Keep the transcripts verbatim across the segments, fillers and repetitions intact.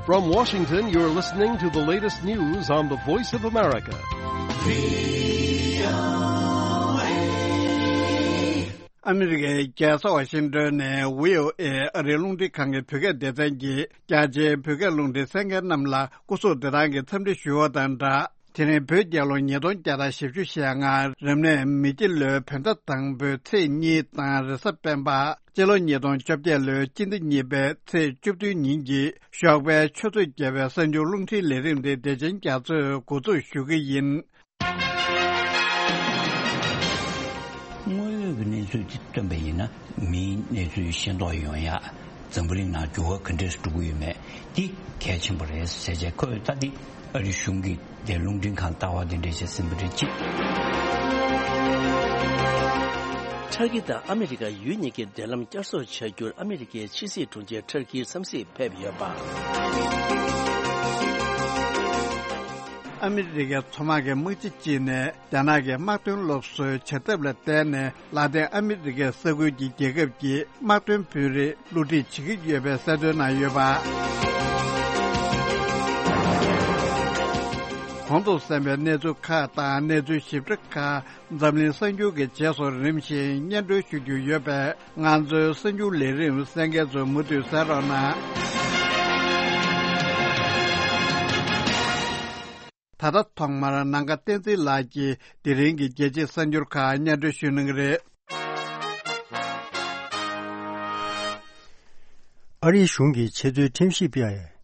From Washington, you're listening to the latest news on the Voice of America. ཨ་མི་རི་ཀའི་རྒྱལ་ས་ཝ་ཤིང་ཏོན་ནས་བྷི་ཨོ་ཨེ་ཨ་རིའི་རླུང་འཕྲིན་ཁང་གི་བོད་སྐད་སྡེ་ཚན་གྱིས་རྒྱ་ཆེའི་བོད་སྐད་རླུང་འཕྲིན་གསན་མཁན་རྣམས་ལ་སྐུ་གཟུགས་བདེ་ཐང་གི་འཚམས་འདྲི་ཞུ་བ་དང་སྦྲགས། དེ་རིང་བོད་རྒྱལ་ལོ་ཉིས་སྟོང་བརྒྱ་དང་བཞི་བཅུ་ཞེ་ལྔ་རབ་གནས་མེ་ཁྱི་ལོའི་བོད་ཟླ་དང་པོའི་ཚེས་གཉིས་དང་རེས་གཟའ་སྤེན་པ། སྤྱི་ལོ་ཉིས་སྟོང་བཅོ་བརྒྱད་ལོའི་སྤྱི་ཟླ་གཉིས་པའི་ཚེས་བཅུ་བདུན་ཉིན་གྱི་ཞོགས་པའི་ཆུ་ཚོད་བརྒྱད་པའི་གསར་འགྱུར་རླུང་འཕྲིན་ལས་རིམ་དེ་བདེ་ཆེན་རྒྱ་མཚོས་འགོ་འཛུགས་ཞུ་གི་ཡིན། དངོས་ཡོད་ཀྱི་གནས་ཚུལ་དེ་སྟོན་པ་ཡིན་ན། མིའི་གནས་ཚུལ་ཤེས་རྟོགས་ཡོང་ཡ་འཛམ་བུ་གླིང་ནང་འགྱུར་བ་ག་འདྲས་འགྲོ་གི་ཡོད་མེད་དེ་གལ་ཆེན་པོ་རེད་ཟེར་བྱས། ཁོས་ད་དེ་ཨ་རི་གཞུང་གི་དེ་རླུང་འཕྲིན་ཁང་ལྟ་བ་དེ་འདྲས་བྱས་ཟིན་པ་རེད་ཅེས། ཏུར་ཀི་དང་ཨ་མི་རི་ཀ་ཡུལ་གཉིས་ཀའི་འབྲེལ་ལམ་བསྐྱར་གསོ་བྱ་རྒྱུར་ཨ་མི་རི་ཀའི་ཕྱི་སྲིད་དྲུང་ཆེ་ཏུར་ཀིར་འཚམས་གཟིགས་ཕེབས་ཡོད་པ། ཨ་མི་རི་ཀའི་མཚོ་དམག་གི་དམག་སྤྱི་གཅིག་ནས་རྒྱ་ནག་གི་དམག་དོན་སློབ་གསོའི་བྱེད་ཐབས་ལ་བརྟེན་ནས་ལ་ཏིན་ཨ་མི་རི་ཀའི་ས་ཁུལ་གྱི་རྒྱལ་ཁབ་ཀྱི་དམག་དོན་དཔོན་རིགས་བསླུ་བྲིད་བྱེད་ཀྱི་ཡོད་པའི་གསལ་སྟོན་གནང་ཡོད་པ། གོང་དུ་གསན་པའི་གནས་ཚུལ་ཁག་དང་གནས་ཚུལ་ཞིབ་ཕྲ་ཁག་འཛམ་གླིང་གསར་འགྱུར་གྱི་རྗེས་སུ་རིམ་བཞིན་སྙན་སྒྲོན་ཞུ་རྒྱུ་ཡོད་པས། ང་ཚོའི་གསར་འགྱུར་ལས་རིམ་གསན་མཁན་ཚོས་མུ་མཐུད་གསན་རོགས་གནང་། ད་ལྟ་ཐོག་མར་ནམ་མཁའ་བསྟན་འཛིན་ལགས་ཀྱིས་དེ་རིང་གི་རྒྱལ་སྤྱིའི་གསར་འགྱུར་ཁག་སྙན་སྒྲོན་ཞུ་གནང་གི་རེད། ཨ་རིའི་གཞུང་གིས་ཆེས་མཐོའི་ཁྲིམས་ཞིབ་པས།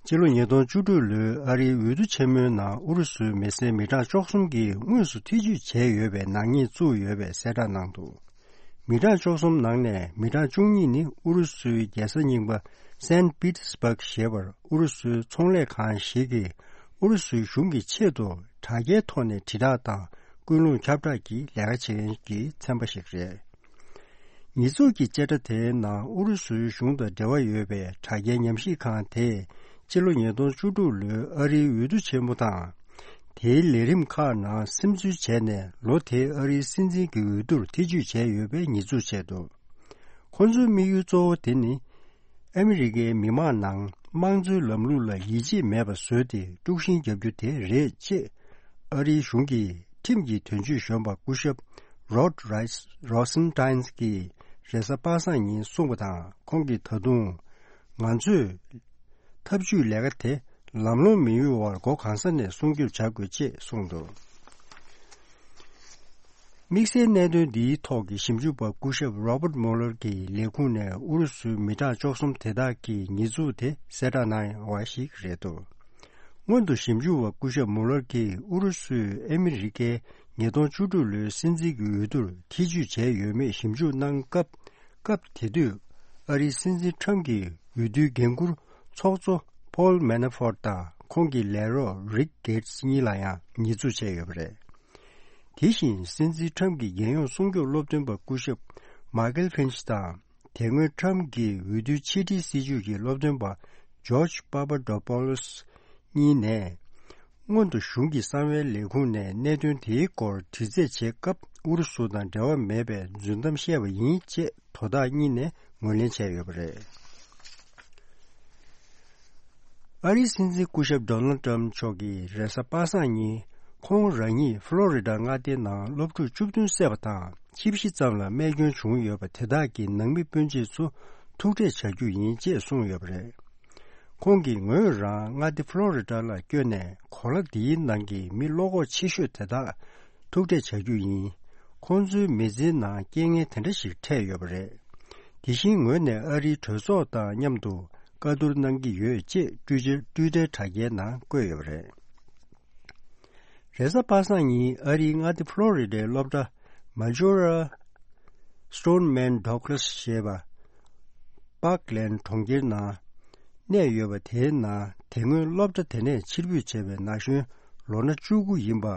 སྤྱི་ལོ་ཉིས་སྟོང་བཅུ་དྲུག་ལོའི་ཨ་རིའི་འོས་བསྡུ་ཆེན་མོའི་ནང་ཨུ་རུ་སུའི་མི་སེར་མི་གྲངས་བཅུ་གསུམ་གྱིས་དངོས་སུ་ཐེ་ཇུས་བྱས་ཡོད་པའི་ནག་ཉེས་བཙུགས་ཡོད་པའི་གསལ་བསྒྲགས་གནང་འདུག་མི་གྲངས་བཅུ་གསུམ་ནང་ནས་མི་གྲངས་བཅུ་གཉིས་ནི་ཨུ་རུ་སུའི་རྒྱལ་ས་རྙིང་པ་སན་པི་ཏི་སི་བྷག་ཞེས་པར་ཨུ་རུ་སུའི་ཚོང་ལས་ཁང་ཞིག་གིས་ཨུ་རུ་སུའི་གཞུང་གི་ཆེད་དུ་དྲ་རྒྱའི་ཐོག་ནས་དྲིལ་བསྒྲགས་དང་ཀུན་སློང་ཁྱབ་བསྒྲགས་ཀྱི་ལས་ཀ་བྱེད་མཁན་གྱི་ཚན་པ་ཞིག་རེད། ཉེས་འཛུགས་ཀྱི་བཅད་ཁྲ་དེའི་ནང་ཨུ་རུ་སུའི་གཞུང་དང་འབྲེལ་བ་ཡོད་པའི་དྲ་རྒྱའི་ཉམས་ཞིབ་ཁང་དེས་སྤྱི་ལོ་ཉིས་སྟོང་བཅུ་དྲུག་ལོའི་ཨ་རིའི་འོས་བསྡུ་ཆེན་མོ་དང་། དེའི་ལས་རིམ་ཁག་ནང་སིམ་འཛུལ་བྱས་ནས་ལོ་དེའི་ཨ་རིའི་སྲིད་འཛིན་གྱི་འོས་བསྡུར་ཐེ་ཇུས་བྱས་ཡོད་པའི་ཉེས་འཛུགས་བྱས་འདུག་ཁོ་ཚོའི་དམིགས་ཡུལ་གཙོ་བོ་དེ་ནི། ཨ་མི་རི་ཀའི་མི་མང་ནང་དམངས་གཙོའི་ལམ་ལུགས་ལ་ཡིད་ཆེས་མེད་པ་བཟོས་ཏེ་དཀྲུག་ཤིང་རྒྱག་རྒྱུ་དེ་རེད་ཅེས། ཨ་རིའི་གཞུང་གི་ཁྲིམས་ཀྱི་དོན་གཅོད་གཞོན་པ་སྐུ་ཞབས་Rod Rosenstein གྱིས་རེས་གཟའ་པ་སངས་ཉིན་གསུངས་པ་དང་། ཁོང་གིས་ད་དུང་། ང་ཚོས་ཐབས་ཇུས་ལས་ཀ་དེ་ལམ་ལྷོང་མི་ཡོང་བར་སྒོ་གང་ས་ནས་སྲུང་སྐྱོབ་བྱ་དགོས་ཅེས་གསུངས་འདུག་དམིགས་བསལ་གནད་དོན་འདིའི་ཐོག་གི་ཞིབ་འཇུག་པ་སྐུ་ཞབས་Robert Mueller གྱི་ལས་ཁུངས་ནས་ཨུ་རུ་སུའི་མི་གྲངས་བཅུ་གསུམ་དེ་དག་གི་ཉེས་འཛུགས་དེ་གསལ་བསྒྲགས་གནང་བ་ཞིག་རེད་འདུག་སྔོན་དུ་ཞིབ་འཇུག་པ་སྐུ་ཞབས་Mueller གྱིས་ཨུ་རུ་སུས་ཨ་མི་རི་ཀའི་ཉིས་སྟོང་བཅུ་དྲུག་ལོའི་སྲིད་འཛིན་གྱི་འོས་བསྡུར་ཐེ་ཇུས་བྱས་ཡོད་མེད་ཞིབ་འཇུག་གནང་སྐབས། སྐབས་དེ་དུས་ཨ་རིའི་སྲིད་འཛིན་ཁྲམ་གྱི་འོས་བསྡུའི་འགན་འཁུར་ཚོགས་གཙོ་Paul Manafort དང་ཁོང་གི་ལས་རོགས་Rick Gates གཉིས་ལ་ཡང་ཉེས་འཛུགས་བྱས་ཡོད་པ་རེད། དེ་བཞིན་སྲིད་འཛིན་ཁྲམ་གྱི་རྒྱལ་ཡོངས་སྲུང་སྐྱོབ་སློབ་སྟོན་པ་སྐུ་ཞབས་Michael Finch དང་དེ་སྔོན་ཁྲམ་གྱི་འོས་བསྡུའི་ཕྱི་འབྲེལ་སྲིད་ཇུས་ཀྱི་སློབ་སྟོན་པ་George Papadopoulos གཉིས་ནས། སྔོན་དུ་གཞུང་གི་གསང་བའི་ལས་ཁུངས་ནས་གནད་དོན་དེའི་སྐོར་དྲི་རྩད་བྱེད་སྐབས་ཨུ་རུ་སུ་དང་འབྲེལ་བ་མེད་པའི་རྫུན་གཏམ་བཤད་པ་ཡིན་ཅེས་དོ་བདག་གཉིས་ནས་ངོས་ལེན་བྱས་ཡོད་པ་རེད། ཨ་རིའི་སྲིད་འཛིན་སྐུ་ཞབས་Donald Trump མཆོག་གིས་རེས་གཟའ་པ་སངས་ཉིན་ཁོང་རང་ཉིད་ཕློ་རི་ཌ་མངའ་སྡེའི་ནང་སློབ་ཕྲུག་བཅུ་བདུན་བསད་པ་དང་། ཆིག་བཞི་ཙམ་ལ་རྨས་སྐྱོན་བྱུང་ཡོད་པ་དེ་དག་གི་ནང་མི་སྤུན་མཆེད་ཚོ་ཐུག་འཕྲད་བྱ་རྒྱུ་ཡིན་ཅེས་གསུངས་ཡོད་པ་རེད། ཁོང་གིས་ངོས་རང་མངའ་སྡེ་ཕློ་རི་ཌ་ལ་བསྐྱོད་ནས་གོ་ལ་འདིའི་ནང་གི་མི་བློ་ཁོག་ཆེ་ཤོས་དེ་དག་ཐུག་འཕྲད་བྱ་རྒྱུ་ཡིན། ཁོང་ཚོའི་མི་ཚེའི་ནང་རྐྱེན་ངན་དེ་འདྲ་ཞིག་འཕྲད་ཡོད་པ་རེད། དེ་བཞིན་ངོས་ནས་ཨ་རིའི་གྲོས་ཚོགས་དང་མཉམ་དུ་བཀའ་བསྡུར་གནང་གི་ཡོད་ཅེས་ཊུའི་ཊར་ཊུའི་ཊར་དྲ་རྒྱའི་ནང་བཀོད་ཡོད་པ་རེད། རེས་གཟའ་པ་སངས་ཉིན་ཨ་རིའི་མངའ་སྡེ་ཕློ་རི་ཌའི་སློབ་གྲྭ་Majora Stoneman Douglas ཞེས་པ། པཱག་ལན་གྲོང་ཁྱེར་ནང་གནས་ཡོད་པ་དེའི་ནང་དེ་སྔོན་སློབ་གྲྭ་དེ་ནས་ཕྱིར་འབུད་བྱས་པའི་ན་གཞོན་ལོ་ན་བཅུ་དགུ་ཡིན་པ།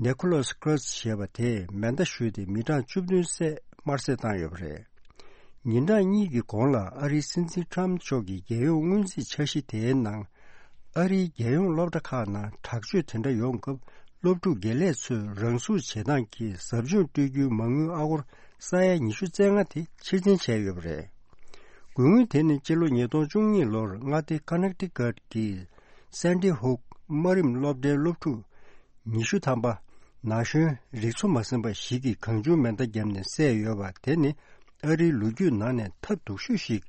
Nicholas Cruz ཞེས་པ་དེས་མེ་མདའ་གཞུས་ཏེ་མི་གྲངས་བཅུ་བདུན་བསད་དམར་བསད་བཏང་ཡོད་པ་རེད། ཉིན་གྲངས་གཉིས་ཀྱི་གོང་ལ་ཨ་རིའི་སྲིད་འཛིན་ཁྲམ་མཆོག་གི་རྒྱལ་ཡོངས་སྔོན་རྩིས་འཆར་གཞི་དེའི་ནང་། ཨ་རིའི་རྒྱལ་ཡོངས་སློབ་གྲྭ་ཁག་ནང་དྲག་སྤྱོད་དེ་འདྲ་ཡོང་སྐབས་སློབ་ཕྲུག་དགེ་ལས་ཚོས་རང་ཟུག་བྱེད་སྟངས་ཀྱི་ཟབ་སྦྱོང་སྤྲོད་རྒྱུའི་མ་དངུལ་ཨ་སྒོར་ས་ཡ་ཉི་ཤུ་རྩ་ལྔ་དེ་ཕྱིར་འཐེན་བྱས་ཡོད་པ་རེད། དགུང་སྔོན་དེ་ནི་སྤྱི་ལོ་ཉིས་སྟོང་བཅུ་གཉིས་ལོར་མངའ་སྡེ་ཀ་ནེག་ཊི་ཀཊ་གི་སན་ཊི་ཧུག་དམའ་རིམ་སློབ་གྲྭའི་སློབ་ཕྲུག་ཉི་ཤུ་ཐམ་པ་ན་གཞོན་རིག་འཚོ་མ་ཟིན་པ་ཞིག་གིས་གང་བྱུང་མེ་མདའ་བརྒྱབ་ནས་བསད་ཡོད་པ་དེ་ནི་ཨ་རིའི་ལོ་རྒྱུས་ནང་ནས་ཐབས་སྡུག་ཤོས་ཤིག་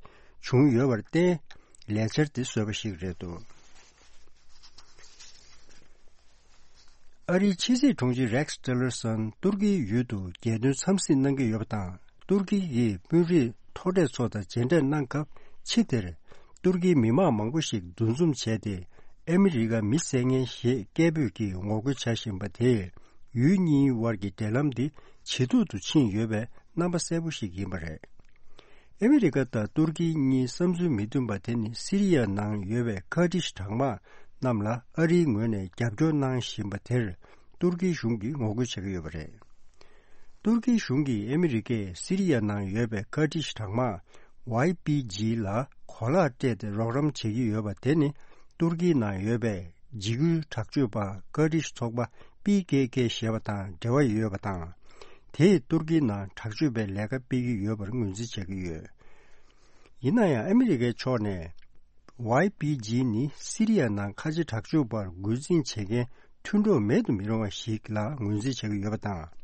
བྱུང་ཡོད་པར་བརྟེན་ལས་འཆར་དེ་བཟོས་པ་ཞིག་རེད་འདུག་ཨ་རིའི་ཕྱི་སྲིད་དྲུང་ཆེ་རེག་ཊི་ལར་སོན་ཏུར་ཀིའི་ཡུལ་དུ་རྒྱལ་དོན་འཚམས་གཟིགས་གནང་གི་ཡོད་པ་དང་། ཏུར་ཀི་ཡིས་དཔོན་རིགས་མཐོ་གྲས་ཚོ་དང་མཇལ་འཕྲད་གནང་སྐབས། ཕྱི་དེར་ཏུར་ཀིའི་མི་མང་མང་པོ་ཞིག་འདུ་འཛོམས་བྱས་ཏེ། ཨ་མི་རི་ཀ་མི་བསད་མཁན་ཞེས་སྐད་འབོད་ཀྱིས་ངོ་རྒོལ་བྱ་བཞིན་པ་དེས། ཡུལ་གཉིས་དབར་གྱི་འབྲེལ་ལམ་འདི་ཇེ་སྡུག་ཏུ་ཕྱིན་ཡོད་པའི་རྣམ་པ་གསལ་པོ་ཞིག་ཡིན་པ་རེད། ཨ་མི་རི་ཀ་དང་ཏུར་ཀི་གཉིས་བསམ་ཚུལ་མི་མཐུན་པ་དེ་ནི་སི་རི་ཡ་ནང་ཡོད་པའི་ཀར་ཏིཤ་གྲངས་མང་རྣམས་ལ་ཨ་རིའི་ངོས་ནས་རྒྱབ་སྐྱོར་གནང་བཞིན་པ་དེར། ཏུར་ཀིའི་གཞུང་གིས་ངོ་རྒོལ་བྱེད་ཀྱི་ཡོད་པ་རེད། ཏུར་ཀིའི་གཞུང་གིས་ཨ་མི་རི་ཀས་སི་རི་ཡ་ནང་ཡོད་པའི་ཀར་ཏིཤ་གྲངས་མང་ཝའི་པི་ཇི་ལ་གོ་ལག་སྤྲད་དེ་རོགས་རམ་བྱེད་ཀྱི་ཡོད་པ་དེ་ནི། ཏུར་ཀིའི་ནང་ཡོད་པའི་འཇིགས་སྐུལ་དྲག་སྤྱོད་པ་ཀར་ཏིཤ་ཚོགས་པ་པི་ཀེ་ཀེ་ཞེས་པ་དང་འབྲེལ་བ་ཡོད་པ་དང་། དེས་ཏུར་ཀིའི་ནང་དྲག་སྤྱོད་པའི་ལས་ཀ་སྤེལ་གྱི་ཡོད་པར་ངོས་འཛིན་བྱེད་ཀྱི་ཡོད། ཡིན་ན་ཡང་ཨ་མི་རི་ཀའི་ཕྱོགས་ནས། ཝའི་པི་ཇི་ནི་སི་རི་ཡ་ནང་ཁ་ཆེ་དྲག་སྤྱོད་པར་འགོ་འཛིན་བྱེད་མཁན་མཐུན་གྲོགས་མེད་དུ་མི་རུང་བ་ཞིག་ལ་ངོས་འཛིན་བྱེད་ཀྱི་ཡོད་པ་དང་།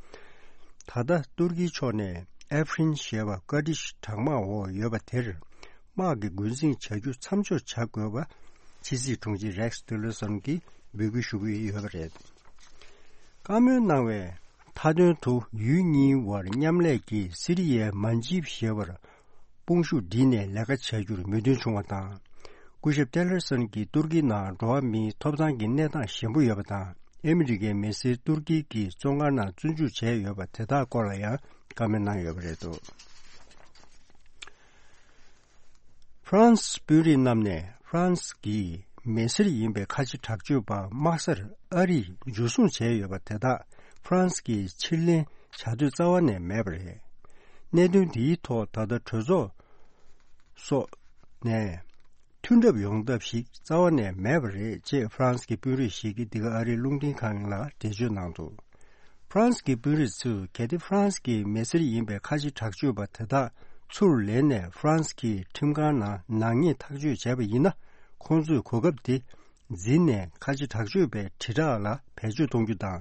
ད་ལྟ་ཏུར་ཀིའི་ཕྱོགས་ནས་ཨེ་ཕི་རིན་ཞེས་པ་ཀར་ཏིཤ་གྲངས་མང་འོག་ཡོད་པ་དེར་དམག་གི་འགོ་འཛིན་བྱ་རྒྱུ་མཚམས་འཇོག་བྱ་དགོས་པ། ཕྱི་སྲིད་དྲུང་ཆེ་རེག་ཊི་ལར་སོན་གྱིས་འབོད་སྐུལ་ཞུ་གི་ཡོད་པ་རེད། བཀའ་མོལ་གནང་བའི་མཐའ་དོན་དུ་ཡུལ་གཉིས་དབར་མཉམ་ལས་ཀྱིས་སི་རི་ཡའི་མན་ཇིབ་ཞེས་པར་དཔུང་ཤུགས་བསྒྲིལ་ནས་ལས་ཀ་བྱ་རྒྱུར་མོས་མཐུན་བྱུང་བ་དང་། སྐུ་ཞབས་ཏེ་ལར་སོན་གྱིས་ཏུར་ཀི་ནང་འགྲོ་བ་མིའི་ཐོབ་ཐང་གི་གནས་སྟངས་ཞན་པོ་ཡོད་པ་དང་། ཨ་མི་རི་ཀའི་མི་སེར་ཏུར་ཀི་གི་བཙོན་ཁང་ནང་བཙོན་འཇུག་བྱས་ཡོད་པ་དེ་དག་སྐོར་ལ་ཡང་བཀའ་མོལ་གནང་ཡོད་པ་རེད་འདུག་ཧྥ་རན་སི་དཔོན་རིགས་རྣམས་ནས་ཧྥ་རན་སི་གི་མི་སེར་ཡིན་པའི་ཁ་ཆེ་དྲག་སྤྱོད་པ་དམག་སར་ཨ་རིས་འཇུ་བཟུང་བྱས་ཡོད་པ་དེ་དག་ཧྥ་རན་སི་གིས་ཕྱིར་ལེན་བྱ་འདོད་རྩ་བ་ནས་མེད་པ་རེད། གནད་དོན་འདིའི་ཐོག་ད་ལྟ་གྲོས་ཚོགས་སོགས་ནས་མཐུན་གྲབས་ཡོང་ཐབས་ཤིག་རྩ་བ་ནས་མེད་པ་རེད་ཅེས་ཧྥ་རན་སི་གི་དཔོན་རིགས་ཤིག་གིས་འདི་ག་ཨ་རིའི་རླུང་འཕྲིན་ཁང་ལ་འགྲེལ་བརྗོད་གནང་འདུག་ཧྥ་རན་སི་གི་དཔོན་རིགས་ཚོས་གལ་ཏེ་ཧྥ་རན་སི་གི་མི་སེར་ཡིན་པའི་ཁ་ཆེ་དྲག་སྤྱོད་པ་དེ་དག་ཚུར་ལེན་ནས་ཧྥ་རན་སི་གི་ཁྲིམས་ཁང་ནང་ནག་ཉེས་ཐག་གཅོད་བྱས་པ་ཡིན་ན། ཁོང་ཚོས་གོ་སྐབས་དེ་འཛིན་ནས་ཁ་ཆེ་དྲག་སྤྱོད་པའི་དྲིལ་བསྒྲགས་ལ་བེད་སྤྱོད་གཏོང་རྒྱུ་དང་།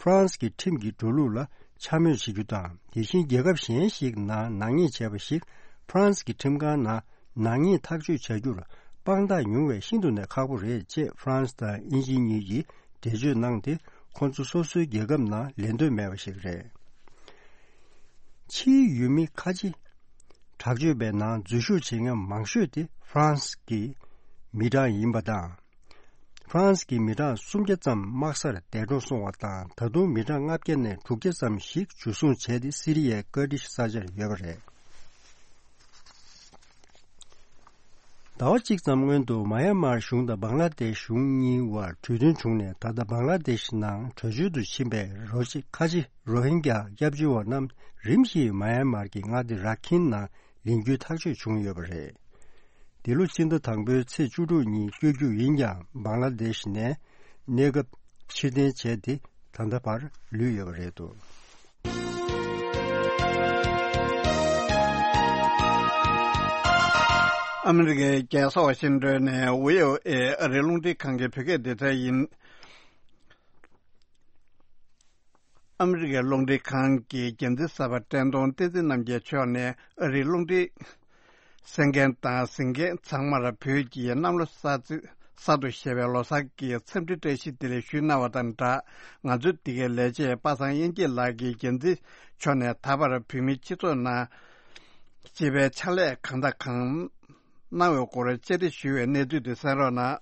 ཧྥ་རན་སི་གི་ཁྲིམས་ཀྱི་འགྲོ་ལུགས་ལ་འཕྱ་སྨོད་བྱེད་རྒྱུ་དང་། དེ་བཞིན་རྒྱལ་ཁབ་གཞན་ཞིག་ནང་ནག་ཉེས་བྱས་པ་ཞིག་ཧྥ་རན་སི་གི་ཁྲིམས་ཁང་ནང་ནག་ཉེས་ཐག་གཅོད་བྱ་རྒྱུར་དཔང་རྟགས་ཉུང་བས་ཤིན་ཏུ་ནས་ཁག་པོ་རེད་ཅེས་ཧྥ་རན་སི་དང་དབྱིན་ཇི་གཉིས་ཀྱིས་འགྲེལ་བརྗོད་གནང་སྟེ། ཁོང་ཚོ་སོ་སོའི་རྒྱལ་ཁབ་ནང་ལེན་འདོད་མེད་པ་ཞིག་རེད། ཕྱིའི་ཡུལ་མི་ཁ་ཆེ་དྲག་སྤྱོད་པའི་ནང་འཛུལ་ཞུགས་བྱེད་མཁན་མང་ཤོས་དེ་ཧྥ་རན་སི་གི་མི་གྲངས་ཡིན་པ་དང་། ཧྥ་རན་སི་གི་མི་གྲངས་སུམ་བརྒྱ་ཙམ་དམག་སར་འདས་གྲོངས་སོང་བ་དང་། ད་དུང་མི་གྲངས་ལྔ་བརྒྱ་ནས་དྲུག་བརྒྱ་ཙམ་ཞིག་འཇུ་བཟུང་བྱས་ཏེ་སི་རི་ཡའི་ཀར་ཏིཤ་ས་ཆར་ཡོད་པ་རེད། ཟླ་བ་གཅིག་ཙམ་སྔོན་དུ་མཱ་ཡན་མར་གཞུང་དང་བང་ལ་དེཤ་གཞུང་གཉིས་དབར་གྲོས་མཐུན་བྱུང་ནས། ད་ལྟ་བང་ལ་དེཤ་ནང་བྲོས་བྱོལ་དུ་ཕྱིན་པའི་རོ་ཅི་ཁ་ཆེ་རོ་ཧིན་གྱ་སྐྱབས་བཅོལ་བ་རྣམས་རིམ་བཞིན་མཱ་ཡན་མར་གྱི་མངའ་སྡེ་ར་ཁིན་ནང་ལིང་རྒྱུའི་ཐག་གཅོད་བྱུང་ཡོད་པ་རེད། འདི་ལོ་ཕྱི་ཟླ་དང་པོའི་ཚེས་བཅུ་དྲུག་ཉིན་བསྐྱོད་རྒྱུ་ཡིན་ཀྱང་། བང་ལ་དེཤ་ནས་གནས་སྐབས་ཕྱིར་འཐེན་བྱས་ཏེ། ད་ལྟ་བར་ལུས་ཡོད་པ་རེད་འདུག་ཨ་མི་རི་ཀའི་རྒྱལ་ས་ཝ་ཤིང་ཏོན་ནས་བྷི་ཨོ་ཨེ་ཨ་རིའི་རླུང་འཕྲིན་ཁང་གི་བོད་སྐད་སྡེ་ཚན་ཡིན། ཨ་མི་རི་ཀའི་རླུང་འཕྲིན་ཁང་གི་འགན་འཛིན་གསར་པ་བཀྲས་མཐོང་བསྟན་འཛིན་རྣམ་རྒྱལ་མཆོག་ནས་ཨ་རིའི་རླུང་འཕྲིན་གསན་མཁན་དང་གཟིགས་མཁན་ཚང་མར་བོད་ཀྱི་གནམ་ལོ་གསར་ཚེས་གསར་དུ་བཞད་པའི་ལོ་གསར་གྱི་འཚམས་འདྲི་བཀྲ་ཤིས་བདེ་ལེགས་ཞུས་གནང་བ་དང་སྦྲགས། ང་ཚོའི་འདི་གའི་ལས་བྱེད་པ་སངས་དབྱངས་སྐྱིད་ལགས་ཀྱིས་འགན་འཛིན་མཆོག་ནས་ད་བར་བོད་མིའི་སྤྱི་ཚོགས་ནང་སྤྱི་པའི་ཕྱག་ལས་གང་དང་གང་གནང་བའི་སྐོར་བཅར་འདྲི་ཞུས་པའི་གནས་ཚུལ་དེ་གསན་རོགས་གནང་།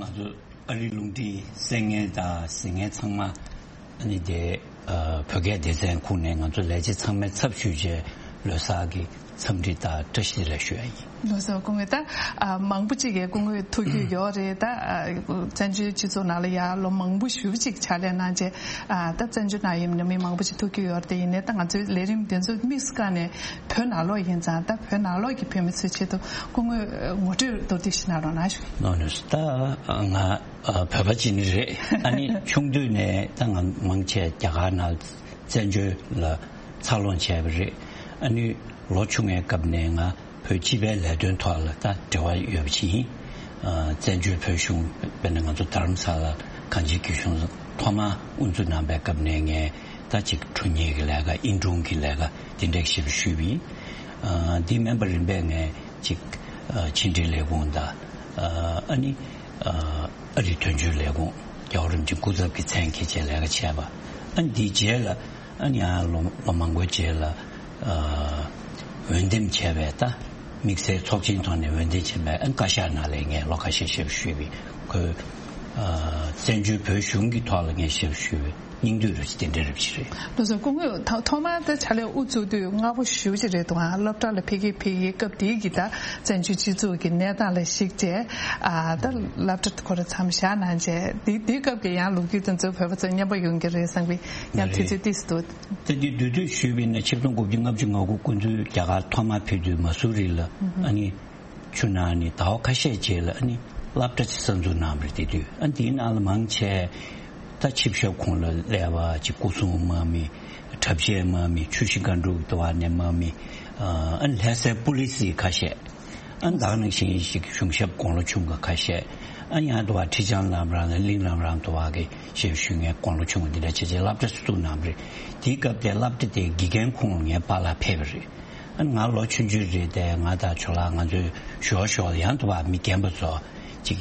ང་ཚོ་ཨ་རིའི་རླུང་འཕྲིན་གསན་མཁན་དང་གཟིགས་མཁན་ཚང་མ་ཨ་ནི་དེ་ཨ་བོད་སྐད་སྡེ་ཚན་ཁོངས་ནས་ང་ཚོ་ལས་བྱེད་ཚང་མའི་ཚབ་ཞུས་བྱས་ལོ་གསར་གྱི་འཚམས་འདྲི་དང་བཀྲ་ཤིས་བདེ་ལེགས་ཞུ་ཡ་ཡིན། ལགས་སོ། སྐུ་ངོ། ད་ཨ་མང་པོ་ཅིག་གིས་སྐུ་ངོ་ཐུག་རྒྱུ་ཡོད་རེད། ད་ཨ་བཙན་བྱོལ་སྤྱི་ཚོགས་ནང་ལ་ཡ་ལོ་མང་པོ་ཞེ་པོ་ཅིག་ཕྱག་ལས་གནང་བྱས། ཨ་ད་བཙན་བྱོལ་ནང་ཡིན་ན་མི་མང་པོ་ཅིག་ཐུག་རྒྱུ་ཡོད་རེད། དེ་ཡིན་ནའི་ད་ང་ཚོའི་ལས་རིམ་དེ་ཚོ་དམིགས་སུ་བཀར་ནས་བོད་ནང་ལོགས་ཡིན་ཙང་། ད་བོད་ནང་ལོགས་ཀྱི་བོད་མི་ཚོའི་ཆེད་དུ་སྐུ་ངོ་ངོ་སྤྲོད་མདོར་བསྡུས་ཤིག་གནང་རོགས་གནང་ཞུ། ལགས་སོ། ད་ང་ཨ་བོད་པ་ཅིག་ནི་རེད། ཨ་ནི་ཆུང་དུས་ནས་ད་ང་མང་ཆེ་རྒྱ་གར་ནང་བཙན་བྱོལ་ལ་འཚར་ལོངས་བྱས་པ་རེད། ཨ་ནི་ལོ་ཆུང་བའི་སྐབས་ནས་ང་ བོད་སྤྱི་པའི་ལས་དོན་ཐོག་ལ་ད་འབྲེལ་བ་ཡོད་པ་ཅིག་ཡིན། ཨ། བཙན་བྱོལ་བོད་གཞུང་དཔེར་ན་ང་ཚོ་རྡ་རམ་ས་ལ་གངས་ཅན་སྐྱིད་གཤོངས་ཐོག་མར་དབུ་འཛུགས་གནང་པའི་སྐབས་ནས་ངས་ད་ཅིག་དྲུང་ཡིག་གི་ལས་ཀ་ཨིན་དྲུང་གི་ལས་ཀ་དེ་འདྲ་ཞིག་ཞུས་པ་ཡིན། ཨ། འདི་མིན་པར་རིམ་པས་ངས་ཅིག་ཨ། ཕྱི་འབྲེལ་ལས་ཁུངས་དང་། ཨ། ཨ་ནི། ཨ། ཨ་རི་དོན་གཅོད་ལས་ཁུངས་རྒྱལ་བ་རིན་པོ་ཆེའི་སྐུ་ཚབ་ཀྱི་མཚན་འཁྱེར་བྱས་ལས་ཀ་བྱས་པ། ཨ་ནི་འདིའི་རྗེས་ལ། ཨ་ནི་ཡང་ལོ་ལོ་མང་པོའི་རྗེས་ལ། ཨ། འོས་འདེམས་བྱས་པའི་ད་དམིགས་བསལ་ཚོགས་ཆེན་ཐོག་ནས་འོས་འདེམས་བྱས་པའི། ཨ། བཀའ་ཤག་ནང་ལ་ངས་ལོ་ཁ་ཤས་ཞབས་ཞུས་པའི་ཁོས། ཨ། བཙན་བྱོལ་བོད་གཞུང་གི་ཐོག་ལ་ངས་ཞབས་ཞུས་པའི་སྙིང་བསྡུས་རུ་དེ་འདྲ་རུ་ཅིག་རེད། ལགས་སོ། སྐུ་ངོ་ཐོག་མར་ད་ཕྱག་ལས་དབུ་བཙུགས་དུས་སྔ་པོ་ཞེ་པོ་ཅིག་རེད་འདུག་ཨ། སློབ་གྲྭ་ལ་ཕེབས་ཀྱི་ཕེབས་ཀྱི་སྐབས་དེའི་གི་ད་བཙན་བྱོལ་སྤྱི་ཚོགས་ཀྱི་གནས་སྟངས་ལ་གཞིགས་བྱས། ཨ། ད་སློབ་གྲྭ་ཁོ་ར་མཚམས་བཞག་གནང་བྱས། དེ་དེའི་སྐབས་ཀྱི་ཡང་ལོ་རྒྱུས་དེ་ཚོ་བོད་པ་ཚོ་སྙན་པོ་ཡོང་གི་རེད་བསམ་པའི་ཡང་དུས་ཚོད་ཏོག་ཙམ་འདུག། ད་དེ་བསྡུས་བསྡུས་ཞུས་པ་ཡིན་ན། ཆིག་སྟོང་དགུ་བརྒྱ་ལྔ་བཅུ་ང་དགུ་སྐུ་མདུན་རྒྱ་གར་ཐོག་མར་ཕེབས་དུས་མ་སུ་རི་ལ། ཨ་ནི། ཆུ་ནང་ནས་ཟླ་བ་ཁ་ཤས་རྗེས་ལ་ཨ་ནི་སློབ་གྲྭ་ཅིག་གསར་འཛུགས་གནང་བ་རེད། དེ་དུས་ཨ་འདིའི་ནང་ལ་མང་ཆེ་ད་ཆིབས་ཞབས་ཁོངས་ལ་སླེབས་པ་ཅིག་སྐུ་སྲུང་དམག་མི། གྲྭ་ཆས་དམག་མི། ཆུ་བཞི་སྒང་དྲུག་དུ་བ་ནས་དམག་མི། ཨ་ནི་ལྷ་སའི་པུ་ལི་སི་ཁ་ཤས། ཨ་ནི་ད་ག་ནང་བཞིན་ཞིག་གཞུང་ཞབས་དགུང་ལོ་ཆུང་བ་ཁ་ཤས། ཨ་ནི་ཡང་དུ་བ་ཁྲི་བྱང་ལམ་རིམ་དང་གླིང་ལམ་རིམ་དུ་བ་གི་ཞབས་ཞུ་མཁན་དགུང་ལོ་ཆུང་བ་འདི་འདྲ་བྱས་བྱས་སློབ་གྲྭ་ཅིག་བཙུགས་གནང་བ་རེད། དེའི་སྐབས་དེ་སློབ་གྲྭ་དེའི་དགེ་རྒན་ཁོངས་ལ་ངའི་པཱ་ལགས་ཕེབས་པ་རེད། ཨ་ནི་ང་ལོ་ཆུང་ཆུང་རེད་དེ། ང་དང་ཇོ་ལགས་ང་ཚོའི་ཞོར་ཞོར་ལ་ཡང་དུ་བ་མི་རྒན་པ་ཚོ་ཅིག་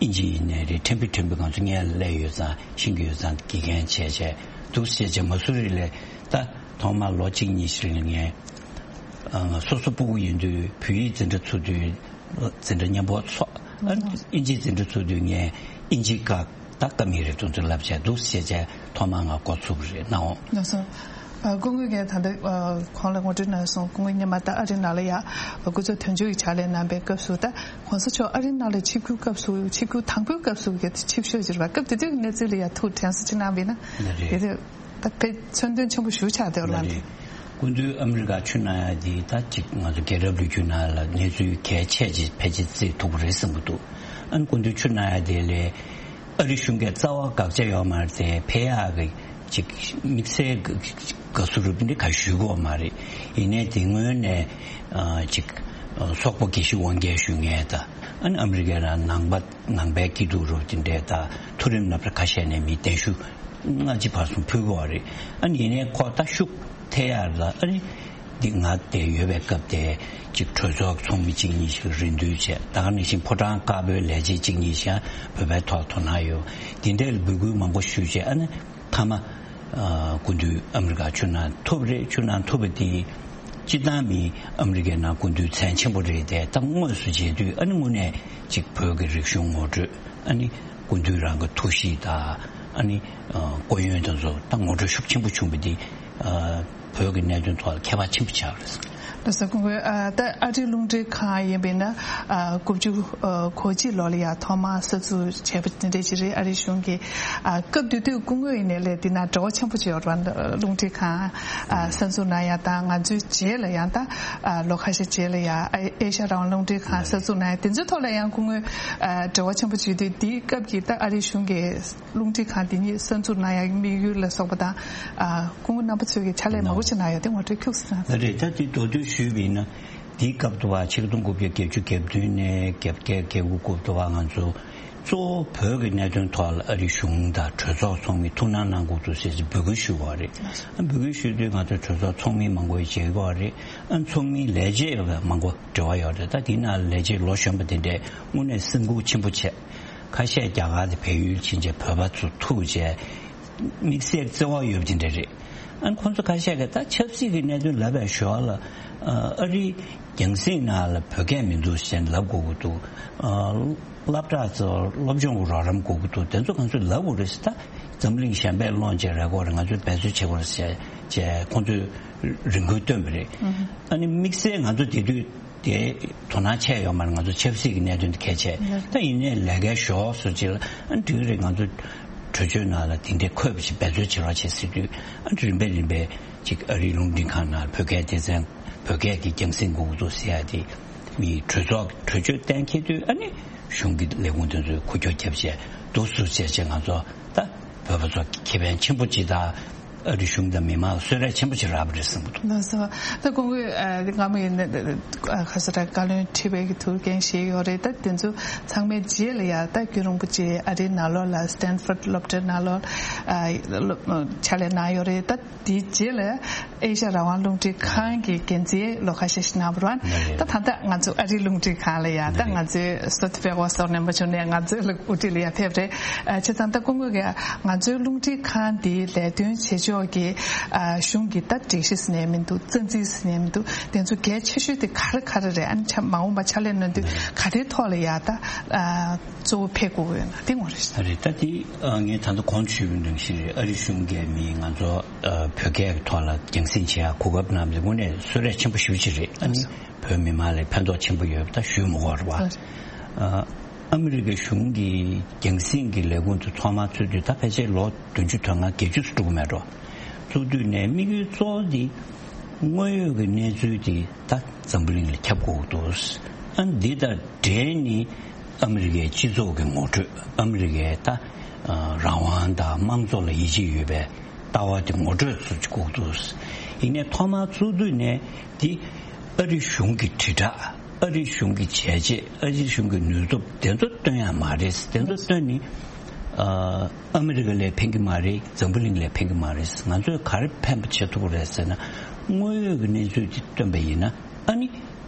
ཨིན་ཇི་ཡིན་ནའི་རེད། ཕྲན་བུ་ཕྲན་བུ་ང་ཚོ་སྔོན་ལ་སླེབས་ཡོད་ཙང་ཤེས་ཀྱི་ཡོད་ཙང་དགེ་རྒན་བྱས་བྱས་འདུག་ཟེར་བྱས། མ་སུ་རི་ལ་ད་ཐོག་མར་ལོ་གཅིག་གཉིས་ཤིག་ལ་ངས། ཨ། སོ་སོ་སྤུ་གུ་ཡིན་དུས་བོད་ཡིག་འཛིན་གྲྭ་ཚུགས་དུས་འཛིན་གྲྭ་མཉམ་པོ་ཚོགས། ཨ། ཨིན་ཇི་འཛིན་གྲྭ་ཚུགས་དུས་ངས་ཨིན་ཇི་སྐད་ད་ཀ་མི་རེ་ཏུང་ཏུ་ལབ་བྱས་འདུག་ཟེར་བྱས་ཐོག་མར་ང་འགོ་ཚུགས་པ་རེད། ནའོ། ལགས་སོ། ཨ། སྐུ་ངོས་ཀྱིས་ད་ལྟ། ཨ། གོང་ལ་ངོ་སྤྲོད་གནང་སོང་། སྐུ་ངོ་སྔོན་མ་ད་ཨ་རི་ནང་ལ་ཡ་སྐུ་ཚབ་དོན་གཅོད་ཀྱི་ཕྱག་ལས་གནང་པའི་སྐབས་སུ། ད་གོང་ས་མཆོག་ཨ་རི་ནང་ལ་ཆིབས་བསྒྱུར་སྐབས་སུ། ཆིབས་བསྒྱུར་དང་པོའི་སྐབས་སུ་གི་ཆིབས་ཞབས་ཅིག་རེད་པ། སྐབས་དེ་དུས་ཀྱི་གནས་ཚུལ་ལ་ཡ་ཐུགས་དྲན་གསོ་ཅིག་གནང་བ་ཡིན་ན། ལགས་རེད། དེ་དུས་ད་དཔེ་མཚོན་དོན་ཆེན་པོ་ཞེ་པོ་ཆགས་བསྡད་པ་ལགས། ལགས་རེད། སྐུ་མདུན་ཨ་མི་རི་ཀ་ཆུ་ནང་ཡ་དེ་ད་ཅིག་ང་ཚོ་རྒྱལ་རབས་ལོ་རྒྱུས་ནང་ལ་གནས་ཚུལ་གལ་ཆེ་ཅིག་ཕལ་ཆེར་བརྩི་ཐུབ་པ་རེད་བསམ་གྱི་འདུག། ཨ་ནི་སྐུ་མདུན་ཆུ་ནང་ཡ་དེ་ལ་ཨ་རི་གཞུང་གིས་རྩ་བ་དགག་བྱ་ཡོད་མ་རེད་དེ། ཕེབས་ཡག་གི་ཅིག་དམིགས་བསལ་དགའ་བསུ་རུ་འདི་ག་ཞུ་གི་ཡོད་མ་རེད། ཡིན་ནའི་དེ་སྔོན་ནས། ཨ། ཅིག་ཨ། སོག་པོ་དགེ་བཤེས་དབང་རྒྱལ་ཞུ་མཁན་དང་། ཨ་ནི་ཨ་མི་རི་ཀའི་ནང་ནང་པ་ནང་པའི་སྐྱིད་སྡུག་རུ་དེ་འདྲས་དང་། མཐོ་རིམ་སློབ་གྲྭ་ཁ་ཤས་ནས་མི་གདན་ཞུ་སྔ་ཕྱི་བར་གསུམ་ཕུལ་གྱི་ཡོད་རེད། ཨ་ནི་ཡིན་ནའི་ཁོ་ད་ཤུགས་ཐེབས་ཡག་ལ། ཨ་ནི་འདི་ང་དེ་ཡོད་པའི་སྐབས་དེ་ཅིག་གྲོས་ཚོགས་ཚོགས་མི་གཅིག་གཉིས་ཤིག་རེ་འདུན་བྱས། ད་ག་ནང་བཞིན་ཕོ་བྲང་དཀར་པོའི་ལས་བྱེད་གཅིག་གཉིས་ཤིག་བོད་པའི་ཐོག་དོ་སྣང་ཡོད། དེ་འདྲའི་འབོད་སྐུལ་མང་པོ་ཞུས་བྱས། ཨ་ནི་མཐའ་མ། ཨ། སྐུ་མདུན་ཨ་མི་རི་ཀ་ཆུ་ནང་ཐུག་པ་རེད། ཆུ་ནང་ཐུག་པ་དེ་སྤྱིར་བཏང་མི་ཨ་མི་རི་ཀའི་ནང་སྐུ་མདུན་མཚན་ཆེན་པོ་རེད་དེ། ད་དངོས་སུ་མཇལ་དུས་ཨ་ནི་དངོས་གནས་ཅིག་བོད་ཀྱི་རིག་གཞུང་ངོ་སྤྲོད། ཨ་ནི་སྐུ་མདུན་རང་གི་ཐུགས་གཤིས་དང་། ཨ་ནི། ཨ། སྐུ་ཡོན་དེ་ཚོ་ད་ངོ་སྤྲོད་ཤུགས་ཆེན་པོ་བྱུང་བ་དེ། ཨ། བོད་ཀྱི་གནད་དོན་ཐོག་ལ་ཁྱད་པར་ཆེན་པོ་ཆགས་པ་རེད། ལགས་སོ། སྐུ་ངོ། ཨ། ད་ཨ་རིའི་རླུང་འཕྲིན་ཁང་ཡིན་པས་ན། ཨ། དགུ་བཅུ། ཨ། གོ་གཅིག་ལོ་ལ་ཡ་ཐོག་མར་གསར་འཛུགས་བྱས་པ་དེ་འདྲ་ཅིག་རེད། ཨ་རིའི་གཞུང་གིས། ཨ། སྐབས་དེ་དུས་སྐུ་ངོ་ཡིན་ནའི་ལས་འདི་ན་འབྲེལ་བ་ཆེན་པོ་ཅིག་ཡོད་རེད་པ། རླུང་འཕྲིན་ཁང་། ཨ། གསར་འཛུགས་གནང་ཡ་དང་། ང་ཚོའི་རྗེས་ལ་ཡང་ད། ཨ། ལོ་ཁ་ཤས་རྗེས་ལ་ཡ་ཨེ་ཤ་ཡ་རང་དབང་རླུང་འཕྲིན་ཁང་གསར་འཛུགས་གནང་ཡ་དེ་ཚོའི་ཐོག་ལ་ཡང་སྐུ་ངོ། ཨ། འབྲེལ་བ་ཆེན་པོ་བྱེད་དུས། དེའི་སྐབས་ཀྱི་ད་ཨ་རིའི་གཞུང་གིས་རླུང་འཕྲིན་ཁང་འདི་ཉིད་གསར་འཛུགས་གནང་ཡག་དམིགས་ཡུལ་ལ་སོགས་པ་དང་། ཨ། སྐུ་ངོ་རྣམ་པ་ཚོས་ཀྱི་ཕྱག་ལས་མང་པོ་ཞིག་གནང་ཡོད་དེ་ངོ་སྤྲོད་ཁྱུག་ཙམ་གནང་། ལགས་རེད། ད་དེ་མདོར་བསྡུས་ཞུས་པ་ཡིན་ན། དེའི་སྐབས་དུ་བ་ཆིག་སྟོང་དགུ་བརྒྱ་བརྒྱད་ཅུ་གྱ་བདུན་ནས་བརྒྱད་ཅུ་གྱ་དགུ་སྐབས་དུ་བ་ང་ཚོ་གཙོ་བོ་བོད་ཀྱི་གནད་དོན་ཐོག་ལ་ཨ་རིའི་གཞུང་དང་གྲོས་ཚོགས་ཚོགས་མི་ཐུགས་སྣང་གནང་དགོས་འདུག་ཟེར་ཅིག་འབོད་སྐུལ་ཞུས་པ་རེད། ཨ། འབོད་སྐུལ་ཞུས་དུས་ང་ཚོ་གྲོས་ཚོགས་ཚོགས་མི་མང་པོ་ཞིག་མཇལ་གྱི་ཡོད་རེད། ཨ། ཚོགས་མི་ལས་བྱེད་མང་པོ་འབྲེལ་བ་ཡོད་རེད། ད་དེའི་ནང་ལས་བྱེད་ལོ་གཞོན་པ་དེ་འདྲས་དངོས་གནས་སེམས་ཁུར་ཆེན་པོ་བྱས། ཁ་ཤས་རྒྱ་གར་དུ་བལ་ཡུལ་ཕྱིན་བྱས་བོད་པ་ཚོ་ཐུག་བྱས། དམིགས་བསལ་བརྩེ་བ་ཡོད་པ་དེ་འདྲ་རེད། ཨ་ནི་ཁོང་ཚོ་ཁ་ཤས་ཀྱིས་ད་ཆབ་སྲིད་ཀྱི་གནད་དོན་ལབ་པའི་ཞོར་ལ། ཨ། ཨ་རིའི་རྒྱང་སྲིང་ནང་ལ་བོད་སྐད་མི་འདུག་ཟེར་ལབ་དགོས་ཀྱི་འདུག། ཨ། སློབ་གྲྭ་ཚོ་སློབ་སྦྱོང་གི་རོགས་རམ་དགོས་ཀྱི་འདུག། དེ་ཚོ་ང་ཚོས་ལབ་དགོས་རེད་ཟེར། ད་འཛམ་གླིང་གཞན་པས་སློང་བྱས་རེད་དགོས་རེད། ང་ཚོས་འབད་རྩོལ་བྱེད་དགོས་རེད་ཟེར་བྱས་ཁོང་ཚོས་རེ་སྐུལ་བཏོན་པ་རེད། ཨ་ནི་དམིགས་བསལ་ང་ཚོ་དེ་དུས་དེ་དོ་སྣང་ཆེ་ཡོད་མ་རེད། ང་ཚོ་ཆབ་སྲིད་ཀྱི་གནད་དོན་དེ་གལ་ཆེ། ད་ཡིན་ནའི་ལས་ཀའི་ཞོར་སོ་ཅིག་ལ། ཨ། འགྲིག་རེད། ང་ཚོ་གྲོས་ཆོད་ནང་ལ་དེ་འདྲའི་འཁོད་པ་ཞིག་འབད་རྩོལ་བྱེད་རོགས་བྱེད་ཟེར་དུས། ཨ། རིམ་པས་རིམ་པས་ཅིག་ཨ་རིའི་རླུང་འཕྲིན་ཁང་ནང་བོད་སྐད་སྡེ་ཚན་བོད་སྐད་ཀྱི་རྒྱང་སྲིང་དགོས་ཀྱི་འདུག་ཟེར་ཡ་དེ་མི་གྲོས་ཚོགས་གྲོས་ཆོད་གཏན་འཁེལ་དུས། ཨ་ནི་གཞུང་གི་ལས་ཁུངས་དེ་ཚོས་འགུལ་སྐྱོད་བརྒྱབ་བྱས་འདུག་སེ་བྱས་བྱས་ང་ཚོ་ད་བོད་པ་ཚོ་ཁེ་ཕན་ཆེན་པོ་ཅིག་དང་། ཨ་རི་གཞུང་དང་མི་མང་ལ་གསོལ་རས་ཆེན་པོ་ཅིག་རག་པ་རེད་བསམ་གྱི་འདུག་ལགས་སོ། ད་སྐུ་ངོས་ཨ་སྔ་མོ་ཡིན་ན་ཨ་ཁ་ས་ར་བཀའ་བློན་ཁྲི་པའི་གི་ཐུགས་འགན་བཞེས་ཡོད་རེད། ད་དེ་ཚོ་ཚང་མའི་རྗེས་ལ་ཡ་ད་རྒྱུན་རིང་པོ་ཅིག་ཨ་རིའི་ནང་ལོགས་ལ་Stanford་སློབ་གྲྭའི་ནང་ལོགས་ཨ་སློབ་ཕྱག་ལས་གནང་ཡོད་རེད། ད་དེའི་རྗེས་ལ་ཨེ་ཤ་ཡ་རང་དབང་རླུང་འཕྲིན་ཁང་གི་འགན་འཛིན་ལོ་ཁ་ཤས་ཤིག་གནང་བ་རེད། ད་ད་ལྟ་ང་ཚོ་ཨ་རིའི་རླུང་འཕྲིན་ཁང་ལ་ཡ་ད་ང་ཚོའི་བསོད་བདེ་དཔལ་འོ་ཟོར་ནན་པོ་མཆོག་ནས་ང་ཚོའི་ལ་དབུ་ཁྲིད་ལ་ཡ་ཕེབས་རེད། ཨ་བྱས་ཙང་ད་སྐུ་ངོས་ཀྱིས་ང་ཚོའི་རླུང་འཕྲིན་ཁང་འདིའི་ལས་དོན་བྱེད་ཕྱོགས་ཀྱི་ཨ་གཞུང་གི་ད་སྒྲིག་གཞི་ཟེར་ནའི་མི་འདུག་རྩ་འཛིན་ཟེར་ནའི་མི་འདུག་དེ་ཚོ་གལ་ཆེ་ཤོས་དེ་ག་རེ་ག་རེ་རེད། ཨ་ནི་ཆ་མ་འོངས་པ་ཕྱག་ལས་གནང་དུས་ག་རེའི་ཐོག་ལ་ཡ་ད་ཨ་གཙོ་བོ་ཕེབས་དགོས་ཀྱི་ཡོད་ན་དེ་ངོ་རེད། རེད། ད་དེ་ཨ་ངས་ད་ལྟ་གོང་དུ་ཞུས་པའི་ནང་བཞིན་རེད། ཨ་རི་གཞུང་གིས་མི་ང་ཚོ་ཨ་བོད་སྐད་ཀྱི་ཐོག་ལ་རྒྱང་སྲིང་བྱེད་ཡག་གོ་སྐབས་གནང་བ་དེ་དངོས་གནས་གསོལ་རས་ཆེན་པོ་ཞེ་པོ་ཅིག་རེད། ཨ་ནི་བོད་མི་མང་ལ་ཕན་ཐོགས་ཆེན་པོ་ཡོད་པ་ད་ཞུས་མི་དགོས་རེད་བ། ཨ་ཨ་མི་རི་ཀའི་གཞུང་གིས་རྒྱང་སྲིང་གི་ལས་ཁུངས་དེ་ཐོག་མར་ཚུགས་དུས་ད་ཕལ་ཆེར་ལོ་བདུན་ཅུ་དོན་ལྔ་བརྒྱད་ཅུ་ཙམ་འགྲོ་གི་མེད་འགྲོ། ཚུགས་དུས་ནས་དམིགས་ཡུལ་གཙོ་བོ་དེ་དངོས་ཡོད་ཀྱི་གནས་ཚུལ་དེ་ད་འཛམ་བུ་གླིང་ལ་ཁྱབ་དགོས་ཀྱི་འདུག་ཨ་འདི་དང་འབྲེལ་ནས་ཨ་མི་རི་ཀའི་སྤྱི་ཚོགས་ཀྱི་ངོ་སྤྲོད། ཨ་མི་རི་ཀའི་ད་ཨ་རང་དབང་དང་དམངས་གཙོ་ལ་ཡིད་ཆེས་ཡོད་པའི་ལྟ་བ་དེ་ངོ་སྤྲོད་ཚུལ་གཅིག་དགོས་འདུག་ཡིན་ནའི་ཐོག་མར་ཚུགས་དུས་ནས་འདི་ཨ་རི་གཞུང་གི་དྲིལ་བསྒྲགས། ཨ་རི་གཞུང་གི་བྱས་རྗེས། ཨ་རི་གཞུང་གི་ནུས་སྟོབས་དེ་ཚོ་སྟོན་ཡ་མ་རེད། དེ་ཚོ་སྟོན་ནི་ཨ་ཨ་མི་རི་ཀ་ལ་ཕན་གི་མ་རེད། འཛམ་བུ་གླིང་ལ་ཕན་གི་མ་རེད། ང་ཚོས་ག་རེ་ཕན་པ་བྱེད་ཐུབ་ཀྱི་རེད་ཟེར་ན། དངོས་ཡོད་ཀྱི་གནས་ཚུལ་དེ་སྟོན་པ་ཡིན་ན། ཨ་ནི་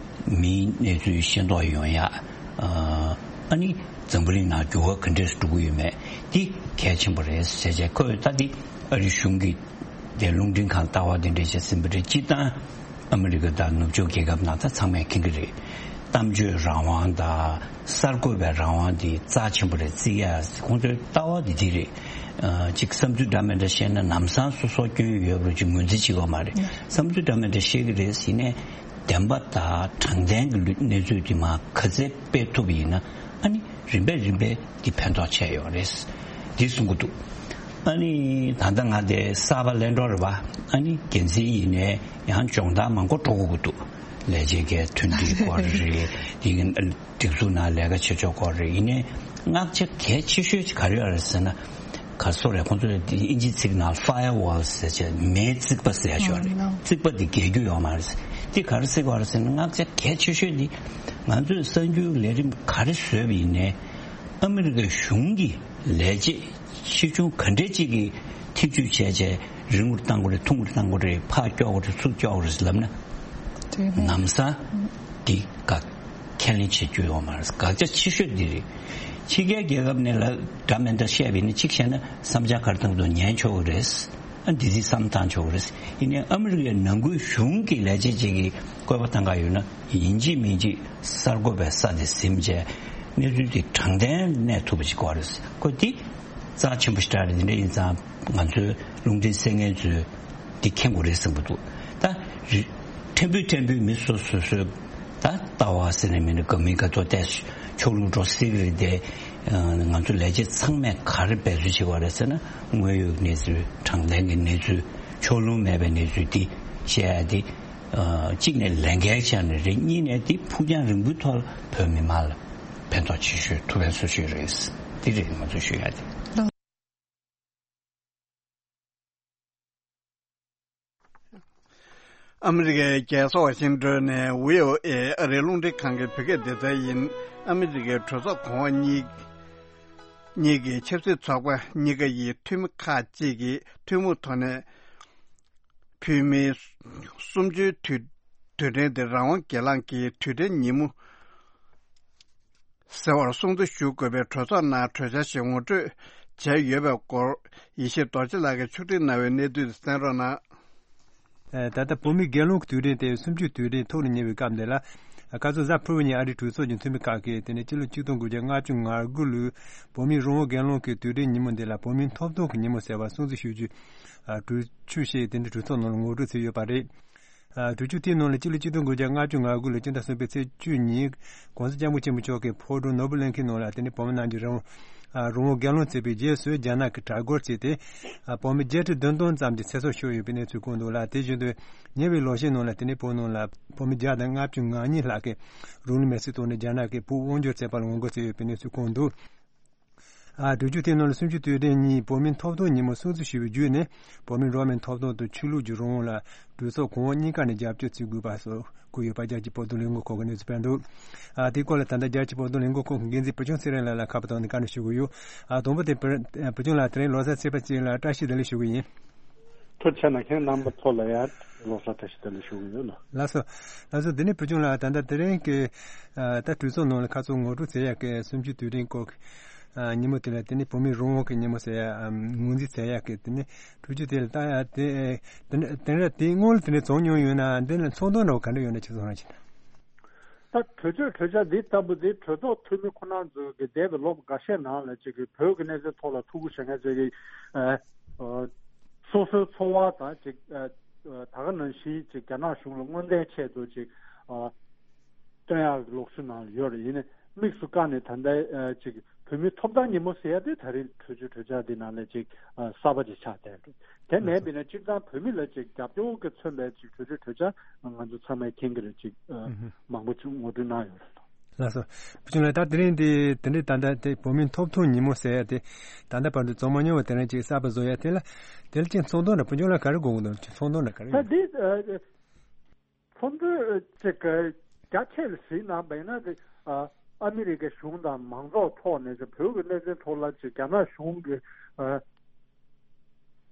མིའི་གནས་ཚུལ་ཤེས་རྟོགས་ཡོང་ཡ། ཨ་ནི་འཛམ་བུ་གླིང་ནང་འགྱུར་བ་ག་འདྲས་འགྲོ་གི་ཡོད་མེད་འདི་གལ་ཆེན་པོ་རེད་ཟེར་བྱས། ཁོས་ད་འདི་ཨ་རི་གཞུང་གི་དེ་རླུང་འཕྲིན་ཁང་ལྟ་བ་དེ་འདྲས་བྱས་ཟིན་པ་རེད། སྤྱིར་བཏང་ཨ་མི་རི་ཀ་དང་ནུབ་ཕྱོགས་རྒྱལ་ཁབ་ནང་ད་ཚང་མས་མཁྱེན་གྱི་རེད། གཏམ་བརྗོད་རང་དབང་དང་གསར་འགོད་པའི་རང་དབང་འདི་རྩ་ཆེན་པོ་རེད། བརྩི་ཡ་ཁོང་ཚོའི་ལྟ་བ་འདི་འདི་རེད། ཨ་གཅིག་བསམ་ཚུལ་འདྲ་མི་འདྲ་བཤད་ན་ལམ་སང་སོ་སོ་སྐྱོན་ཡོད་རུ་ཅིག་ངོས་འཛིན་བྱེད་དགོས་མ་རེད། བསམ་ཚུལ་འདྲ་མི་འདྲ་བཤད་ཀྱི་རེད་ཟེར་ནས་བདེན་པ་དང་དྲང་བདེན་གྱི་ལུ་གནས་ཚུལ་འདི་མར་ག་ཚད་སྤེལ་ཐུབ་པ་ཡིན་ན། ཨ་ནི་རིམ་པས་རིམ་པས་འདི་ཕན་ཐོགས་ཆེ་ཡོད་རེད། འདི་གསུང་གི་འདུག་ཨ་ནི་ད་ལྟ་ང་དེ་གསར་པ་ལེན་འགྲོ་རེད་པ། ཨ་ནི་འགན་འཛིན་ཡིན་ནའི་ཡང་སྦྱོང་བརྡར་མང་པོ་འགྲོ་དགོས་ཀྱི་འདུག་ལས་བྱེད་ཀྱི་མཐུན་སྒྲིལ་སྐོར་རེད། དེ་གི་སྒྲིག་འཛུགས་ནང་ལས་ཀ་བྱེད་ཕྱོགས་སྐོར་རེད། ཡིན་ནའི་བསྔགས་བྱ་གལ་ཆེ་ཤོས་ཅིག་ག་རེ་ཡོད་རེད་ཟེར་ན། ག་སོ་རེད། ཁོང་ཚོས་དེ་ཨིན་ཇི་ཚིག་ནང་firewall་ཟེར་བྱས་མེའི་རྩིག་པ་ཟེར་ཡ་ཞིག་ཡོད་རེད། རྩིག་པ་དེ་བརྒལ་རྒྱུ་ཡོད་མ་རེད། དེ་ག་རེ་ཟེར་གྱི་ཡོད་རེད་ཟེར་ན། བསྔགས་བྱ་གལ་ཆེ་ཤོས་དེ་ང་ཚོས་གསར་འགྱུར་ལས་རིམ་ག་རེ་བཟོས་པ་ཡིན་ནའི་ཨ་མི་རི་ཀའི་གཞུང་གི་ལས་བྱེད་ཆེ་ཆུང་ག་འདྲས་ཅིག་གིས་ཐེ་ཇུས་བྱས་བྱས་རིང་པོར་བཏང་དགོས་རེད། ཐུང་ངུར་བཏང་དགོས་རེད། ཕར་ཀྱོག་དགོས་རེད། ཚུར་ཀྱོག་དགོས་རེད་ལབ་ན། དེ་ནི་ལམ་སང་འདི་དགག་ཁས་ལེན་བྱེད་རྒྱུ་ཡོད་མ་རེད། དགག་བྱ་ཆེ་ཤོས་འདི་རེད། ཕྱི་རྒྱལ་རྒྱལ་ཁབ་ནས་ལ་འདྲ་མི་འདྲ་བཤད་པ་ཡིན་ན་གཅིག་བཤད་ན་བསམ་འཆར་ག་རེ་བཏང་འདུག་ཉན་ཆོག་གི་རེད། ཨ་འདི་འདི་བསམ་བཏང་ཆོག་གི་རེད། ཡིན་ནའི་ཨ་མི་རི་ཀའི་ནང་ཁུལ་གཞུང་གི་ལས་བྱེད་ཅིག་གིས་བཀོད་པ་བཏང་ག་ཡོད་ན། ཡིན་གཅིག་མིན་གཅིག་གསར་འགོད་པའི་ས་དེ་ཟིན་བྱས་གནས་ཚུལ་དེ་དྲང་བདེན་གནས་ཐུབ་པ་ཞིག་དགོས་རེད། ཁོ་དེ་རྩ་ཆེན་པོ་ཞིག་རེད། དེ་འདྲ་ཡིན་ཙང་ང་ཚོའི་རླུང་འཕྲིན་གསན་མཁན་ཚོས་འདི་མཁྱེན་དགོས་རེད་བསམ་གྱི་འདུག་ད་རི་ཕྲན་བུ་ཕྲན་བུའི་མི་སོ་སོ་སོས་ད་ལྟ་བ་ཟེར་ནས་མི་འདུག་དགའ་མིན་དགའ་ཐོག་བལྟས་ཕྱོགས་ལྷུང་འགྲོ་སྲིད་ཀྱི་རེད་དེ། ང་ཚོ་ལས་བྱེད་ཚང་མས་ག་རེ་འབད་རྩོལ་བྱེད་དགོས་རེད་ཟེར་ན། དངོས་ཡོད་གནས་ཚུལ། དྲང་བདེན་གྱི་གནས་ཚུལ། ཕྱོགས་ལྷུང་མེད་པའི་གནས་ཚུལ་འདི་བཤད་ཡ་དེ། ཨ་གཅིག་ནས་ལས་འགན་ཆགས་ནས་རེད། གཉིས་ནས་དེ་ཕུགས་རྒྱང་རིང་པོའི་ཐོག་ལ་བོད་མི་མང་ལ་ཕན་ཐོགས་ཆེ་ཤོས་ཐུབ་པའི་བཟོ་ཤོས་རེད། དེ་རེད་ང་ཚོ་ཞུ་ཡ་དེ། ཨ་མི་རི་ཀའི་རྒྱལ་ས་ཝ་ཤིང་ཏོན་ནས་ཝི་ཨོ་ཨེ་ཨ་རིའི་རླུང་འཕྲིན་ཁང་གི་བོད་སྐད་སྡེ་ཚན་ཡིན། ཨ་མི་རི་ཀའི་གྲོས་ཚོགས་གོང་འོག་གཉིས་གཉིས་ཀྱི་ཆབ་སྲིད་ཚོགས་པ་གཉིས་ཀ་ཡི་འཐུས་མི་ཁག་ཅིག་གིས་ཐུན་མོང་ཐོག་ནས་བོད་མིའི་གསུམ་བཅུའི་དུས་དུས་དྲན་དེ་རང་དབང་སྒེར་ལངས་ཀྱི་དུས་དྲན་ཉིན་མོ་ཟེར་བར་སྲུང་བརྩི་ཞུ་དགོས་པའི་གྲོས་ཚོགས་ནང་གྲོས་འཆར་ཞིག་ངོ་སྤྲོད་བྱས་ཡོད་པའི་སྐོར་ཡེ་ཤེས་རྡོ་རྗེ་ལགས་ཀྱིས་ཕྱོགས་སྒྲིག་གནང་བའི་གནས་ཚུལ་དེ་གསན་རོགས་གནང་། ད་ལྟ་བོད་མིའི་སྒེར་ལངས་ཀྱི་དུས་དྲན་དེ་གསུམ་བཅུའི་དུས་དྲན་ཐོག་ལ་ཉེ་བའི་སྐབས་འདི་ལ། ཁ་སང་གཟའ་ཕུར་བུ་ཉིན་ཨ་རིའི་གྲོས་ཚོགས་ཀྱི་འཐུས་མི་ཁག་གིས་དེ་ནས་སྤྱི་ལོ་ཆིག་སྟོང་དགུ་བརྒྱ་ལྔ་བཅུ་ང་དགུ་ལོའི་བོད་མིའི་རང་དབང་སྒེར་ལངས་ཀྱི་དུས་དྲན་ཉིན་མོ་འདི་ལ་བོད་མིའི་ཐོབ་ཐང་གི་ཉིན་མོ་ཟེར་བ་སྲུང་བརྩི་ཞུ་རྒྱུའི་གྲོས་ཆོད་ཞིག་དེ་འདྲའི་གྲོས་ཚོགས་ནང་ལ་ངོ་སྤྲོད་བྱས་ཡོད་པ་རེད། གྲོས་ཆོད་དེའི་ནང་ལ་སྤྱི་ལོ་ཆིག་སྟོང་དགུ་བརྒྱ་ལྔ་བཅུ་ང་དགུ་ལོའི་སྤྱི་ཟླ་གསུམ་པའི་ཚེས་བཅུ་ཉིན་༸གོང་ས་༸སྐྱབས་མགོན་ཆེན་པོ་མཆོག་གིས་ཕོ་བྲང་ནོར་བུ་གླིང་ཁའི་ནང་ལ་དེ་ནས་བོད་མི་རྣམས་ཀྱི་རང་དབང་རང་དབང་སྒེར་ལངས་བྱས་པའི་རྗེས་སུ་རྒྱ་ནག་གིས་དྲག་རྒོལ་བྱས་ཏེ། བོད་མི་བརྒྱད་ཁྲི་བདུན་སྟོང་ཙམ་གྱི་ཚེ་སྲོག་ཤོར་ཡོད་པའི་གནས་ཚུལ་བཀོད་འདུག་ལ། དེ་བཞིན་དུ་ཉེ་བའི་ལོ་ཤས་ནང་ལ་དེ་ནས་བོད་ནང་ལ་བོད་མི་བརྒྱ་དང་ལྔ་བཅུ་ང་གཉིས་ལྷག་གིས་རང་ལུས་མེར་སྲེག་བཏང་ནས་རྒྱ་ནག་གིས་བོད་དབང་སྒྱུར་བྱས་པར་ངོ་རྒོལ་བྱས་ཡོད་པའི་གནས་ཚུལ་བཀོད་འདུག་ཨ། གྲོས་ཆོད་དེའི་ནང་ལ་གསུམ་བཅུའི་དུས་དྲན་ཉིན་བོད་མིའི་ཐོབ་ཐང་ཉིན་མོ་སྲུང་བརྩི་ཞུ་བའི་བརྒྱུད་ནས། བོད་མིའི་འགྲོ་བ་མིའི་ཐོབ་ཐང་དང་ཆོས་ལུགས་ཀྱི་རང་དབང་ལ་གྲོས་ཚོགས་གོང་འོག་གཉིས་ཀ་ནས་རྒྱབ་སྐྱོར་བྱེད་དགོས་པ་སོགས་བཀོད་ཡོད་པ། རྒྱལ་སྤྱིའི་བོད་དོན་ལས་འགུལ་ཁང་གི་གནས་ཚུལ་སྤེལ་འདུག་ཨ། དེའི་སྐོར་ལ་ད་ལྟ་རྒྱལ་སྤྱིའི་བོད་དོན་ལས་འགུལ་ཁང་གི་འགན་འཛིན་བུ་ཆུང་ཚེ་རིང་ལགས་ལ་ཁ་པར་བཏང་ནས་བཀའ་འདྲི་ཞུ་གི་ཡོད། ཨ། དང་པོ་དེ་བུ་བུ་ཆུང་ལགས། དེ་རིང་ལོ་གསར་ཚེས་པ་གཅིག་ལ་བཀྲ་ཤིས་བདེ་ལེགས་ཞུ་གི་ཡིན། ཐུགས་རྗེ་གནང་། ཁྱེད་རྣམ་པ་ཚོ་ལ་ཡང་ལོ་གསར་བཀྲ་ཤིས་བདེ་ལེགས་ཞུ་གི་ཡོད་ལགས། ལགས་སོ། ལགས་སོ། འདི་ནས་བུ་ཆུང་ལགས། ད་ལྟ་དེ་རིང་གི་ཨ། ད་གྲོས་ཚོགས་ནང་ལ་ཁ་ཚོན་ངོ་སྤྲོད་བྱེད་ཡག་གི་གསུམ་བཅུའི་དུས་དྲན་སྐོར་གྱི་ཨ། ཉིན་མོ་དེ་ལ། དེ་ནས་བོད་མིའི་རང་དབང་གི་ཉིན་མོ་ཟེར་ཡག་ཨ། ངོས་འཛིན་བྱེད་ཡག་གི་དེ་ནས་གྲོས་ཆོད་དེ་ལ་བཏང་ཡག་དེ། དེ་ནས་དེ་ནས་དེའི་སྔོན་ལ་དེ་འདྲ་བྱུང་མྱོང་ཡོད་ན། འདི་ལ་ཚོར་སྣང་འདྲ་བོ་ག་འདྲ་ཡོད་ན། ཁྱེད་ཚོ་རང་གིས། ད་གྲོས་ཆོད་གྲོས་འཆར་འདི་ལྟ་བུ་འདི་གྲོས་ཚོགས་འཐུས་མི་ཁོ་རང་ཚོ་གིས་འདས་པའི་ལོ་འགའ་ཤས་ནང་ལ་ཅིག་གི་བོད་ཀྱི་གནད་དོན་ཐོག་ལ་ཐུགས་ཁུར་བཞེས་མཁན་ཚོ་གིས། ཨ། ཨ། སོ་སོའི་འཚོ་བ་དང་ཅིག་ཨ། ཨ། ད་ག་ནང་བཞིན་ཅིག་རྒྱ་ནག་གཞུང་ལ་མངོན་མཐའི་ཆེད་དུ་ཅིག་ཨ། སྟོན་ཡག་གི་ལུགས་སྲོལ་ནང་ལ་ཡོད་རེད། ཡིན་ནའི་དམིགས་སུ་བཀར་ནས་ད་ལྟ་ཨ། ཅིག་བོད་མིའི་ཐོབ་ཐང་ཉིན་མོ་ཟེར་ཡག་དེ་ད་རེས་གྲོས་ཆོད་གྲོས་འཆར་འདི་ནང་ལ་ཅིག་ཨ། གསར་པ་ཅིག་ཆགས་བསྡད་རེད། དེ་མིན་པ་ཡིན་ན་སྤྱིར་བཏང་བོད་མི་ལ་ཅིག་རྒྱབ་སྐྱོར་གྱིས་མཚོན་པའི་ཅིག་གྲོས་ཆོད་གྲོས་འཆར་ང་ཚོ་ཚང་མས་མཁྱེན་གྱི་རེད། ཅིག་ཨ། ཨུ་ཧུ། མང་པོ་ཅིག་ངོ་སྤྲོད་གནང་ཡོད་རེད། ལགས་སོ། བུ་ཆུང་ལགས། ད་དེ་རིང་འདི་དེ་འདྲའི་ད་ལྟ་དེ་བོད་མིའི་ཐོབ་ཐང་ཉིན་མོ་ཟེར་ཡག་དེ་ད་ལྟ་བར་དུ་བྱུང་མ་མྱོང་བ་དེ་རིང་ཅིག་གསར་པ་བཟོ་ཡག་དེ་ལ། དེ་ལ་ཅིག་ཚོར་སྣང་འདྲ་བོ་བུ་ཆུང་ལགས་ག་རེ་དགོངས་ཀྱི་འདུག་ཚོར་སྣང་འདྲ་ག་རེ་ད་ཡོད། འདི་ཨ། ཚོར་སྣང་ཅིག་རྒྱ་ཆེ་ལ་གཟིགས་གནང་བ་ཡིན་ན། དེ་ཨ། ཨ་མི་རི་ཀའི་གཞུང་དང་མང་ཚོགས་ཐོག་ནས་ཅིག་བོད་ཀྱི་གནད་དོན་ཐོག་ལ་ཅིག་རྒྱ་ནག་གཞུང་གིས་ཨ།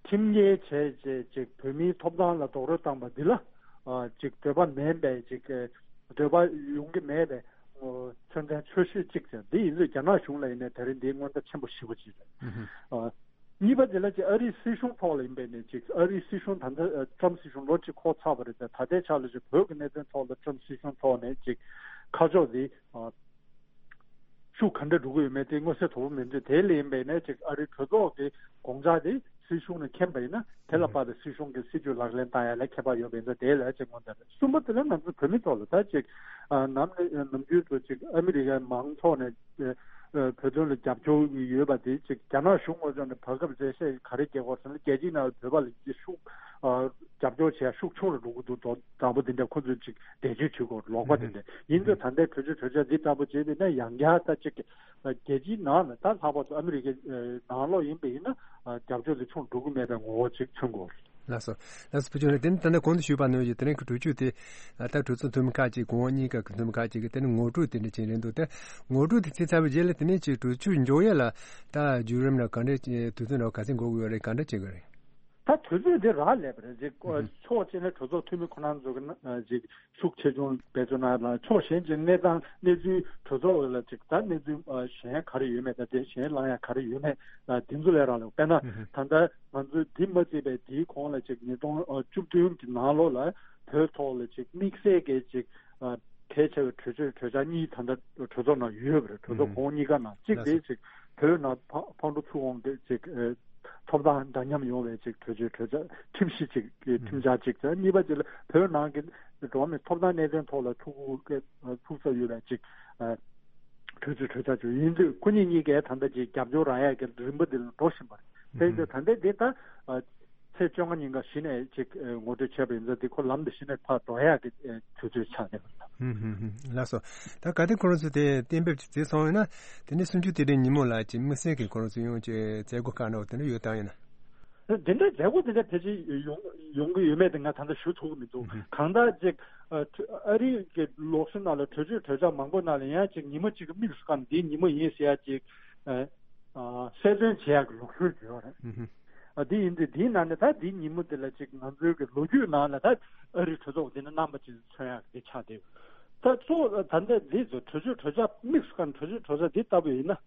ཁྲིམས་འགལ་བྱས་བྱས་ཅིག་བོད་མིའི་ཐོབ་ཐང་ལ་རྡོག་རོལ་བཏང་བ་འདི་ལ། ཨ། ཅིག་འདོད་པ་མེད་པའི་ཅིག་འདོད་པ་ཡོང་གི་མེད་པའི་མཚོན་ཚན་ཆོད་ཤེས་གཅིག་བྱས། འདི་ཡིན་དུས་རྒྱ་ནག་གཞུང་ལ་ཡིན་ནའི་དེ་རིང་འདིའི་མངོན་མཐའ་ཆེན་པོ་ཞེ་པོ་ཅིག་རེད། ཨ། གཉིས་པ་དེ་ལ་ཅིག་ཨ་རིའི་སྲིད་གཞུང་ཐོག་ལ་ཡིན་པས་ནས། ཅིག་ཨ་རིའི་སྲིད་གཞུང་ད་ལྟ་ཨ། ཊྲམ་སྲིད་གཞུང་ལོ་གཅིག་འཁོར་ཚར་བ་རེད་དེ། ད་ལྟའི་ཆ་ལ་ཅིག་བོད་ཀྱི་གནད་དོན་ཐོག་ལ་ཊྲམ་སྲིད་གཞུང་ཐོག་ནས་ཅིག་ཁ་ཕྱོགས་འདི་ཨ། ཤུགས་ག་འདྲ་འགྲོ་གི་ཡོད་མེད་དེ་མངོན་གསལ་དོད་པོ་མི་འདུག་དེ་ལས་ཡིན་པས་ནས་ཅིག་ཨ་རིའི་གྲོས་ཚོགས་ཀྱི་དགོངས་འཆར་དེ་སྲིད་གཞུང་ནས་མཁྱེན་པ་ཡིན་ན། དེ་ལ་དཔག་པའི་སྲིད་གཞུང་གི་སྲིད་ཇུས་ལག་ལེན་བསྟར་ཡ་ལ་ཁྱད་པར་ཡོད་པ་ཡིན་ཙང་། དེ་ལ་ཅིག་མངོན་གསལ་རེད། གསུམ་པ་དེ་ལ་ང་ཚོ་བོད་མི་ཐོག་ལ་ད་ཅིག་ཨ། ནམ་ནས་ནམ་རྒྱུན་དུ་ཅིག་ཨ་མི་རི་ཀའི་མང་ཚོགས་ནས་ཨ། བོད་དོན་ལ་རྒྱབ་སྐྱོར་ཡོད་པ་དེ་ཅིག་རྒྱ་ནག་གཞུང་ངོས་ཕྱོགས་ནས་བར་སྐབས་འགྲེལ་བཤད་ག་རེ་རྒྱག་གི་ཡོད་ཟེར་ན། རྒྱལ་སྤྱིའི་ནང་ལ་བོད་པ་ལ་ཅིག་ཤུགས་ཨ། རྒྱབ་སྐྱོར་བྱེད་ཡ་ཤུགས་ཆུང་རུ་འགྲོ་གི་འདུག་འདྲ་པོ་དེ་འདྲ་ཁོ་ཚོས་ཅིག་འགྲེལ་བརྗོད་བྱེད་དགོས། ལོག་པ་དེ་འདྲ་ཡིན་དུས། ད་ལྟའི་གྲོས་ཆོད་གྲོས་འཆར་འདི་ལྟ་བུ་བྱས་པ་ཡིན་ན། ཡང་བསྐྱར་ད་ཅིག་རྒྱལ་སྤྱིའི་ནང་ལ་ད་ལྷག་པར་དུ་ཨ་མི་རི་ཀའི་ནང་ལོགས་ཡིན་པ་ཡིན་ན། རྒྱབ་སྐྱོར་དེ་ཆུང་འགྲོ་གི་མེད་པའི་ངོ་བོ་ཅིག་མཚོན་དགོས། ལགས་སོ། ལགས་སོ། བུ་ཆུང་ལགས། དེ་ནི་ད་ལྟ་གོང་དུ་ཞུས་པ་ནང་བཞིན་དེ་རིང་གི་གྲོས་ཆོད་དེ་ད་གྲོས་ཚོགས་འཐུས་མི་ཁག་ཅིག་གོང་འོག་གཉིས་ཀ་གི་འཐུས་མི་ཁག་ཅིག་གིས་དེ་ནི་ངོ་སྤྲོད་དེ་འདྲ་བྱས་རེད་འདུག་དེ་ངོ་སྤྲོད་དེ་བྱས་ཚར་བའི་རྗེས་ལ་དེ་ནས་ཅིག་གྲོས་ཆོད་འཇོག་ཡ་ལ་ད་བརྒྱུད་རིམ་ལ་ག་འདྲ་དུས་ཚོད་འདྲ་བོ་ག་ཚད་འགོར་གི་ཡོད་རེད། ག་འདྲ་བྱེད་དགོས་རེད། ད་དུས་ཚོད་འདི་རག་ལས་པ་རེད། ཅིག་ཕྱོགས་གཅིག་ནས་གྲོས་ཚོགས་འཐུས་མི་ཁོ་རང་ཚོ་གི་ནང་ཅིག་ཤུགས་ཆེ་ཆུང་བེད་སྤྱོད་གནང་ཡ་དང་། ཕྱོགས་གཞན་གྱི་གནས་སྟངས་གནས་ཚུལ་གྲོས་ཚོགས་ལ་ཅིག་ད་གནས་ཚུལ་གཞན་ག་རེ་ཡོད་མེད། ད་དེ་གཞན་ལངས་ཡ་ག་རེ་ཡོད་མེད། དེ་ཚོ་ལས་རག་ལས། དཔེར་ན་ད་ལྟ་ང་ཚོས་འདི་མ་བརྩིས་པའི་འདིའི་གོང་ལ་ཅིག་ཉིས་སྟོང་བཅུ་བདུན་གྱི་ནང་ལོགས་ལ་བོད་ཐོག་ལ་ཅིག་དམིགས་བསལ་གྱི་ཅིག་གལ་ཆེ་བའི་གྲོས་ཆོད་གྲོས་འཆར་གཉིས་ད་ལྟ་གྲོས་ཚོགས་ནང་ཡོད་པ་རེད། གྲོས་ཚོགས་གོང་འོག་གཉིས་ཀ་ནང་། གཅིག་དེ་ཅིག་བོད་ནང་ཕ་ཕག་གྲུ་ཚུར་འོང་གི་ཅིག་ཨ། ཐོབ་ཐང་འདྲ་མཉམ་ཡོང་བའི་ཅིག་གྲོས་ཆོད་གྲོས་འཆར་ཁྲིམས་གཞི་ཅིག་གི་ཁྲིམས་འཆར་གཅིག་དང་། གཉིས་པ་ཅིག་ལ་བོད་ནང་གི་འགྲོ་བ་མིའི་ཐོབ་ཐང་གནད་དོན་ཐོག་ལ་ཐུགས་ཁུར་ཐུགས་གཟབ་ཡོད་པའི་ཅིག་ཨ། གྲོས་ཆོད་གྲོས་འཆར་ཅིག་ཡིན་དུས། ཁོ་གཉིས་གཉིས་ཀས་ད་ལྟ་ཅིག་རྒྱབ་སྐྱོར་རག་ཡག་གི་རིམ་པ་འདི་ལ་འགྲོ་བཞིན་པ་རེད། དེ་ཡིན་དུས་ད་ལྟའི་འདི་ད་ཨ། ཚེས་བཅོ་ལྔ་ཉིན་ཀ་གཞི་ནས་ཅིག་ཨ། ངོ་སྤྲོད་བྱས་པ་ཡིན་ཙང་། འདི་ཁོ་ལམ་དུ་གཞི་ནས་ཕར་འགྲོ་ཡག་གི་ཨ། དུས་ཚོད་ཆགས་བསྡད་པ་རེད། ཧུམ་ཧུམ་ཧུམ། ལགས་སོ། ད་གལ་ཏེ་ཁོ་རང་ཚོས་དེ་གཏན་འབེབས་ཅིག་བྱས་སོང་ཡིན་ན། དེ་ནས་གསུམ་བཅུའི་དུས་དྲན་ཉིན་མོ་ལ་ཅིག་དམིགས་བསལ་གྱི་ཁོ་རང་ཚོས་ཡང་ཅིག་མཛད་སྒོ་ཁག་འདྲ་བོ་དེ་འདྲ་ཡོད་དམ། ཡིན་ན། དེ་འདྲའི་མཛད་སྒོ་དེ་འདྲ་ཕལ་ཆེར་ཡོང་ཡོང་གི་ཡོད་མེད་དེ་ང་ད་ལྟ་ཞུ་ཐུབ་ཀྱི་མི་འདུག་ཧུམ་ཧུམ། གང་ལྟར་ཅིག་ཨ། ཨ་རིའི་གི་ལུགས་སྲོལ་ནང་ལ་གྲོས་ཆོད་གྲོས་འཆར་མང་པོ་ནང་ལ་ཡང་ཅིག་ཉིན་མོ་གཅིག་གི་དམིགས་སུ་བཀར་ནས་འདིའི་ཉིན་མོ་ཡིན་ཟེར་ཡ་ཅིག་ཨ། ཨ། གསལ་སྟོན་བྱེད་ཡག་གི་ལུགས་སྲོལ་ཡོད་རེད། ཧུམ་ཧུམ། ཨ། འདི་ཡིན་དུས་འདིའི་ནང་ནས་ད་འདིའི་ཉིན་མོ་འདི་ལ་ཅིག་ང་ཚོའི་གི་ལོ་རྒྱུས་ནང་ལ་ད་ཨ་རིའི་གྲོས་ཚོགས་འདི་ནི་རྣམ་པ་ཅིག་མཚོན་ཡག་འདི་ཆགས་བསྡད་ཡོད། ད་གཙོ་བོ་ད་ལྟ་འདི་ཚོ་གྲོས་ཆོད་གྲོས་འཆར་དམིགས་སུ་བཀར་ནས་གྲོས་ཆོད་གྲོས་འཆར་འདི་ལྟ་བུ་ཡིན་ན།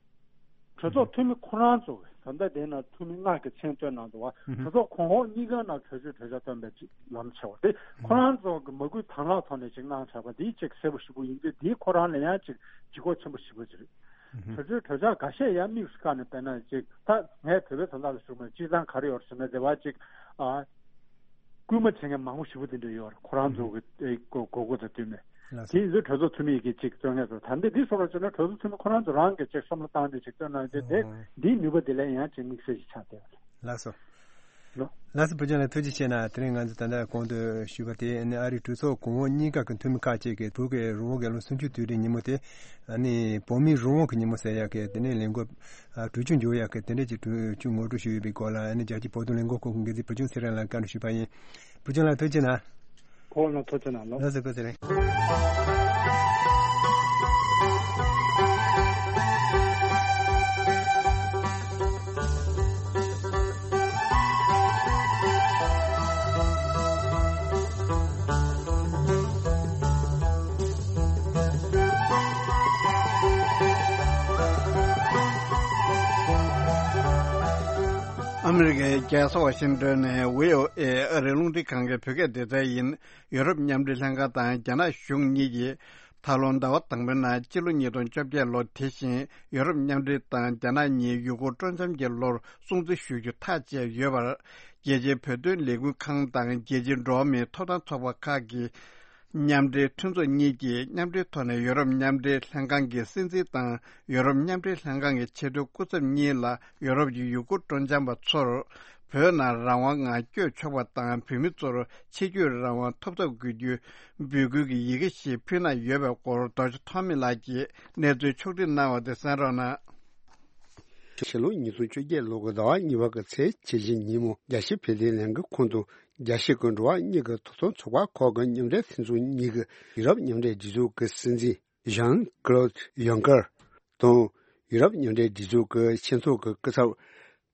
གྲོས་ཚོགས་འཐུས་མི་ཁོ་རང་ཚོ་ད་ལྟ་དེ་ན་འཐུས་མི་ལྔ་གི་མཚན་བཏོན་གནང་འདུག་བ། ཧུམ་ཧུམ། གྲོས་ཚོགས་གོང་འོག་གཉིས་ཀ་ནང་གྲོས་ཆོད་གྲོས་འཆར་བཏོན་པའི་ཅིག་ལམ་ཆེ་བ་དེ། ཧུམ། ཁོ་རང་ཚོ་གི་མ་སྐུལ་དང་བླངས་ཐོག་ནས་ཅིག་གནང་བཞག་པ་འདི་ཅིག་གསལ་པོ་ཞེ་པོ་ཡིན་དུས། འདིའི་ཁོ་རང་ལ་ཡང་ཅིག་ལྗིད་ཁོག་ཆེན་པོ་ཞེ་པོ་ཅིག་རེད། ཧུམ་ཧུམ། གྲོས་ཆོད་གྲོས་འཆར་འགའ་ཤས་ཡང་དམིགས་སུ་བཀར་ནས། དཔེར་ན་ཅིག་ད་ངས་བོད་པའི་དོན་དག་ལ་ཞུ་མ། སྤྱིར་བཏང་ག་རེ་ཡོད་ཟེར་ན། དེ་བ་ཅིག་ཨ། སྐུལ་མ་བྱེད་མཁན་མང་པོ་ཞེ་པོ་དེ་འདྲ་ཡོད་རེད། ཁོ་རང་ཚོ་གི་ཨེ་དགོས་དགོས་མཁོ་དང་བསྟུན་ནས། ལགས་སོ། དེ་ཡིན་ཚེ་གྲོས་ཚོགས་འཐུས་མི་གིས་ཅིག་བཏོན་མཁན་ཚོ། ད་འདི་འདི་སོགས་ལ་བྱས་ན་གྲོས་ཚོགས་འཐུས་མི་ཁོ་རང་ཚོ་རང་གིས་ཅིག་བསམ་བློ་བཏང་སྟེ་ཅིག་བཏོན་གནང་རྒྱུ་དེ། ཨོ། འདིའི་ནུས་པ་དེ་ལས་ཡང་ཅིག་དམིགས་བསལ་ཞིག་ཆགས་བསྡད་པ་རེད། ལགས་སོ། ལགས་སོ། བུ་ཆུང་ལགས་ཐུགས་རྗེ་ཆེ་གནང་། དེ་རིང་ང་ཚོ་ད་ལྟ་གོང་དུ་ཞུས་པ་དེ་ནི་ཨ་རིའི་གྲོས་ཚོགས་གོང་འོག་གཉིས་ཀ་གི་འཐུས་མི་ཁག་ཅིག་གིས་བོད་ཀྱི་རང་དབང་གི་ལོ་སུམ་ཅུ་དུས་དྲན་ཉིན་མོ་དེ་ཨ་ནི་བོད་མིའི་རང་དབང་གི་ཉིན་མོ་ཟེར་ཡག་གི་དེ་ནས་ལས་འགུལ་ཨ་གྲོས་ཆོད་འཇོག་ཡག་གི་དེ་འདྲ་ཅིག་གྲོས་ཆོད་ངོ་སྤྲོད་ཞུས་ཡོད་པའི་སྐོར་ལ་ཨ་ནི་རྒྱལ་སྤྱིའི་བོད་དོན་ལས་འགུལ་ཁང་གི་འགན་འཛིན་བུ་ཆུང་ཚེ་རིང་ལགས་བཀའ་འདྲི་ཞུས་པ་ཡིན། བུ་ཆུང་ལགས་ཐུགས་རྗེ་གནང་། ཁོ་ལ་ཐུགས་རྗེ་གནང་ལོ། ལགས་སོ། བཀའ་དྲིན་ཆེ། ཨ་མི་རི་ཀའི་རྒྱལ་ས་ཝ་ཤིང་ཏོན་ནས་བྷི་ཨོ་ཨེ་ཨ་རིའི་རླུང་འཕྲིན་ཁང་གི་བོད་སྐད་སྡེ་ཚན་ཡིན། ཡོ་རོབ་མཉམ་འབྲེལ་ལྷན་ཁང་དང་རྒྱ་ནག་གཞུང་གཉིས་ཀྱིས་ད་ལོ་ཟླ་བ་དང་པོའི་ནང་སྤྱི་ལོ་ཉིས་སྟོང་བཅོ་བརྒྱད་ལོ་དེ་བཞིན་ཡོ་རོབ་མཉམ་འབྲེལ་དང་རྒྱ་ནག་གཉིས་ཡུལ་སྐོར་སྤྲོ་འཆམ་གྱི་ལོར་སྲུང་བརྩི་ཞུ་རྒྱུ་ཐག་བཅད་ཡོད་པར། རྒྱལ་སྤྱིའི་བོད་དོན་ལས་འགུལ་ཁང་དང་རྒྱལ་སྤྱིའི་འགྲོ་བ་མིའི་ཐོབ་ཐང་ཚོགས་པ་ཁག་གི་མཉམ་འབྲེལ་མཐུན་ཚོགས་གཉིས་ཀྱིས་མཉམ་འབྲེལ་ཐོག་ནས་ཡོ་རོབ་མཉམ་འབྲེལ་ལྷན་ཁང་གི་སྲིད་འཛིན་དང་ཡོ་རོབ་མཉམ་འབྲེལ་ལྷན་ཁང་གི་ཆེས་མཐོའི་སྐུ་ཚབ་གཉིས་ལ་ཡོ་རོབ་ཀྱི་ཡུལ་སྐོར་སྤྲོ་འཆམ་པ་ཚོར་བོད་ནང་རང་དབང་ངང་བསྐྱོད་ཆོག་པ་དང་བོད་མི་ཚོར་ཕྱི་སྐྱོད་རང་དབང་ཐོབ་ཐབས་དགོས་རྒྱུའི་འབོད་སྐུལ་གྱི་ཡི་གེ་ཞིག་ཕུལ་གནང་ཡོད་པའི་སྐོར་རྡོ་རྗེ་ཐོགས་མེད་ལགས་ཀྱིས་གནས་ཚུལ་ཕྱོགས་སྒྲིག་གནང་བ་དེ་གསན་རོགས་གནང་། ཕྱི་ལོ་ཉིས་སྟོང་བཅོ་བརྒྱད་ལོ་གི་ཟླ་བ་གཉིས་པ་གི་ཚེས་ཁྱི་བཞི་ཉིན་མོ་རྒྱལ་སྤྱིའི་བོད་དོན་ལས་འགུལ་ཁང་དང་རྒྱལ་སྤྱི་གི་འགྲོ་བ་མིའི་ཐོབ་ཐང་ཚོགས་པ་ཁག་གི་མཉམ་འབྲེལ་མཐུན་ཚོགས་གཉིས་ཀྱི་ཡུ་རོབ་མཉམ་འབྲེལ་སྒྲིག་འཛུགས་ཀྱི་སྲིད་འཛིན་ཞན་ཀློད་ཡོང་ཀར་དང་ཡུ་རོབ་མཉམ་འབྲེལ་སྒྲིག་འཛུགས་ཀྱི་ཆེས་མཐོ་གི་སྐུ་ཚབ་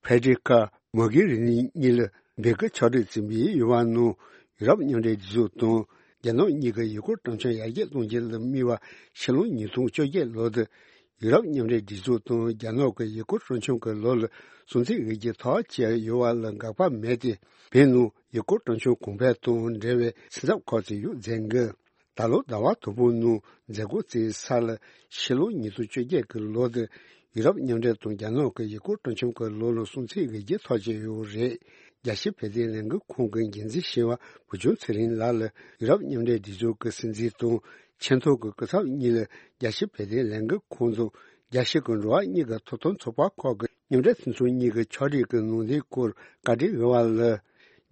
ཕེ་ཌེ་རི་ཀ་མོ་གྷེ་རི་ནི་གཉིས་ལ་འབོད་སྐུལ་ཕྱོགས་སྒྲིག་བྱས་པའི་ཡོད་པ་ནང་ཡུ་རོབ་མཉམ་འབྲེལ་སྒྲིག་འཛུགས་དང་རྒྱ་ནག་གཉིས་ཀྱི་ཡུལ་སྐོར་སྤྲོ་འཆམ་ཡར་རྒྱས་གཏོང་རྒྱུ་ལ་དམིགས་པ་ཕྱི་ལོ་ཉིས་སྟོང་བཅོ་བརྒྱད་ལོ་དེ་ཡུ་རོབ་མཉམ་འབྲེལ་སྒྲིག་འཛུགས་དང་རྒྱ་ནག་གི་ཡུལ་སྐོར་སྤྲོ་འཆམ་གྱི་ལོ་ལ་སྲུང་བརྩི་འོས་བསྡུ་ཐག་བཅད་ཡོད་པ་ལ་དགག་པ་མེད་དེ། བོད་ནང་ཡུལ་སྐོར་སྤྲོ་འཆམ་གོང་འཕེལ་དང་འབྲེལ་བའི་སེམས་འཚབ་ཁག་ཅིག་ཡོད་ཟེར་གི། ད་ལོ་ཟླ་བ་དང་པོའི་ནང་མཛད་སྒོ་བྱས་ས་ལ་ཕྱི་ལོ་ཉིས་སྟོང་བཅོ་བརྒྱད་ཀྱི་ལོ་དེ་ཡུ་རོབ་མཉམ་འབྲེལ་དང་རྒྱ་ནག་གི་ཡུལ་སྐོར་སྤྲོ་འཆམ་གྱི་ལོ་ལ་སྲུང་བརྩི་འོས་བསྡུ་ཐག་བཅད་ཡོད་རེད། རྒྱལ་སྤྱིའི་བོད་དོན་ལས་འགུལ་ཁང་གི་འགན་འཛིན་ཞི་བ་བུ་ཆུང་ཚེ་རིང་ལགས་ལ་ཡུ་རོབ་མཉམ་འབྲེལ་སྒྲིག་འཛུགས་ཀྱི་སྲིད་འཛིན་དང་ཆེས་མཐོ་གི་སྐུ་ཚབ་གཉིས་ལ་རྒྱལ་སྤྱིའི་བོད་དོན་ལས་འགུལ་ཁང་དང་རྒྱལ་སྤྱི་གི་འགྲོ་བ་མིའི་ཐོབ་ཐང་ཚོགས་པ་ཁག་གི་མཉམ་འབྲེལ་མཐུན་ཚོགས་གཉིས་ཀྱི་ཕྱོགས་སྒྲིག་གི་ནང་དོན་སྐོར་བཀའ་འདྲི་ཞུས་པ་ལ།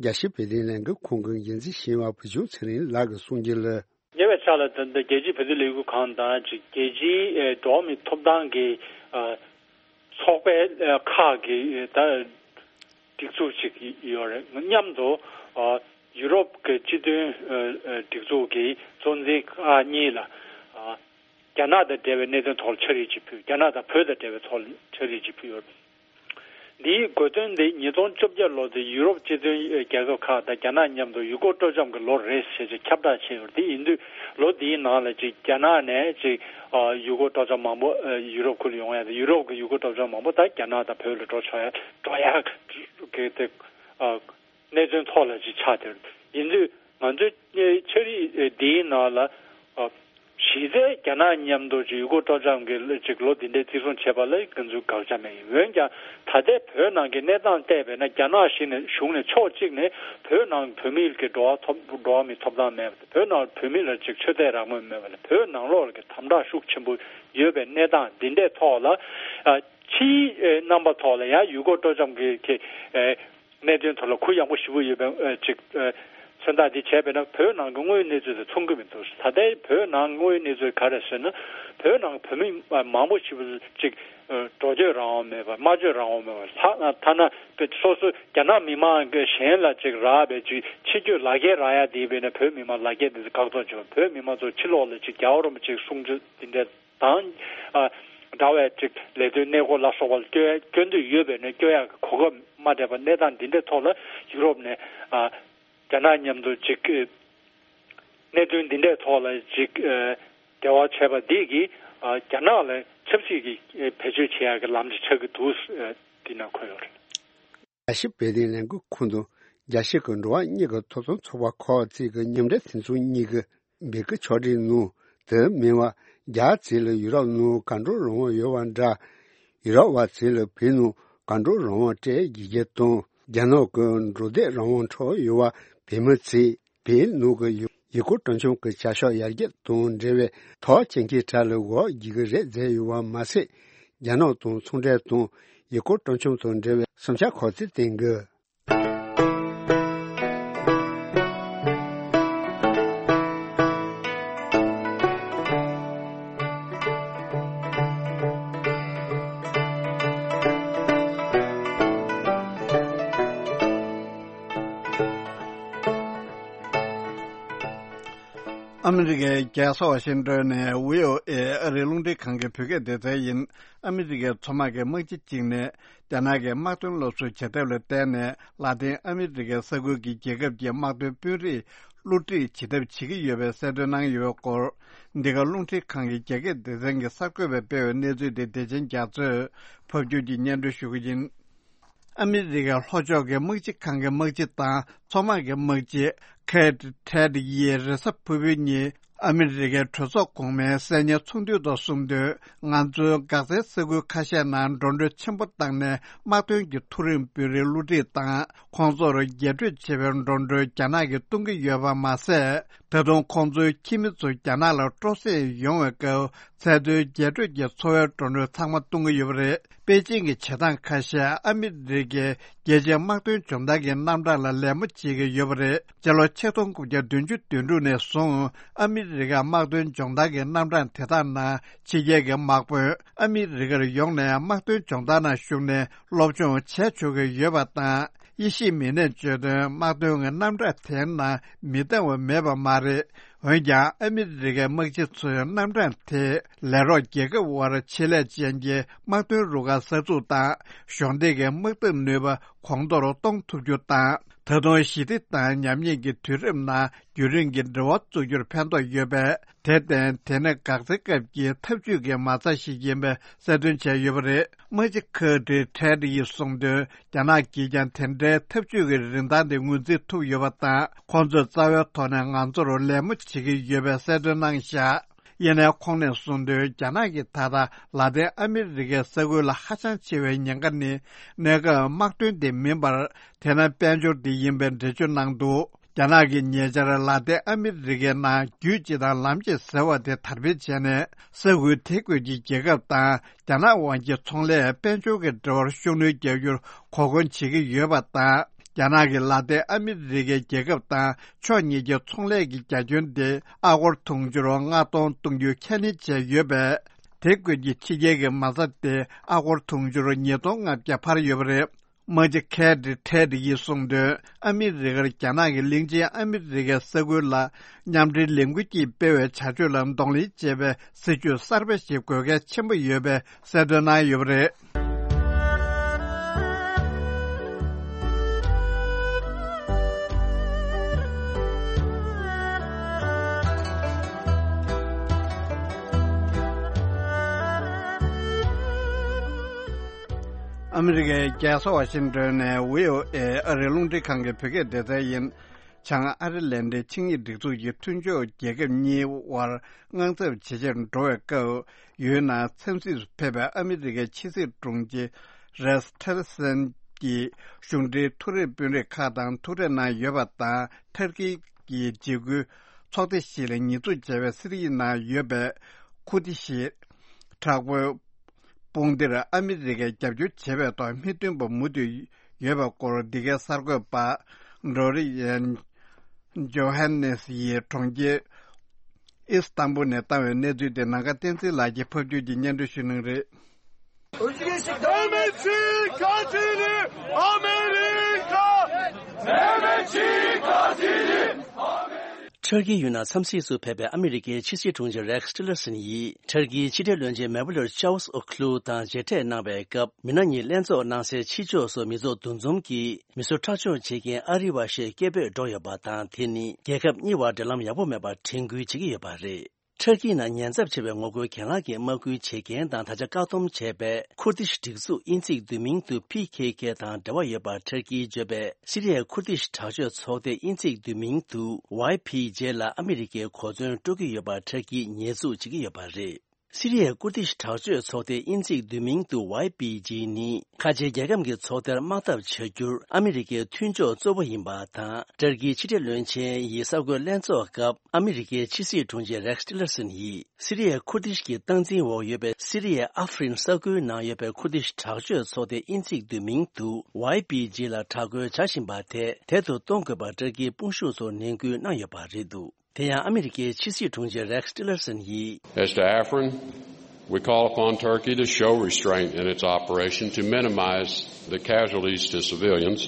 རྒྱལ་སྤྱིའི་བོད་དོན་ལས་འགུལ་ཁང་གི་འགན་འཛིན་ཞི་བ་བུ་ཆུང་ཚེ་རིང་ལགས་ཀྱིས་གསུངས་རྒྱུ་ལ། ཉེ་བའི་ཆར་ལ་ད་ལྟ་རྒྱལ་སྤྱིའི་བོད་དོན་ལས་འགུལ་ཁང་དང་ཅིག་རྒྱལ་སྤྱིའི་ཨེ་འགྲོ་བ་མིའི་ཐོབ་ཐང་གི་ཨ་ཚོགས་པའི་ཨ་ཁག་གི་ཨེ་ད་སྒྲིག་འཛུགས་ཅིག་ཡོད་རེད། མཉམ་དུ་ཨ་ཡུ་རོབ་ཀྱི་སྤྱི་མཐུན་ཨ་ཨ་སྒྲིག་འཛུགས་ཀྱི་གཙོ་འཛིན་ཁག་གཉིས་ལ་ཨ་རྒྱ་ནག་དང་འབྲེལ་བའི་གནད་དོན་ཐོག་ལ་ཕྱག་བྲིས་ཅིག་ཕུལ། རྒྱ་ནག་དང་བོད་དང་འབྲེལ་བའི་ཐོག་ལ་ཕྱག་བྲིས་ཅིག་ཕུལ་ཡོད། འདིའི་དགོས་དོན་དེ་ཉིས་སྟོང་བཅོ་བརྒྱད་ལོ་དེ་ཡུ་རོབ་སྤྱི་མཐུན་རྒྱལ་ཁབ་ཁག་དང་རྒྱ་ནག་མཉམ་དུ་ཡུལ་སྐོར་སྤྲོ་འཆམ་གྱི་ལོ་རེད་ཟེར་ཅིག་ཁྱབ་བསྒྲགས་བྱས་ཡོད། དེ་ཡིན་དུས་ལོ་འདིའི་ནང་ལ་ཅིག་རྒྱ་ནག་ནས་ཅིག་ཨ་ཡུལ་སྐོར་སྤྲོ་འཆམ་མང་པོ་ཨ་ཡུ་རོབ་ཁུལ་ཡོང་ཡ་དང་ཡུ་རོབ་ཀྱི་ཡུལ་སྐོར་སྤྲོ་འཆམ་མང་པོ་ད་རྒྱ་ནག་དང་བོད་ལ་འགྲོ་ཆོག་ཡ་འགྲོ་ཡ་གི་དེ་ཨ་གནད་དོན་ཐོག་ལ་ཅིག་ཆགས་བསྡད་ཡོད། ཡིན་དུས་ང་ཚོའི་ཕྱག་བྲིས་འདིའི་ནང་ལ་ཨ་གཞི་རྩའི་རྒྱ་ནག་མཉམ་དུ་ཅིག་ཡུལ་སྐོར་སྤྲོ་འཆམ་གྱི་ཅིག་ལོ་འདི་འདྲའི་བརྩི་སྲུང་བྱས་པ་ལ་ང་ཚོས་དགག་བྱ་མེད། འོན་ཀྱང་ད་ལྟའི་བོད་ནང་གི་གནས་སྟངས་བལྟས་པས་ན་རྒྱ་ནག་གཞི་ནས་གཞུང་ནས་ཕྱོགས་གཅིག་ནས་བོད་ནང་བོད་མིའི་གི་འགྲོ་བ་ཐོབ་འགྲོ་བ་མིའི་ཐོབ་ཐང་མེད་པ་དང་བོད་ནང་བོད་མི་ལ་ཅིག་ཆོས་དད་རང་མོས་མེད་པ་ལ་བོད་ནང་ལོགས་ལ་གི་དམ་དྲག་ཤུགས་ཆེན་པོ་ཡོད་པའི་གནས་སྟངས་འདི་འདྲའི་ཐོག་ལ་ཨ་ཕྱིའི་ཨེ་རྣམ་པ་ཐོག་ལ་ཡང་ཡུལ་སྐོར་སྤྲོ་འཆམ་གྱི་གི་ཨེ་གནད་དོན་ཐོག་ལ་གུ་ཡངས་པོ་ཞེ་པོ་ཡོད་པའི་ཨེ་ཅིག་ཨེ་མཚོན་རྟགས་འདི་བྱས་པས་ན་བོད་ནང་གི་དངོས་ཡོད་གནས་ཚུལ་དང་མཚུངས་ཀྱི་མི་འདུག་ད་ལྟའི་བོད་ནང་དངོས་ཡོད་གནས་ཚུལ་ག་རེ་ཟེར་ན་བོད་ནང་བོད་མི་མང་པོ་ཞེ་པོ་ཅིག་ཨེ་འགྲོ་སྐྱོད་རང་དབང་མེད་པ་སྨྲ་བརྗོད་རང་དབང་མེད་པ་ལྷག་ཐ་ན་སོ་སོ་རྒྱ་ནག་མི་མང་གི་གཞན་ལ་ཅིག་རག་པའི་ཅིག་ཕྱི་སྐྱོད་ལག་འཁྱེར་རག་ཡ་དེ་བས་ན་བོད་མི་མང་ལག་འཁྱེར་དེ་ཚོ་བཀག་སྡོམ་བྱེད་པ་བོད་མི་མང་ཚོ་ཕྱི་ལོགས་ལ་ཅིག་རྒྱལ་བ་རིན་པོ་ཆེའི་གསུང་ཆོས་འདི་འདྲ། དང་། ཨ། འདྲ་བའི་ཅིག་ལས་དོན་གནས་སྐོར་ལ་སོགས་པ་ལ་སྐྱོད་སྐྱོད་འདོད་ཡོད་པས་ན་སྐྱོད་ཡག་གི་གོ་སྐབས་མ་སྤྲད་པ་གནས་སྟངས་འདི་འདྲའི་ཐོག་ལ་ཡུ་རོབ་ནས་ཨ། རྒྱ་ནག་མཉམ་དུ་ཅིག་གནད་དོན་འདི་འདྲའི་ཐོག་ལ་ཅིག་འབྲེལ་བ་བྱས་པ་འདི་གིས་རྒྱ་ནག་ལ་ཆབ་སྲིད་ཀྱི་བེད་སྤྱོད་བྱེད་ཡག་གི་ལམ་ཅིག་ཆགས་ཀྱི་འདུག་འདི་ནང་འཁོད་ཡོད་རེད། རྒྱལ་སྤྱིའི་བོད་དོན་ལས་འགུལ་ཁང་དང་རྒྱལ་སྤྱི་གི་འགྲོ་བ་མིའི་ཐོབ་ཐང་ཚོགས་པ་ཁག་ཅིག་གི་མཉམ་འབྲེལ་མཐུན་ཚོགས་གཉིས་ཀྱི་འབོད་སྐུལ་ཕྱོགས་སྒྲིག་ནང་དེ་མིན་པ་རྒྱ་ཆེ་ལ་ཡུ་རོབ་ནང་གང་འགྲོ་རང་དབང་ཡོད་པ་འདྲ། ཡུ་རོབ་པ་ཆེ་ལ་བོད་ནང་གང་འགྲོ་རང་དབང་སྤྲད་དགོས་རྒྱུ་དང་རྒྱ་ནག་གི་འགྲོ་སྡོད་རང་དབང་འཕྲོག་ཡོད་པ་བོད་མི་ཚོས་བོད་ནང་གི་ཡུལ་ཡུལ་སྐོར་སྤྲོ་འཆམ་གྱི་བྱ་གཞག་ཡར་རྒྱས་དང་འབྲེལ་བའི་ཐོག་སྐྱོད་མཁན་གྲས་ལ་འགོ་འཛུགས་ཀྱི་རེད་བརྗོད་ཡོད་པ་མ་ཟད། རྒྱ་ནག་དང་ཚོང་འབྲེལ་དང་ཡུལ་སྐོར་སྤྲོ་འཆམ་དང་འབྲེལ་བའི་བསམ་འཆར་ཁག་ཅིག་བཏོན་དགོས། ཨ་མི་རི་ཀའི་རྒྱལ་ས་ཝ་ཤིང་ཏོན་ནས་བྷི་ཨོ་ཨེ་ཨ་རིའི་རླུང་འཕྲིན་ཁང་གི་བོད་སྐད་སྡེ་ཚན་ཡིན། ཨ་མི་རི་ཀའི་མཚོ་དམག་གི་དམག་སྤྱི་གཅིག་ནས་རྒྱ་ནག་གི་དམག་དོན་སློབ་གསོ་བྱེད་ཐབས་ལ་བརྟེན་ནས་ལ་ཏིན་ཨ་མི་རི་ཀའི་ས་ཁུལ་གྱི་རྒྱལ་ཁབ་ཀྱི་དམག་དོན་དཔོན་རིགས་བསླུ་བྲིད་བྱེད་ཐབས་བྱེད་ཀྱི་ཡོད་པའི་གསལ་སྟོན་གནང་ཡོད་པའི་སྐོར། འདི་ག་རླུང་འཕྲིན་ཁང་གི་རྒྱ་སྐད་སྡེ་ཚན་གྱི་གསར་འགོད་པས་སྤེལ་བའི་གནས་ཚུལ་དེ་བདེ་ཆེན་རྒྱ་མཚོས་ཕབ་སྒྱུར་གྱིས་སྙན་སྒྲོན་ཞུ་གི་ཡིན། ཨ་མི་རི་ཀའི་ལྷོ་ཕྱོགས་ཀྱི་དམག་སྤྱི་ཁང་གི་དམག་སྤྱི་དང་མཚོ་དམག་གི་དམག་སྤྱི་ཁེ་ཏྲེད་ཡིས་རེས་གཟའ་ཕུར་བུའི་ཉིན་ཨ་མི་རི་ཀའི་གྲོས་ཚོགས་གོང་མའི་གསན་ཉན་ཚོགས་འདུའི་ཐོག་གསུངས་དོན། ང་ཚོའི་འགག་རྩའི་ས་ཁུལ་ཁ་ཤས་ནང་འགྲོ་གྲོན་ཆེན་པོ་བཏང་ནས་དམག་དོན་གྱི་མཐོ་རིམ་དཔོན་རིགས་བསླུ་བྲིད་དང་ཁོང་ཚོར་རྒྱས་སྤྲོས་བྱེད་པའི་འགྲོ་གྲོན་རྒྱ་ནག་གིས་གཏོང་གི་ཡོད་པ་མ་ཟད། ད་དུང་ཁོང་ཚོའི་ཁྱིམ་མི་ཚོ་རྒྱ་ནག་ལ་སྤྲོ་གསེང་ཡོང་བའི་སྐབས། ཚད་མཐོའི་རྒྱས་སྤྲོས་ཀྱི་འཚོ་བའི་འགྲོ་གྲོན་ཚང་མ་གཏོང་གི་ཡོད་པ་རེད། པེ་ཅིང་གི་བྱེད་སྟངས་ཁ་ཤས་ཨ་མི་རི་ཀའི་རྒྱལ་སྤྱིའི་དམག་དོན་སྦྱོང་བརྡར་གྱི་རྣམ་གྲངས་ལ་ལད་མོ་བྱེད་ཀྱི་ཡོད་པ་རེད། སྤྱི་ལོ་ཆིག་སྟོང་དགུ་བརྒྱ་བདུན་ཅུ་དོན་དྲུག་ནས་བཟུང་ཨ་མི་རི་ཀའི་དམག་དོན་སྦྱོང་བརྡར་གྱི་རྣམ་གྲངས་དེ་དག་ནང་ཕྱི་རྒྱལ་གྱི་དམག་དཔོན་ཨ་མི་རི་ཀར་ཡོང་ནས་དམག་དོན་སྦྱོང་བརྡར་ནང་ཞུགས་ནས་སློབ་སྦྱོང་བྱས་ཆོག་གི་ཡོད་པ་དང་། དབྱེ་ཞིབ་མི་སྣས་བརྗོད་དོན། དམག་དོན་གྱི་རྣམ་གྲངས་དེའི་ནང་མི་འདང་བ་མེད་པ་མ་རེད། འོན་ཀྱང་ཨ་མི་རི་ཀའི་དམག་སྤྱི་ཚོས་རྣམ་གྲངས་དེ་ལས་རོགས་རྒྱལ་ཁབ་དབར་ཆེད་ལས་ཅན་གྱི་དམག་དོན་རུ་ཁག་གསར་འཛུགས་དང་གཞོགས་འདེགས་ཀྱི་དམག་འཐབ་ནུས་པ་གོང་མཐོར་གཏོང་ཐུབ་རྒྱུ་དང་། ད་དུང་ཞི་བདེ་དང་ཉམས་ཉེས་ཀྱི་དུས་རིམ་ནང་རྒྱུན་རིང་གི་འབྲེལ་བ་བཙུགས་རྒྱུར་ཕན་ཐོགས་ཡོད་པས། དེར་བརྟེན་དེ་ནི་འགག་རྩའི་སྐབས་ཀྱི་འཐབ་ཇུས་ཀྱི་མ་རྩ་ཞིག་ཡིན་པའི་གསལ་སྟོན་བྱས་ཡོད་པ་རེད། དམག་སྤྱི་ཁེ་ཏྲེད་ཡིས་གསུངས་དོན། རྒྱ་ནག་གིས་ཀྱང་དེ་འདྲའི་འཐབ་ཇུས་ཀྱི་རིན་ཐང་དེ་ངོས་འཛིན་ཐུབ་ཡོད་པ་དང་། ཁོང་ཚོས་རྩ་བའི་ཐོག་ནས་ང་ཚོར་ལད་མོ་བྱེད་ཀྱི་ཡོད་པའི་གསལ་སྟོན་གནང་བཞག་ཡིན་ནའི་ཁོང་ནས་གསུངས་དོན། རྒྱ་ནག་གིས་ད་ལྟ་ལ་ཏིན་ཨ་མི་རི་ཀའི་ས་ཁུལ་ལ་ཧ་ཅང་ཆེ་བའི་ཉེན་ཁ་ནི་གནས་སྐབས་དམག་དོན་དེ་མིན་པར། དེ་ནི་དཔལ་འབྱོར་དེ་ཡིན་པའི་འགྲེལ་བརྗོད་གནང་འདུག་རྒྱ་ནག་གིས་ཉེ་ཆར་ལ་ཏིན་ཨ་མི་རི་ཀའི་ནང་རྒྱུད་སྤྱི་དང་ལམ་སྐྱེད་ཟེར་བ་དེ་དར་སྤེལ་བྱས་ནས། ས་ཁུལ་དེ་ཁུལ་གྱི་རྒྱལ་ཁབ་དང་རྒྱ་ནག་དབར་གྱི་ཚོང་ལས་དཔལ་འབྱོར་གྱི་འབྲེལ་བར་ཤུགས་སྣོན་རྒྱག་རྒྱུར་གོ་སྐོན་བྱེད་ཀྱི་ཡོད་པ་དང་། རྒྱ་ནག་གིས་ལ་ཏིན་ཨ་མི་རི་ཀའི་རྒྱལ་ཁབ་དང་ཕྱོགས་གཉིས་ཀྱི་ཚོང་ལས་ཀྱི་རྒྱ་ཁྱོན་དེ་ཨ་སྒོར་དུང་ཕྱུར་ལྔ་སྟོང་གཏོང་རྒྱུ་ཁས་ལེན་བྱས་ཡོད་པས། དེ་ཁུལ་གྱི་ཕྱི་རྒྱལ་གྱི་མ་རྩ་དེ་ཨ་སྒོར་དུང་ཕྱུར་ཉིས་སྟོང་ལྔ་བརྒྱ་འཕར་ཡོད་པ་རེད། དམག་སྤྱི་ཁེ་ཏྲེད་ཡིས་གསུངས་དོན། ཨ་མི་རི་ཀར་རྒྱ་ནག་གི་གླིང་ཆེན་ཨ་མི་རི་ཀའི་ས་ཁུལ་ལ་མཉམ་འབྲེལ་ལས་འགུལ་གྱིས་སྤེལ་བའི་བྱ་སྤྱོད་ལ་གདོང་ལེན་བྱེད་པའི་སྲིད་ཇུས་གསར་པ་ཞིག་དགོས་གལ་ཆེན་པོ་ཡོད་པའི་གསལ་སྟོན་གནང་ཡོད་པ་རེད། ཨ་མི་རི་ཀའི་རྒྱལ་ས་ཝ་ཤིང་ཏོན་ནས་བྷི་ཨོ་ཨེ་ཨ་རིའི་རླུང་འཕྲིན་ཁང་གི་བོད་སྐད་སྡེ་ཚན་ཡིན། བྱང་ཨ་རི་ལན་ཌའི་ཆིངས་ཡིག་སྒྲིག་འཛུགས་ཀྱི་མཐུན་ཕྱོགས་རྒྱལ་ཁབ་གཉིས་དབར་དངངས་འཚབ་ཇེ་ཆེར་འགྲོ་བའི་སྐབས། ཡུལ་ནང་འཚམས་གཟིགས་སུ་ཕེབས་པའི་ཨ་མི་རི་ཀའི་ཕྱི་སྲིད་དྲུང་ཆེ་རེགས་ཊི་ལར་སན་གྱིས་གཞུང་འབྲེལ་མཐོ་རིམ་དཔོན་རིགས་ཁག་དང་ཐུག་འཕྲད་གནང་ཡོད་པ་དང་། ཐར་ཀི་གི་འཇིགས་སྐུལ་ཚོགས་སྡེ་ཞིག་ལ་ཉེས་འཛུགས་བྱས་པའི་སི་རི་ཡའི་ནང་ཡོད་པའི་ཁུར་དི་ཤི་དྲག་པོའི་དཔུང་སྡེར་ཨ་མི་རི་ཀས་རྒྱབ་སྐྱོར་བྱེད་པའི་ཐོག་མི་བདུན་པ་མུ་མཐུད་ཡོད་པའི་སྐོར། འདི་གའི་གསར་འགོད་པ་ཌོ་རི་ཡན་ཇོ་ཧན་ནེ་སི་ཡིས་གྲོང་ཁྱེར་ཨི་སི་ཏམ་བུལ་ནས་བཏང་བའི་གནས་ཚུལ་དེ་ནམ་མཁའ་བསྟན་འཛིན་ལགས་ཀྱིས་ཕབ་སྒྱུར་གྱིས་སྙན་སྒྲོན་ཞུ་གནང་གི་རེད། Demeci katili Amerika! Demeci katili! ཊར་ཀི་ཡུལ་ནང་འཚམས་གཟིགས་སུ་ཕེབས་པའི་ཨ་མི་རི་ཀའི་ཕྱི་སྲིད་དྲུང་ཆེ་རེགས་ཊི་ལར་སན་ཡིས། ཊར་ཀིའི་ཕྱི་འབྲེལ་བློན་ཆེན་མེ་བྷ་ལར་ཅཱའུ་ཨོ་ཁུ་ལུ་དང་མཇལ་འཕྲད་གནང་བའི་སྐབས། མི་སྣ་གཉིས་ལྷན་ཚོགས་གནང་སའི་ཕྱི་ཕྱོགས་སུ་མི་ཚོགས་འདུ་འཛོམས་ཀྱིས། མི་གསོད་ཁྲག་སྦྱོར་བྱེད་མཁན་ཨ་རི་བ་ཞིག་སྐད་འབོད་སྒྲོག་ཡོད་པ་དང་། དེ་ནི་རྒྱལ་ཁབ་གཉིས་བར་འབྲེལ་ལམ་ཡག་པོ་མེད་པར་དྲན་སྐུལ་བྱེད་ཀྱི་ཡོད་པ་རེད། ཊར་ཀིའི་ནང་ཉེན་ཚབས་ཆེ་བའི་ངོ་རྒོལ་གྱེན་ལངས་ཀྱི་དམག་སྐུལ་བྱེད་མཁན་དང་ད་ཆ་བཀག་སྡོམ་བྱས་པའི་ཁུར་དི་ཤི་སྒྲིག་འཛུགས་དབྱིན་ཚིག་བསྡུས་མིང་དུ་ཕི་ཁེ་ཁེ་དང་འབྲེལ་བ་ཡོད་པ་ཊར་ཀིས་བརྗོད་པའི་སི་རི་ཡའི་ཁུར་དི་ཤི་དྲག་སྤྱོད་ཚོགས་སྡེ་དབྱིན་ཚིག་བསྡུས་མིང་དུ་ཝའི་ཕི་ཇེ་ལ་ཨ་མི་རི་ཀས་གོ་མཚོན་སྤྲོད་ཀྱི་ཡོད་པ་ཊར་ཀིས་ཉེས་འཛུགས་བྱེད་ཀྱི་ཡོད་པ་རེད། སི་རི་ཡའི་ཀུར་དི་ཤི་དྲག་སྤྱོད་ཚོགས་སྡེ་དབྱིན་ཚིག་བསྡུས་མིང་དུ་ཝའི་པི་ཇི་ནི་ཁ་ཆེའི་རྒྱལ་ཁམས་ཀྱི་ཚོགས་སྡེར་དམག་འཐབ་བྱ་རྒྱུར་ཨ་མི་རི་ཀའི་མཐུན་ཕྱོགས་གཙོ་བོ་ཡིན་པ་དང་། ཊར་ཀིའི་ཕྱི་འབྲེལ་བློན་ཆེན་ཡིས་གསར་འགོད་ལྷན་ཚོགས་སྐབས་ཨ་མི་རི་ཀའི་ཕྱི་སྲིད་དྲུང་ཆེ་རེགས་ཊི་ལར་སན་ཡིས། སི་རི་ཡའི་ཁུར་དི་ཤི་གི་སྟངས་འཛིན་འོག་ཡོད་པའི་སི་རི་ཡའི་ཨ་ཧྥ་རིན་ས་ཁུལ་ནང་ཡོད་པའི་ཁུར་དི་ཤི་དྲག་སྤྱོད་ཚོགས་སྡེ་དབྱིན་ཚིག་བསྡུས་མིང་དུ་ཝའི་པི་ཇི་ལ་དྲག་རྒོལ་བྱ་བཞིན་པ་དེ་དལ་དུ་གཏོང་དགོས་པར་ཊར་ཀིའི་དཔུང་ཤུགས་ཚོར་ནན་སྐུལ་གནང་ཡོད་པ་རེད་འདུག་དེ་ཡང་ཨ་མི་རི་ཀའི་ཕྱི་སྲིད་དྲུང་ཆེ་རེགས་ཊི་ལར་སན་ཡིས། As to Afrin, we call upon Turkey to show restraint in its operation to minimize the casualties to civilians.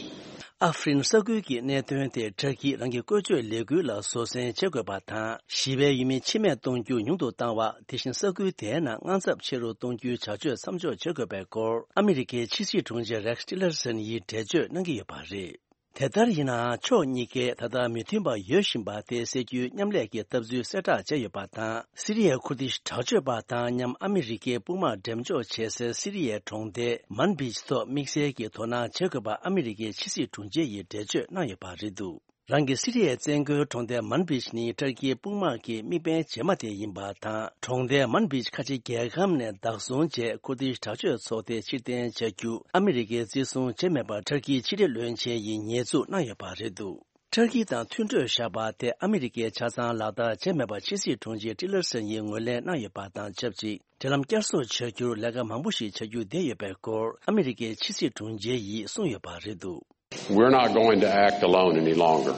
ཨ་ཧྥེ་རིན་ས་ཁུལ་གྱི་གནད་དོན་དེ་ཏུར་ཀིས་རང་གི་བཀོལ་སྤྱོད་ལས་འགུལ་ལ་བཟོད་བསྲན་བྱེད་དགོས་པ་དང་། ཞི་བའི་ཡུལ་མི་འཆི་རྨས་གཏོང་རྒྱུ་ཉུང་དུ་བཏང་བ། དེ་བཞིན་ས་ཁུལ་དེའི་ནང་དངངས་འཚབ་ཆེ་རུ་གཏོང་རྒྱུའི་བྱ་སྤྱོད་མཚམས་འཇོག་བྱེད་དགོས་པའི་སྐོར། ཨ་མི་རི་ཀའི་ཕྱི་སྲིད་དྲུང་ཆེ་རེགས་ཊི་ལར་སན་ཡིས་འགྲེལ་བརྗོད་གནང་གི་ཡོད་པ་རེད། དེ་ལྟར་ཡིན་ནའང་། ཕྱོགས་གཉིས་ཀས་ད་ལྟ་མི་མཐུན་པ་ཡོད་བཞིན་པ་དེ་སེལ་རྒྱུའི་མཉམ་ལས་ཀྱི་ལྟ་ཚུལ་གསལ་བསྒྲགས་བྱས་ཡོད་པ་དང་། སི་རི་ཡའི་ཁུར་ཏིཤ་དྲག་སྤྱོད་པ་དང་མཉམ་ཨ་མི་རི་ཀའི་དཔུང་དམག་འགྲེམས་འཇོག་བྱེད་སའི་སི་རི་ཡའི་གྲོང་རྡལ་མན་བིཇ་ཐོག་དམིགས་བསལ་གྱི་དོ་སྣང་བྱེད་དགོས་པ་ཨ་མི་རི་ཀའི་ཕྱི་སྲིད་དྲུང་ཆེ་ཡིས་འགྲེལ་བརྗོད་གནང་ཡོད་པ་རེད་འདུག་རང་གི་སི་རི་ཡའི་བཙན་རྒོལ་གྲོང་རྡལ་མན་བིཇ་ནི་ཏུར་ཀིའི་དཔུང་དམག་གི་དམིགས་འབེན་རྗེས་མ་དེ་ཡིན་པ་དང་། གྲོང་རྡལ་མན་བིཇ་ཁ་ཆེ་རྒྱལ་ཁམས་ནས་བདག་བཟུང་བྱས། ཁུར་ཏིཤ་དྲག་སྤྱོད་ཚོགས་སྡེ་ཕྱིར་འཐེན་བྱ་རྒྱུ་ཨ་མི་རི་ཀས་བརྩི་སྲུང་བྱས་མེད་པར་ཏུར་ཀིའི་ཕྱི་འབྲེལ་བློན་ཆེན་ཡིས་ཉེས་འཛུགས་གནང་ཡོད་པ་རེད་འདུག་ཏུར་ཀི་དང་མཐུན་གྲོས་བཞག་པ་དེ་ཨ་མི་རི་ཀས་ཆ་ཚང་ལག་བསྟར་བྱས་མེད་པ་ཕྱི་སྲིད་དྲུང་ཆེ་ཊི་ལར་སན་ཡིས་ངོས་ལེན་གནང་ཡོད་པ་དང་ཆབས་ཅིག་འབྲེལ་ལམ་བསྐྱར་གསོ་བྱ་རྒྱུར་ལས་ཀ་མང་པོ་ཞིག་བྱ་རྒྱུ་བསྡད་ཡོད་པའི་སྐོར། ཨ་མི་རི་ཀའི་ཕྱི་སྲིད་དྲུང་ཆེ་ཡིས་གསུངས་ཡོད་པ་རེད་འདུག We're not going to act alone any longer.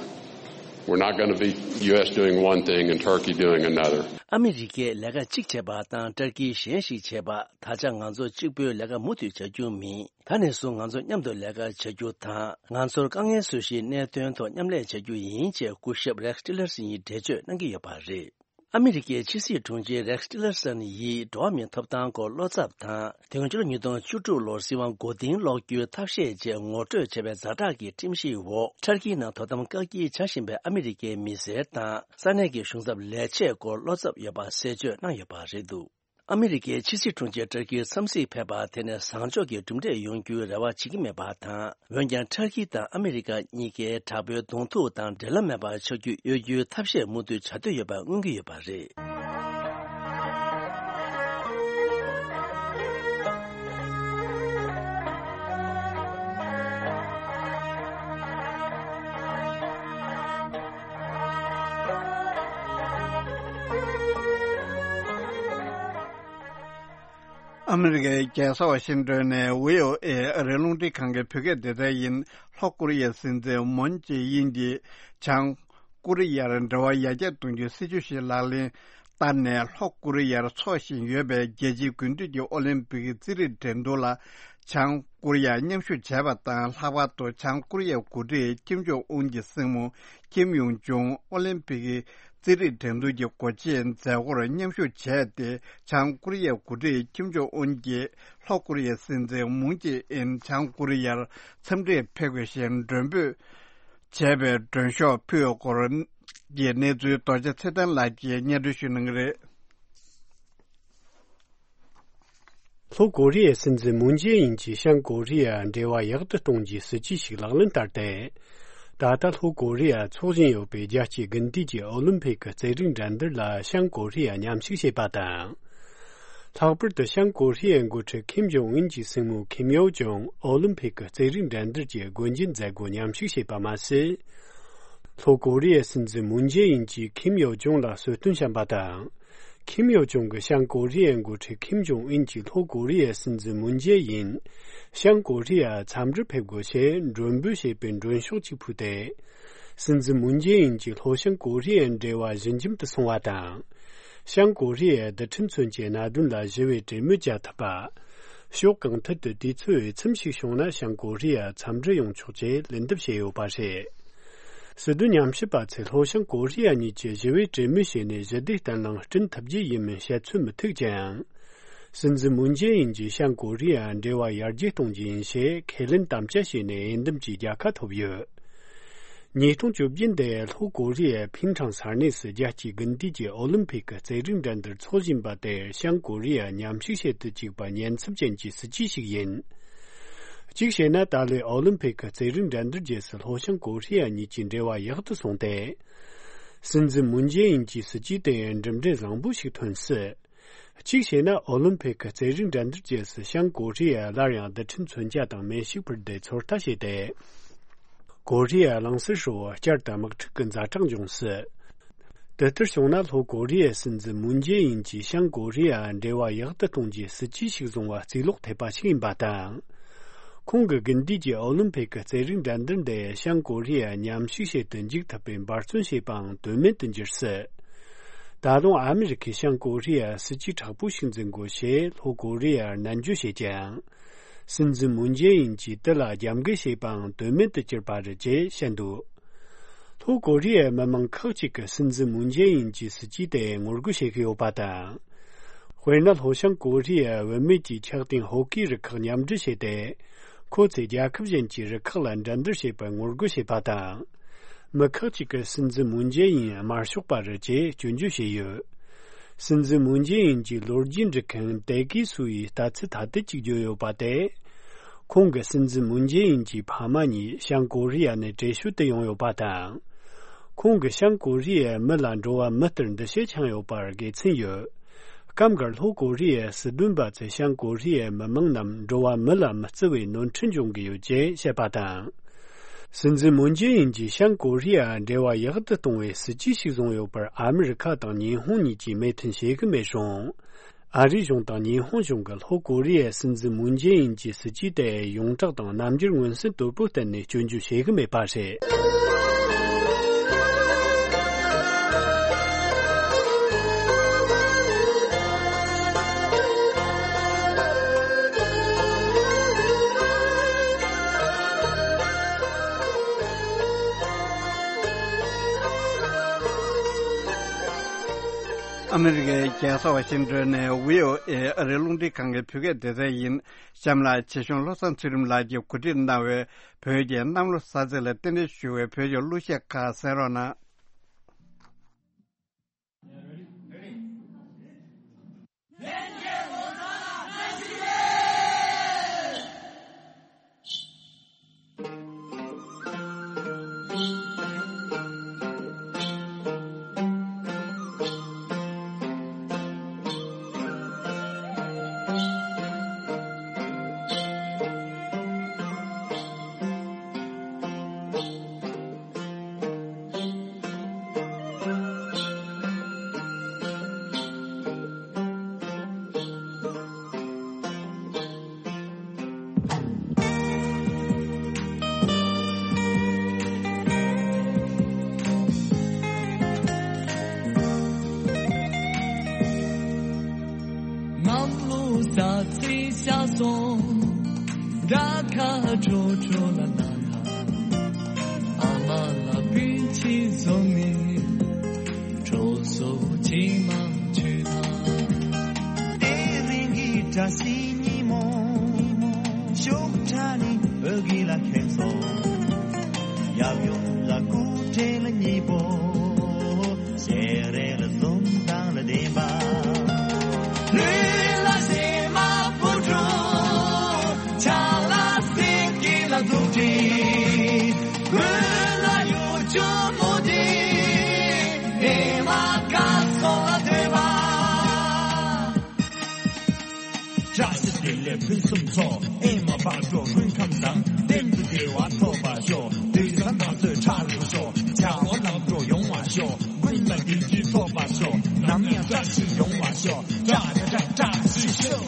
We're not going to be U S doing one thing and Turkey doing another. ཨ་མི་རི་ཀས་ལས་ཀ་གཅིག་བྱས་པ་དང་ཏུར་ཀིས་གཞན་ཞིག་བྱས་པ། ད་ཆ་ང་ཚོ་གཅིག་པུའི་ལས་ཀ་མུ་མཐུད་བྱ་རྒྱུ་མིན། ད་ནས་བཟུང་ང་ཚོ་མཉམ་དུ་ལས་ཀ་བྱ་རྒྱུ་དང་། ང་ཚོར་དཀའ་ངལ་བཟོ་གཞིའི་གནད་དོན་ཐོག་མཉམ་ལས་བྱ་རྒྱུ་ཡིན་ཅེས་སྐུ་ཞབས་རེགས་ཊི་ལར་སན་ཡིས་འགྲེལ་བརྗོད་གནང་གི་ཡོད་པ་རེད། ཨ་མི་རི་ཀའི་ཕྱི་སྲིད་དྲུང་ཆེ་རེགས་ཊི་ལར་སན་ཡིས་འགྲོ་བ་མིའི་ཐོབ་ཐང་སྐོར་བློ་འཚབ་དང་། དེ་སྔོན་ཕྱི་ལོ་ཉིས་སྟོང་བཅུ་དྲུག་ལོར་སྲིད་དབང་མགོ་རྟིང་སློག་རྒྱུའི་ཐབས་ཤེས་བཅས་ངོ་སྤྲོད་བྱས་པའི་ཛ་དྲག་གི་ཁྲིམས་གཞིའི་འོག་ཏུར་ཀིའི་ནང་དོ་དམ་བཀག་སྐྱིལ་བྱ་བཞིན་པའི་ཨ་མི་རི་ཀའི་མི་སེར་དང་ས་གནས་ཀྱི་གཞུང་ཚབ་ལས་བྱེད་སྐོར་བློ་འཚབ་ཡོད་པ་གསལ་བརྗོད་གནང་ཡོད་པ་རེད་འདུག་ཨ་མི་རི་ཀའི་ཕྱི་སྲིད་དྲུང་ཆེ་ཏུར་ཀིརបុ་འཚམས་གཟིགས་ཕེབས་པ་དེ་ནས་བཟང་ཕྱོགས་ཀྱི་གྲུབ་འབྲས་ཡོང་རྒྱུའི་རེ་བ་བྱེད་ཀྱི་མེད་པ་དང་། འོན་ཀྱང་ཏུར་ཀི་དང་ཨ་མི་རི་ཀ་གཉིས་ཀས་དྲག་པོའི་གདོང་ཐུག་དང་འབྲེལ་ལམ་མེད་པར་ཆགས་རྒྱུ་གཡོལ་རྒྱུའི་ཐབས་ཤེས་མུ་མཐུད་བྱ་འདོད་ཡོད་པ་མངོན་གྱི་ཡོད་པ་རེད། ཨ་མི་རི་ཀའི་རྒྱལ་ས་ཝ་ཤིང་ཏོན་ནས་བྷི་ཨོ་ཨེ་ཨ་རིའི་རླུང་འཕྲིན་ཁང་གི་བོད་སྐད་སྡེ་ཚན་ཡིན། ལྷོ་ཀོ་རི་ཡའི་སྲིད་འཛིན་མུན་ཇེ་ཨིན་གྱིས་བྱང་ཀོ་རི་ཡར་འབྲེལ་བ་ཡར་རྒྱས་གཏོང་རྒྱུའི་སྲིད་ཇུས་ཤིག་ལག་ལེན་བསྟར་ནས། ལྷོ་ཀོ་རི་ཡར་འཚོགས་བཞིན་ཡོད་པའི་རྒྱལ་སྤྱིའི་དགུན་དུས་ཀྱི་ཨོ་ལིམ་པིག་རྩེད་རིགས་འགྲན་བསྡུར་ལ་བྱང་ཀོ་རི་ཡ་མཉམ་ཞུགས་བྱས་པ་དང་། ལྷག་པར་དུ་བྱང་ཀོ་རི་ཡའི་འགོ་ཁྲིད་ཀིམ་ཇོང་ཨུན་གྱི་སྲིང་མོ་ཀིམ་ཡོང་ཇོང་ཨོ་ལིམ་པིག་རྩེད་རིགས་འགྲན་བསྡུར་གྱི་སྒོ་འབྱེད་མཛད་སྒོར་མཉམ་ཞུགས་བྱས་ཏེ། བྱང་ཀོ་རི་ཡའི་འགོ་ཁྲིད་ཀིམ་ཇོང་ཨུན་གྱིས་ལྷོ་ཀོ་རི་ཡའི་སྲིད་འཛིན་མུན་ཇེ་ཨིན་བྱང་ཀོ་རི་ཡར་འཚམས་འདྲིར་ཕེབས་དགོས་ཞེས་མགྲོན་འབོད་བྱས་པའི་མགྲོན་ཤོག་ཕུལ་བའི་སྐོར་གྱི་གནས་ཚུལ་རྡོ་རྗེ་ཚེ་བརྟན་ལགས་ཀྱིས་སྙན་སྒྲོན་ཞུ་གནང་གི་རེད། ལྷོ་ཀོ་རི་ཡའི་སྲིད་འཛིན་མུན་ཇེ་ཨིན་གྱིས་བྱང་ཀོ་རི་ཡ་འབྲེལ་བ་ཡག་ཏུ་གཏོང་རྒྱུའི་སྲིད་ཇུས་ཤིག་ལག་ལེན་བསྟར་ཏེ། ད་ལྟ་ལྷོ་ཀོ་རི་ཡ་འཚོགས་བཞིན་ཡོད་པའི་རྒྱལ་སྤྱིའི་དགུན་དུས་ཀྱི་ཨོ་ལིམ་ཕིག་གི་རྩེད་རིགས་འགྲན་བསྡུར་ལ་བྱང་ཀོ་རི་ཡ་མཉམ་ཞུགས་བྱས་པ་དང་། ལྷག་པར་དུ་བྱང་ཀོ་རི་ཡའི་འགོ་ཁྲིད་ཁིམ་ཇོང་ཨུན་གྱི་སྲིང་མོ་ཁིམ་ཡོ་ཇོང་ཨོ་ལིམ་ཕིག་གི་རྩེད་རིགས་འགྲན་བསྡུར་གྱི་སྒོ་འབྱེད་མཛད་སྒོར་མཉམ་ཞུགས་བྱས་པ་མ་ཟད། ལྷོ་ཀོ་རི་ཡའི་སྲིད་འཛིན་མུན་ཇེ་ཨིན་གྱིས་ཁིམ་ཡོ་ཇོང་ལ་གསོལ་སྟོན་བཤམས་པ་དང་། ཁིམ་ཡོ་ཇོང་གིས་བྱང་ཀོ་རི་ཡའི་འགོ་ཁྲིད་ཁིམ་ཇོང་ཨུན་གྱིས་ལྷོ་ཀོ་རི་ཡའི་སྲིད་འཛིན་མུན་ཇེ་ཨིན་བྱང་ཀོ་རི་ཡར་འཚམས་འདྲིར་ཕེབས་དགོས་ཞེས་མགྲོན་འབོད་བྱས་པའི་མགྲོན་ཤོག་ཅིག་ཕུལ་ཏེ། སྲིད་འཛིན་མུན་ཇེ་ཨིན་གྱིས་ལྷོ་བྱང་ཀོ་རི་ཡའི་འབྲེལ་བ་ཞི་འཇམ་དུ་སོང་བ་དང་། བྱང་ཀོ་རི་ཡའི་རྡུལ་ཕྲན་མཚོན་ཆའི་གནད་དོན་ལ་ཞི་བའི་གྲོས་མོལ་བྱ་ཐུབ་པ། ཕྱོགས་གང་ཐད་དུ་དུས་ཚོད་འོས་འཚམ་ཞིག་བྱུང་ན་བྱང་ཀོ་རི་ཡར་འཚམས་འདྲིར་ཡོང་ཆོག་ཅེས་ལན་འདེབས་བྱས་ཡོད་པ་རེད། སྲིད་དོན་ཉམས་ཞིབ་པ་ཚོས་ལྷོ་བྱང་ཀོ་རི་ཡ་གཉིས་ཀྱིས་ཞི་བའི་གྲོས་མོལ་བྱས་ནས་ཞི་བདེ་བརྟན་ལྷིང་བསྐྲུན་ཐུབ་རྒྱུ་ཡིན་མིན་བཤད་ཚོད་མི་ཐིག་ཀྱང་། སྲིད་འཛིན་མུན་ཇེ་ཨིན་གྱིས་བྱང་ཀོ་རི་ཡར་འབྲེལ་བ་ཡར་རྒྱས་གཏོང་རྒྱུ་ཡིན་ཞེས་ཁས་ལེན་དམ་བཅའ་བྱས་ནས་འོས་འདེམས་ཀྱི་རྒྱལ་ཁ་ཐོབ་ཡོད། ཉིས་སྟོང་བཅོ་བརྒྱད་འདིར་ལྷོ་ཀོ་རི་ཡའི་ཕིང་ཁྲང་ས་གནས་སུ་རྒྱལ་སྤྱིའི་དགུན་དུས་ཀྱི་ཨོ་ལིམ་ཕིག་གི་རྩེད་རིགས་འགྲན་བསྡུར་འཚོགས་བཞིན་པ་དེར་བྱང་ཀོ་རི་ཡ་མཉམ་ཞུགས་བྱེད་དུ་བཅུག་པ་ཉེན་ཚབས་ཅན་གྱི་སྲིད་ཇུས་ཤིག་ཡིན། གཅིག་བྱས་ན། ད་ལོའི་ཨོ་ལིམ་ཕིག་གི་རྩེད་རིགས་འགྲན་བསྡུར་རྗེས་སུ་ལྷོ་བྱང་ཀོ་རི་ཡ་གཉིས་ཀྱི་འབྲེལ་བ་ཡག་ཏུ་སོང་སྟེ། སྲིད་འཛིན་མུན་ཇེ་ཨིན་གྱི་སྲིད་ཇུས་དེ་གྲུབ་འབྲས་བཟང་པོ་ཞིག་ཐོན་སྲིད། གཅིག་བྱས་ན། ཨོ་ལིམ་ཕིག་གི་རྩེད་རིགས་འགྲན་བསྡུར་རྗེས་སུ་བྱང་ཀོ་རི་ཡས་སླར་ཡང་རྡུལ་ཕྲན་མཚོན་ཆ་དང་མེ་ཤུགས་འཕུར་མདེལ་ཚོད་ལྟ་བྱས་ཏེ། ཀོ་རི་ཡ་གླིང་ཟུར་ཧྲིལ་བོར་བསྐྱར་དུ་དམག་འཁྲུག་གི་ཛ་དྲག་འབྱུང་སྲིད། དེ་ལྟར་བྱུང་ན། ལྷོ་ཀོ་རི་ཡའི་སྲིད་འཛིན་མུན་ཇེ་ཨིན་གྱིས་བྱང་ཀོ་རི་ཡ་འབྲེལ་བ་ཡག་ཏུ་གཏོང་རྒྱུའི་སྲིད་ཇུས་ཤིག་བཟུང་བ་རྩིས་ལོག་ཐེབས་པ་ཞིག་ཡིན་པ་དང་། ཁོང་གིས་དགུན་དུས་ཀྱི་ཨོ་ལིམ་ཕིག་གི་རྩེད་རིགས་འགྲན་བསྡུར་འདི་བྱང་ཀོ་རི་ཡ་མཉམ་ཞུགས་བྱེད་དུ་འཇུག་ཐུབ་པའི་འབད་བརྩོན་བྱས་པའང་དོན་མེད་དུ་འགྱུར་སྲིད། ད་དུང་ཨ་མི་རི་ཁས་བྱང་ཀོ་རི་ཡར་སྲིད་ཇུས་དྲག་པོ་ཞིག་འཛིན་དགོས་ཞེས་ལྷོ་ཀོ་རི་ཡར་ནན་བརྗོད་བྱས་ཀྱང་། སྲིད་འཛིན་མུན་ཇེ་ཨིན་གྱིས་དེ་ལ་རྒྱབ་འགལ་བྱས་པའང་དོན་མེད་དུ་གྱུར་པ་རེད་ཅེས་བཤད་འདུག་ལྷོ་ཀོ་རི་ཡའི་མི་མང་ཁག་ཅིག་གིས་སྲིད་འཛིན་མུན་ཇེ་ཨིན་གྱི་སྲིད་ཇུས་དེ་ངོ་རྒོལ་བྱེད་ཀྱི་ཡོད་པ་དང་། དཔེར་ན། ལྷོ་བྱང་ཀོ་རི་ཡའི་བུད་མེད་ཀྱིས་འཁྱག་ལྡན་ཧོ་ཀི་རུ་ཁག་མཉམ་འབྲེལ་བྱས་ཏེ། ཁོ་ཚོས་རྒྱལ་ཁབ་གཞན་གྱི་རུ་ཁག་ལ་འགྲན་བསྡུར་བྱེད་པར་ངོ་རྒོལ་བྱས་པ་དང་། མི་ཁག་ཅིག་གིས་སྲིད་འཛིན་མུན་ཇེ་ཨིན་དམར་ཤོག་པ་རེད་ཅེས་སྐྱོན་བརྗོད་བྱས་ཡོད། སྲིད་འཛིན་མུན་ཇེ་ཨིན་གྱི་ལོ་རྒྱུས་འབྲི་མཁན་ཏེ་ཀི་སུ་ཡིས་ལྟ་ཚུལ་ཐ་དད་ཅིག་བརྗོད་ཡོད་པ་དེ། ཁོང་གི་སྲིད་འཛིན་མུན་ཇེ་ཨིན་གྱི་ཕ་མ་གཉིས་བྱང་ཀོ་རི་ཡ་ནས་བྲོས་བྱོལ་དུ་ཡོང་ཡོད་པ་དང་། ཁོང་གིས་བྱང་ཀོ་རི་ཡའི་མི་ལ་འགྲོ་བ་མི་ལྟར་འདུ་ཤེས་འཆང་ཡོད་པར་དགེ་མཚན་ཡོད། སྐབས་འགར་ལྷོ་ཀོ་རི་ཡའི་སྲིད་དོན་པ་ཚོས་བྱང་ཀོ་རི་ཡའི་མི་མང་རྣམས་འགྲོ་བ་མི་ལ་མི་བརྩི་བའི་ནོར་འཁྲུལ་འབྱུང་གི་ཡོད་ཅེས་བཤད་པ་དང་། སྲིད་འཛིན་མུན་ཇེ་ཨིན་གྱིས་བྱང་ཀོ་རི་ཡ་འབྲེལ་བ་ཡག་ཏུ་གཏོང་བའི་སྲིད་ཇུས་ཤིག་བཟུང་ཡོད་པར་ཨ་མི་རི་ཁ་དང་ཉི་ཧོང་གཉིས་ཀྱིས་མོས་མཐུན་བྱེད་ཀྱི་མེད་རུང་། ཨ་རིའི་གཞུང་དང་ཉི་ཧོང་གཞུང་གིས་ལྷོ་ཀོ་རི་ཡའི་སྲིད་འཛིན་མུན་ཇེ་ཨིན་གྱི་སྲིད་ཇུས་དེ་ཡོངས་གྲགས་དང་རྣམ་འགྱུར་མངོན་གསལ་དོད་པོ་བསྟན་ནས་སྐྱོན་བརྗོད་བྱེད་ཀྱི་མེད་པ་རེད། ཨ་མི་རི་ཀའི་རྒྱལ་ས་ཝ་ཤིང་ཏོན་ནས་བྷི་ཨོ་ཨེ་ཨ་རིའི་རླུང་འཕྲིན་ཁང་གི་བོད་སྐད་སྡེ་ཚན་ཡིན། གཤམ་ལ་ཆེ་ཆུང་བློ་བཟང་ཚུལ་ཁྲིམས་ལགས་ཀྱིས་གོ་སྒྲིག་གནང་བའི་བོད་ཀྱི་གནམ་ལོ་གསར་ཚེས་ལ་རྟེན་འབྲེལ་ཞུ་བའི་བོད་ཀྱི་གླུ་གཞས་ཁག་གསན་རོགས་གནང་། གནམ་ལོ་གསར་ཚེས་ཤར་སོང་། དགྲ་ཁ་ཁྲོ་ཁྲོ་ལ་ན་ཁ། ཨ་མ་ལ་སྤུན་མཆེད་བཟུང་ནས། གྲོ་སོ་ཆེན་མ་མཆོད་ན། དེ་རིང་གི་བཀྲ་ཤིས་ཉིན་མོ། ཕྱོགས་ཁྲ་ནི་འོད་གི་ལ་ཁེངས་སོ། ཡབ་ཡུམ་ལ་སྐུ་ཕྲེང་ལ་སྙིང་པོ། ཞལ་རས་ལ་འཛུམ་མདངས་ལ་ལྡན་པ། ལུས་ལ་ཞེ་མ་བུ་ཕྲུག་ཆ་ལ་སེང་གེ་ལ་འཛུགས་ཀྱི། དགུན་ལ་ཡུལ་ལྗོངས་མུ་ཏིག་ཨེ་མ་དགའ་སོ་ལ་ཐོས་པ། བཀྲ་ཤིས་བདེ་ལེགས་ཕུན་སུམ་ཚོགས། ཨེ་མ་བག་དྲོ་སྨོན་ཁམས་བཟང་། གཏན་དུ་བདེ་བ་ཐོབ་པར་ཤོག་དུས་བཟང་བདག་ཚོད་ཁྲ་རུ་ཤོག་བྱ་བ་ལམ་འགྲོ་ཡོང་བར་ཤོག་ཀུན་ལ་བདེ་སྐྱིད་ཐོབ་པར་ཤོག་ནམ་ཡང་བཀྲ་ཤིས་ཡོང་བར་ཤོག་བཀྲ་བཀྲ་བཀྲ་བཀྲ་ཤིས་ཤོག་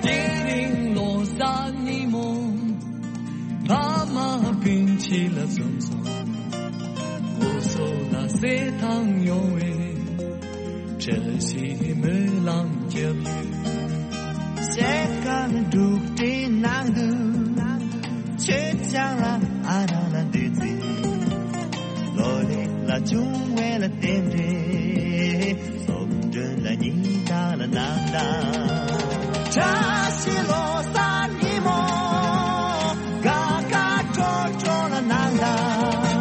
དེ་རིང་ལོ་གསར་ཉིན་མོ། ཕ་མ་སྤུན་མཆེད་ལ་འཛོམས་སོང་། འུ་ཚོ་ལ་གསེར་ཐང་ཡོང་བའི། བཀྲ་ཤིས་སྨོན་ལམ་རྒྱབ་ཡོད། གསེར་དཀར་འབྲུག་སྒྲའི་ནང་དུ། ཆོས་ཆང་ལ་ཨ་རག་ལ་འདུད་རྩི། ལོ་ལེགས་ལ་བྱུང་བའི་ལ་རྟེན་འབྲེལ། སོ་མགྲོན་ལ་ཉིན་ལྟར་ལ་ནང་ལྟར། བཀྲ་ཤིས་ལོ་གསར་ཉིན་མོ། དགའ་དགའ་སྤྲོ་སྤྲོ་ལ་ནང་ལྟར།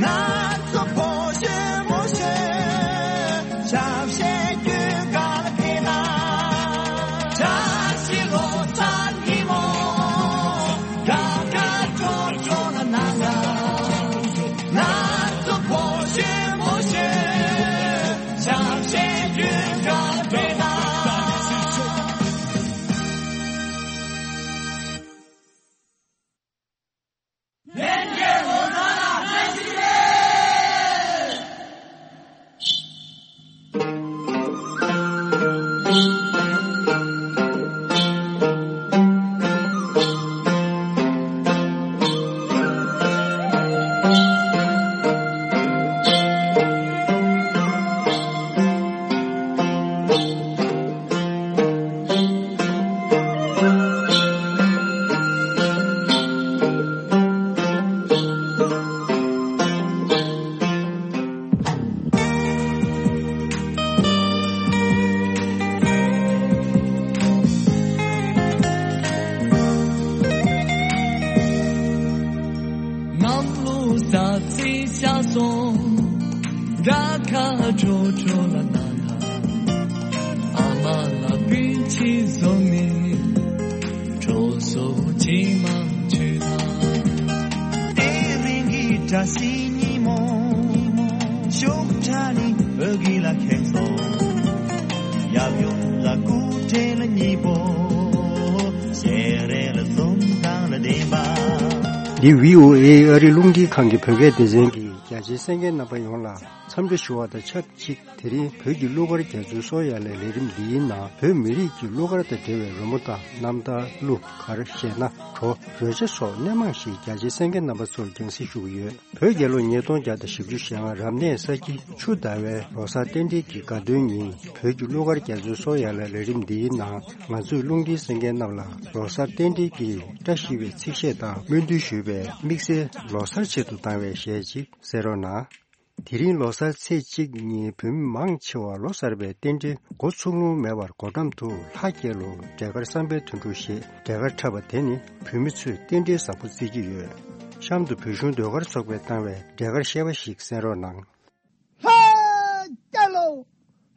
ང་ཚོ་ཕོ་གཞོན་མོ་གཞོན། ཆབ་ཤེས་རྒྱུད་དགའ་ལ་ཕེབས་ན། བཀྲ་ཤིས་ལོ་གསར་ཉིན་མོ། དགའ་དགའ་སྤྲོ་སྤྲོ་ལ་ནང་ལྟར། ང་ཚོ་ཕོ་གཞོན་མོ་གཞོན། ཆབ་ཤེས་རྒྱུད་དགའ་ལ་ཕེབས་ན། ཤ་སོང་། དགྲ་ཁ་ཁྲོ་ཁྲོ་ལ་ན་ཁ། ཨ་མ་ལ་པིན་ཆི་བཟུང་ནས་ཁྲོ་སོ་ཆི་མ་ཆུ་ན། དེ་རིང་གི་བཀྲ་ཤིས་ཉིན་མོ། ཤུགས་ཁྲ་ནི་འོད་གི་ལ་ཁེངས་སོང་། ཡབ་ཡུམ་ལ་སྐུ་ཕྲེང་ལ་གཉིས་པོ། ཞལ་རས་ལ་འཛུམ་མདངས་ལ་ལྡན་པ། འདི་བྷི་ཨོ་ཨེ་ཨ་རི་རླུང་འཕྲིན་ཁང་གི་བོད་སྐད་སྡེ་ཚན་གྱིས་རྒྱ་ཆེའི་གསན་མཁན་རྣམ་པ་ཡོངས་ལ་འཚམས་འདྲི་ཞུ་བ་དང་ཆབས་ཅིག་དེ་རིང་བོད་ཀྱི་གླུ་གར་རྒྱ་མཚོའི་སོ་ཡ་ལའི་ལས་རིམ་འདིའི་ནང་བོད་མི་རིགས་ཀྱི་གླུ་གར་དང་འབྲེལ་བའི་རོལ་མོ་དང་རྣམ་ཐར། གླུ་གར། གཞས་སྣ། བྲོ། རོལ་ཆ་སོགས་སྣེ་མང་ཞིག་རྒྱ་ཆེའི་གསན་མཁན་རྣམ་པ་ཚོར་རྒྱང་སྲིང་ཞུ་གི་ཡོད། བོད་རྒྱལ་ལོ་ཉིས་སྟོང་བརྒྱ་དང་བཞི་བཅུ་ཞེ་ལྔ་རབ་གནས་ས་ཁྱི་ཆུ་ཟླ་བའི་ལོ་གསར་རྟེན་འབྲེལ་གྱི་དགའ་སྟོན་ཉིན་བོད་ཀྱི་གླུ་གར་རྒྱ་མཚོའི་སོ་ཡ་ལའི་ལས་རིམ་འདིའི་ནང་ང་ཚོས་རླུང་འཕྲིན་གསན་མཁན་རྣམས་ལ་ལོ་གསར་རྟེན་འབྲེལ་གྱི་བཀྲ་ཤིས་པའི་ཚིག་བཤད་དང་སྨོན་འདུན་ཞུས་པའི་དམིགས་བསལ་ལོ་གསར་ཆེད་དུ་བཏང་བའི་གཞས་ཅིག་གསན་རོགས་གནང་། དེ་རིང་ལོ་གསར་ཚེས་གཅིག་ཉིན་བོད་མི་མང་ཆེ་བ་ལོ་གསར་པའི་རྟེན་འབྲེལ་འགོ་ཚུགས་ལོང་མེད་པར་སྒོ་འགྲམ་དུ་ལྷ་རྒྱལ་ལོ་འབྲས་དཀར་བསམ་འཕེལ་དོན་གྲུབ་ཞེས་འབྲས་དཀར་འཁྲབ་པ་དེ་ནི་བོད་མི་ཚོས་རྟེན་འབྲེལ་བཟང་པོ་བརྩི་གི་ཡོད། གཤམ་དུ་བོད་གཞུང་ཟློས་གར་ཚོགས་པས་བཏང་བའི་འབྲས་དཀར་བཤད་པ་ཞིག་གསན་རོགས་གནང་། ལྷ་རྒྱལ་ལོ།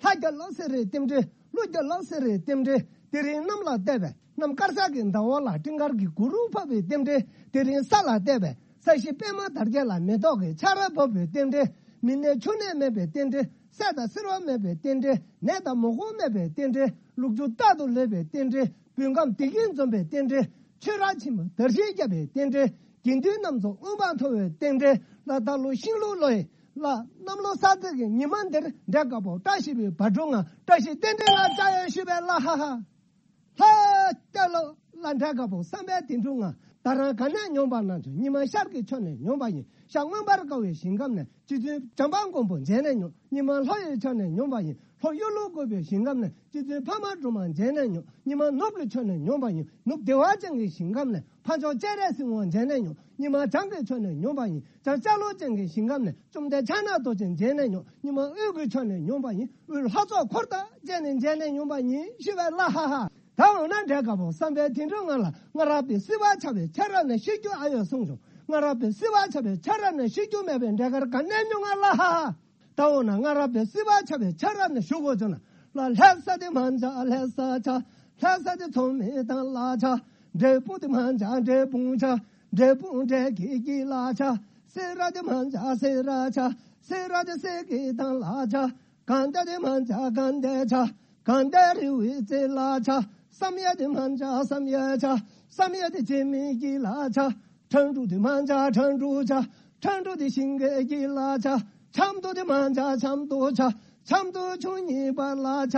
ལྷ་རྒྱལ་ལོ་ཟེར་རེ་རྟེན་འབྲེལ། ཀླུ་རྒྱལ་ལོ་ཟེར་རེ་རྟེན་འབྲེལ། དེ་རིང་གནམ་ལ་བལྟས་པས་གནམ་དཀར་ཆག་གི་ཟླ་འོག་ལ་སྤྲིན་དཀར་གྱི་གུར་ཕབ་པའི་རྟེན་འབྲེལ། དེ་རིང་ས་ལ་བལྟས་པས་ས་གཞི་པད་མ་དར་རྒྱས་ལ་མེ་ཏོག་གི་ཆར་བབས་པའི་རྟེན་འབྲེལ། མི་ནད་ཕྱུགས་ནད་མེད་པའི་རྟེན་འབྲེལ། སད་དང་སེར་བ་མེད་པའི་རྟེན་འབྲེལ། ནད་དང་མུ་གུ་མེད་པའི་རྟེན་འབྲེལ། ལུག་ཁྱུ་རྟག་ཏུ་ལེགས་པའི་རྟེན་འབྲེལ། བོད་ཁམས་བདེ་སྐྱིད་འཛོམས་པའི་རྟེན་འབྲེལ། ཆོས་ར་ཆེན་མོ་དར་ཞིང་རྒྱས་པའི་རྟེན་འབྲེལ། དགེ་འདུན་རྣམས་ཚོ་དབུ་འཕང་མཐོ་བའི་རྟེན་འབྲེལ། ལ་ད་ལོ་ཤིང་ལུག་ལོ་ཡི་ལ་གནམ་ལོ་གསར་ཚེས་ཀྱི་ཉི་མ་འདིར་འབྲས་དཀར་པོ་བཀྲ་ཤིས་པའི་བ་དྲུག་ང་བཀྲ་ཤིས་རྟེན་འབྲེལ་ལ་བཅར་ཡོད་ཞུས་པས་ལ་ཧ་ཧ། ལྷ་རྒྱལ་ལོ་ལ་འབྲས་དཀར་པོ་བསམ་པའི་དོན་གྲུབ་ང་། ད་རང་ག་ནས་ཡོང་པ་ན་ཆོག་ཉི་མ་ཤར་གྱི་ཕྱོགས་ནས་ཡོང་པ་ཡིན། ཤར་མངོན་པར་དགའ་བའི་ཞིང་ཁམས་ནས། རྗེ་བཙུན་བྱམས་པ་མགོན་པོ་མཇལ་ནས་ཡོང་། ཉི་མ་ལྷོ་ཡི་ཕྱོགས་ནས་ཡོང་པ་ཡིན། ལྷོ་གཡུ་ལོ་བཀོད་པའི་ཞིང་ཁམས་ནས། རྗེ་བཙུན་འཕགས་མ་སྒྲོལ་མ་མཇལ་ནས་ཡོང་། ཉི་མ་ནུབ་ཀྱི་ཕྱོགས་ནས་ཡོང་པ་ཡིན། ནུབ་བདེ་བ་ཅན་གྱི་ཞིང་ཁམས་ནས། འཕགས་མཆོག་སྤྱན་རས་གཟིགས་དབང་མཇལ་ནས་ཡོང་། ཉི་མ་བྱང་གི་ཕྱོགས་ནས་ཡོང་པ་ཡིན། བྱང་ཤར་ལུགས་ཅན་གྱི་ཞིང་ཁམས་ནས། བཅོམ་ལྡན་ཕྱག་ན་རྡོ་རྗེ་མཇལ་ནས་ཡོང་། ཉི་མ་དབུས་ཀྱི་ཕྱོགས་ནས་ཡོང་པ་ཡིན། དབུས་ལྷ་ཚོགས་འཁོར་དང་བཅས་ནས་མཇལ་ནས་ཡོང་པ་ཡིན་ཞུས་པས་ལ་ཧ་ཧ། ད་འོ་ན་འབྲས་དཀར་པོ་བསམ་པའི་དོན་གྲུབ་ང་ལ། སྔ་རབས་པའི་སྲིད་པ་ཆགས་པའི་ཆ་ར་ནས་ཤི་རྒྱུ་ཨ་ཡོད་གསུངས་བྱུང་། སྔ་རབས་པའི་སྲིད་པ་ཆགས་པའི་ཆ་ར་ནས་ཤི་རྒྱུ་མེད་པའི་འབྲས་དཀར་ག་ནས་ཉོ་ང་ལ་ཧ་ཧ། ད་འོ་ན་སྔ་རབས་པའི་སྲིད་པ་ཆགས་པའི་ཆ་ར་ནས་ཞུ་དགོས་བྱུང་ན། ལ་ལྷ་ས་དེ་མ་འཇའ་ལྷ་ས་ཆ། ལྷ་ས་དེ་ཚོང་མི་དང་ལ་ཆ། འབྲས་སྤུངས་དེ་མ་འཇའ་འབྲས་སྤུངས་ཆ། འབྲས་སྤུངས་འབྲས་ཀྱི་ཀྱི་ལ་ཆ། སེ་ར་དེ་མ་འཇའ་སེ་ར་ཆ། སེ་ར་དེ་སེ་གི་དང་ལ་ཆ། དགའ་ལྡན་དེ་མ་འཇའ་དགའ་ལྡན་ཆ། དགའ་ལྡན་རི་བོའི་རྩེ་ལ་ཆ། བསམ་ཡས་དེ་མ་འཇའ་བསམ་ཡས་ཆ། བསམ་ཡས་དེ་བྱེ་མའི་ཀྱི་ལ་ཆ། ཁྲ་འབྲུག་དེ་མ་འཇའ་ཁྲ་འབྲུག་ཆ། ཁྲ་འབྲུག་དེ་ཤིང་གི་ཀྱི་ལ་ཆ། ཆབ་མདོ་དེ་མ་འཇའ་ཆབ་མདོ་ཆ། ཆབ་མདོ་ཆུ་གཉིས་པ་ལ་ཆ།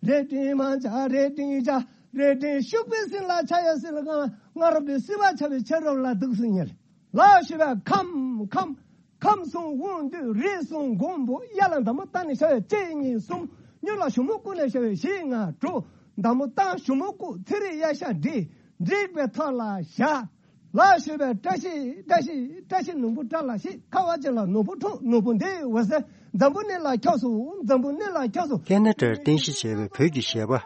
རལ་གྲི་མ་འཇའ་རལ་གྲི་ཆ། རལ་གྲི་ཤུག་པའི་སྲིན་ལ་ཆ་ཡ་སྲིན་ལ་གང་སྔ་རབས་པའི་སྲིད་པ་ཆགས་པའི་ཆ་རབས་ལ་འདུག་སྲིད་ཉེར། ལ་ཞུ་བའི་ཁམས་ཁམས། ཁམས་གསུམ་དབང་འདུས་རིགས་གསུམ་མགོན་པོ་གཡས་ལ་འདམ་བུ་བཏགས་ནས་བྱ་བའི་གཅིག་གཉིས་གསུམ། གཡོན་ལ་ཞུ་མོ་བཀུག་ནས་བྱ་བའི་བཞི་ལྔ་དྲུག། འདམ་བུ་བཏགས་ཞུ་མོ་བཀུག་ཚེ་རིལ་གཡས་ཞབས་བསྒྲིགས། བསྒྲིགས་པའི་ཐོག་ལ་བཞག་ལ་ཞུ་བའི་བཀྲ་ཤིས་བཀྲ་ཤིས་བཀྲ་ཤིས་ནོར་བུ་བཀྲ་ལ་ཤིས། ཁ་བ་ཅན་ལ་ནོར་བུ་འཁྲུངས། ནོར་བུ་འདི་འོད་ཟེར་འཛམ་བུ་གླིང་ལ་ཁྱབ་སོང་། འཛམ་བུ་གླིང་ལ་ཁྱབ་སོང་། ཁེ་ན་ཌར་རྟེན་གཞི་བྱས་པའི་བོད་ཀྱི་གཞས་པ།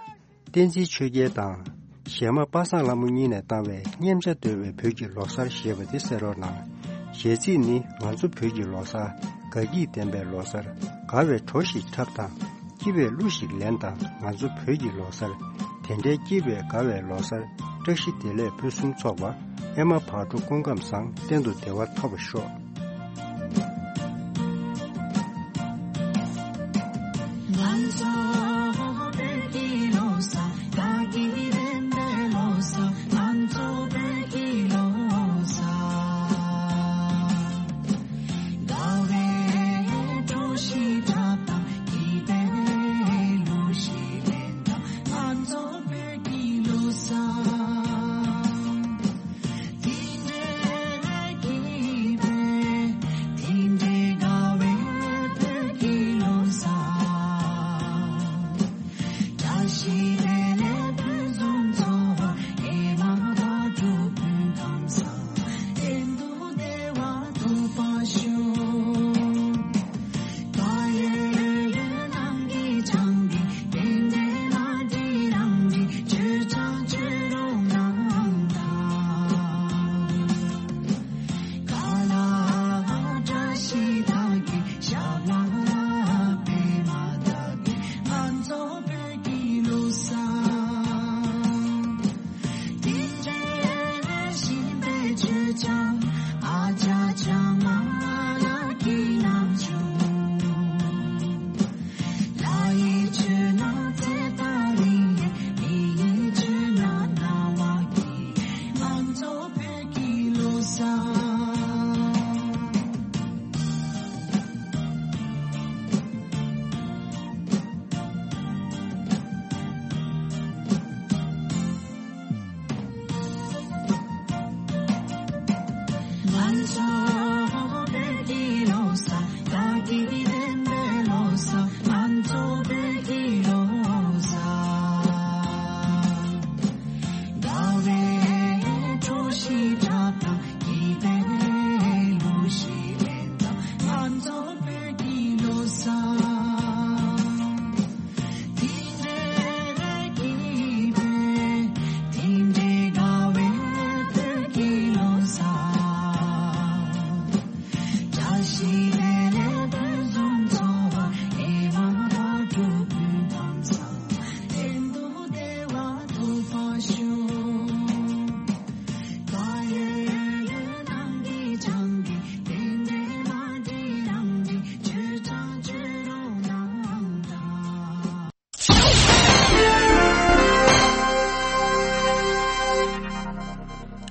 བསྟན་འཛིན་ཆོས་རྒྱལ་དང་། གཞས་མ་པ་སངས་ལྷ་མོ་གཉིས་ནས་བཏང་བའི་སྙེམས་བྱ་བརྡོལ་བའི་བོད་ཀྱི་ལོ་གསར་ཞེས་པ་དེ་གསན་རོགས་གནང་། གཞས་ཚིག་ནི་ང་ཚོ་བོད་ཀྱི་ལོ་གསར། དགའ་སྐྱིད་ལྡན་པའི་ལོ་གསར། དགའ་བའི་བྲོ་ཞིག་འཁྲབ་དང་། སྐྱིད་པའི་གླུ་ཞིག་ལེན་དང་། ང་ཚོ་བོད་ཀྱི་ལོ་གསར། དེ་འདྲའི་སྐྱིད་པའི་དགའ་བའི་ལོ་གསར། བཀྲ་ཤིས་བདེ་ལེགས་ཕུན་སུམ་ཚོགས་པ། ཨེ་མ་བག་དྲོ་སྐུ་ཁམས་བཟང་། གཏན་དུ་བདེ་བ་ཐོབ་པར་ཤོག་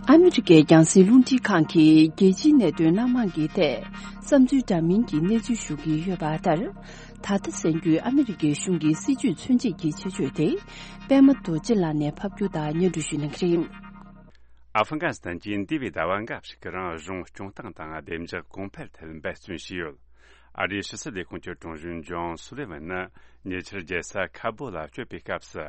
ཨ་མི་རི་ཀའི་རྒྱང་སྲིང་རླུང་འཕྲིན་ཁང་གིས་རྒྱལ་སྤྱིའི་གནད་དོན་སྣ་མང་གི་ཐད་བསམ་ཚུལ་འདྲ་མིན་གྱི་གནས་ཚུལ་ཞུ་གི་ཡོད་པ་ལྟར། ད་ལྟ་གསར་འགོད་ཨ་མི་རི་ཀའི་གཞུང་གི་སྲིད་ཇུས་མཚོན་བྱེད་ཀྱི་ཆེད་བརྗོད་དེ། པད་མ་རྡོ་རྗེ་ལགས་ནས་ཕབ་སྒྱུར་དང་སྙན་སྒྲོན་ཞུ་གནང་གི་རེད། ཨ་ཧྥི་གྷ་སི་ཐན་གྱིས་འདས་པའི་ཟླ་བ་འགའ་ཞིག་གི་རིང་གཞུང་སྐྱོང་སྟངས་དང་བདེ་འཇགས་གོང་འཕེལ་ཐད་འབད་བརྩོན་བྱས་ཡོད། ཨ་རིའི་ཕྱི་སྲིད་ལས་ཁུངས་ཀྱི་དྲུང་གཞོན་ཇོན་སུ་ལི་ཝན་ནི་ཉེ་ཆར་རྒྱལ་ས་ཁ་སྦུག་ལ་བསྐྱོད་པའི་སྐབས་སུ།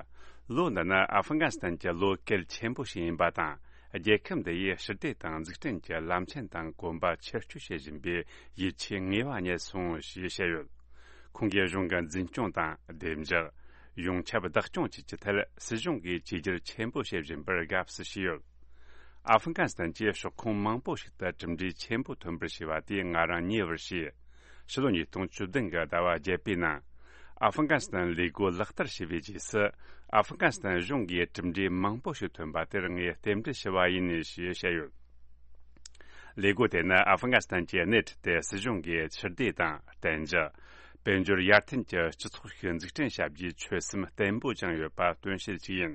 ལོ་འདི་ནི་ཨ་ཧྥི་གྷ་སི་ཐན་གྱི་ལོ་གལ་ཆེན་པོ་ཞིག་ཡིན་པ་དང་། རྒྱལ་ཁབ་འདི་ཡིས་ཞི་བདེ་དང་འཛུགས་སྐྲུན་གྱི་ལམ་ཆེན་དང་གོམ་པ་ཆེར་སྐྱོད་བྱེད་བཞིན་པའི་ཡིད་ཆེས་ངེས་པ་རྙེད་སོང་ཞེས་བཤད་ཡོད། ཁོང་གིས་གཞུང་གི་འཛིན་སྐྱོང་དང་བདེ་འཇགས། ཡོངས་ཁྱབ་བདག་སྐྱོང་བཅས་ཀྱི་ཐད་སྲིད་གཞུང་གིས་བཅོས་བསྒྱུར་ཆེན་པོ་བྱེད་བཞིན་པར་དགའ་བསུ་བྱས་ཡོད། ཨ་ཧྥི་གྷ་སི་ཐན་གྱི་ཤོག་ཁག་མང་པོ་ཞིག་ཏུ་གྲུབ་འབྲས་ཆེན་པོ་ཐོན་པར་བྱས་པ་དེས་ང་རང་ཉེ་བར་ཞུས། ཕྱི་ལོ་ཉིས་སྟོང་བཅུ་བདུན་གྱི་ཟླ་བ་བརྒྱད་པའི་ནང་། ཨ་ཧྥི་གྷ་སི་ཐན་ལས་འགུལ་ལག་བསྟར་བྱས་པའི་རྗེས་སུ། ཨ་ཧྥི་གྷ་སི་ཐན་གཞུང་གིས་གྲུབ་འབྲས་མང་པོ་ཞིག་ཐོན་པ་དེར་ངས་རྟེན་འབྲེལ་ཞུ་བ་ཡིན་ཞེས་བཤད་ཡོད། ལས་འགུལ་དེ་ནི་ཨ་ཧྥི་གྷ་སི་ཐན་གྱི་སྣེ་ཁྲིད་དེ་སྲིད་གཞུང་གིས་ཕྱིར་བདེ་དང་བརྟན་འཇགས། དཔལ་འབྱོར་ཡར་ཐོན་གྱི་སྤྱི་ཚོགས་ཤིག་འཛུགས་སྐྲུན་བྱ་རྒྱུའི་ཆོད་སེམས་བརྟན་པོ་བཅངས་ཡོད་པ་སྟོན་བྱེད་ཅིག་ཡིན།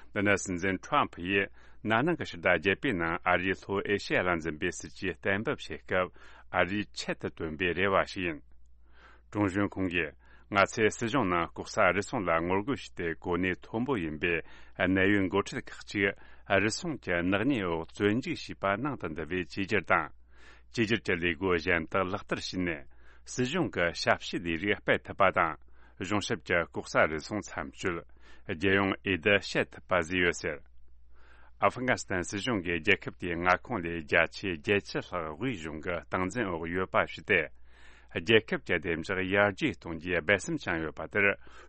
འདི་ནི་སྲིད་འཛིན་ཁྲོམ་ཕུ་ཡིས་ན་ནིང་གི་ཕྱི་ཟླ་བརྒྱད་པའི་ནང་ཨ་རིའི་ལྷོ་ཨེ་ཤེ་ཡ་ལ་འཛིན་པའི་སྲིད་ཇུས་གཏན་འབེབས་བྱེད་སྐབས་ཨ་རིའི་ཆེད་དུ་བཏོན་པའི་རེ་བ་ཞིག་ཡིན། དྲུང་གཞོན་ཁོང་གིས། ང་ཚོས་སྲིད་གཞུང་ནང་ལྐོག་ཟ་རུལ་སུངས་ལ་ངོ་རྒོལ་བྱས་ཏེ་གོ་གནས་མཐོན་པོ་ཡིན་པའི་གནད་ཡོད་འགོ་ཁྲིད་ཁག་ཅིག་རུལ་སུངས་ཀྱི་ནག་ཉེས་འོག་བཙོན་འཇུག་བྱས་པ་ནང་དུ་འདུ་བའི་བཅོས་བསྒྱུར་དང་། བཅོས་བསྒྱུར་གྱི་ལས་སྒོ་གཞན་དག་ལག་བསྟར་བྱས་ནས། སྲིད་གཞུང་གི་ཞབས་ཕྱི་ལས་རིགས་སྤེལ་ཐུབ་པ་དང་། གཞུང་ཞབས་ཀྱི་ལྐོག་ཟ་རུལ་སུངས་མཚམས་གཅོད། རྒྱལ་ཡོངས་འོས་བསྡུ་བྱེད་ཐུབ་པ་བཟོས་ཡོད་ཟེར། ཨ་ཧྥི་གྷ་སི་ཐན་སྲིད་གཞུང་གིས་རྒྱལ་ཁབ་དེའི་མངའ་ཁོངས་ལས་བརྒྱ་ཆའི་བརྒྱད་ཅུ་ལྷག་དབུས་གཞུང་གི་སྟངས་འཛིན་འོག་ཡོད་པ་ཞིག་སྟེ། རྒྱལ་ཁབ་ཀྱི་བདེ་འཇགས་ཡར་རྒྱས་གཏོང་རྒྱུའི་སྦས་སེམས་བཅངས་ཡོད་པ་དེར་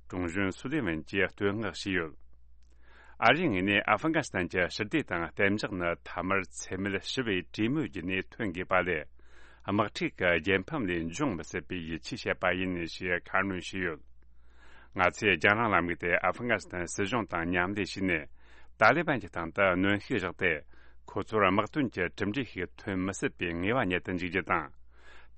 དྲུང་གཞོན་སུ་ལི་ཝན་གྱིས་བསྟོད་བསྔགས་བྱས་ཡོད། ཨ་རིའི་ངོས་ནས་ཨ་ཧྥི་གྷ་སི་ཐན་གྱི་ཞི་བདེ་དང་གཏན་འཇགས་ནི་མཐའ་མར་འཚེ་མེད་ཞི་བའི་གྲོས་མོལ་བརྒྱུད་ནས་ཐོན་དགོས་པ་ལས། དམག་འཁྲུག་གི་རྒྱལ་ཕམ་ལས་འབྱུང་མི་སྲིད་པའི་ཡིད་ཆེས་བྱེད་པ་ཡིན་ཞེས་ཁ་སྣོན་བྱས་ཡོད། ང་ཚོས་རྒྱང་རིང་ལམ་ལུགས་དེ་ཨ་ཧྥི་གྷ་སི་ཐན་སྲིད་གཞུང་དང་མཉམ་ལས་བྱས་ནས། ཏཱ་ལི་བན་གྱི་སྟེང་དུ་གནོན་ཤུགས་བཞག་སྟེ། ཁོ་ཚོར་དམག་དོན་གྱི་གྲུབ་འབྲས་ཤིག་ཐོན་མི་སྲིད་པའི་ངེས་པ་རྙེད་དུ་འཇུག་རྒྱུ་དང་།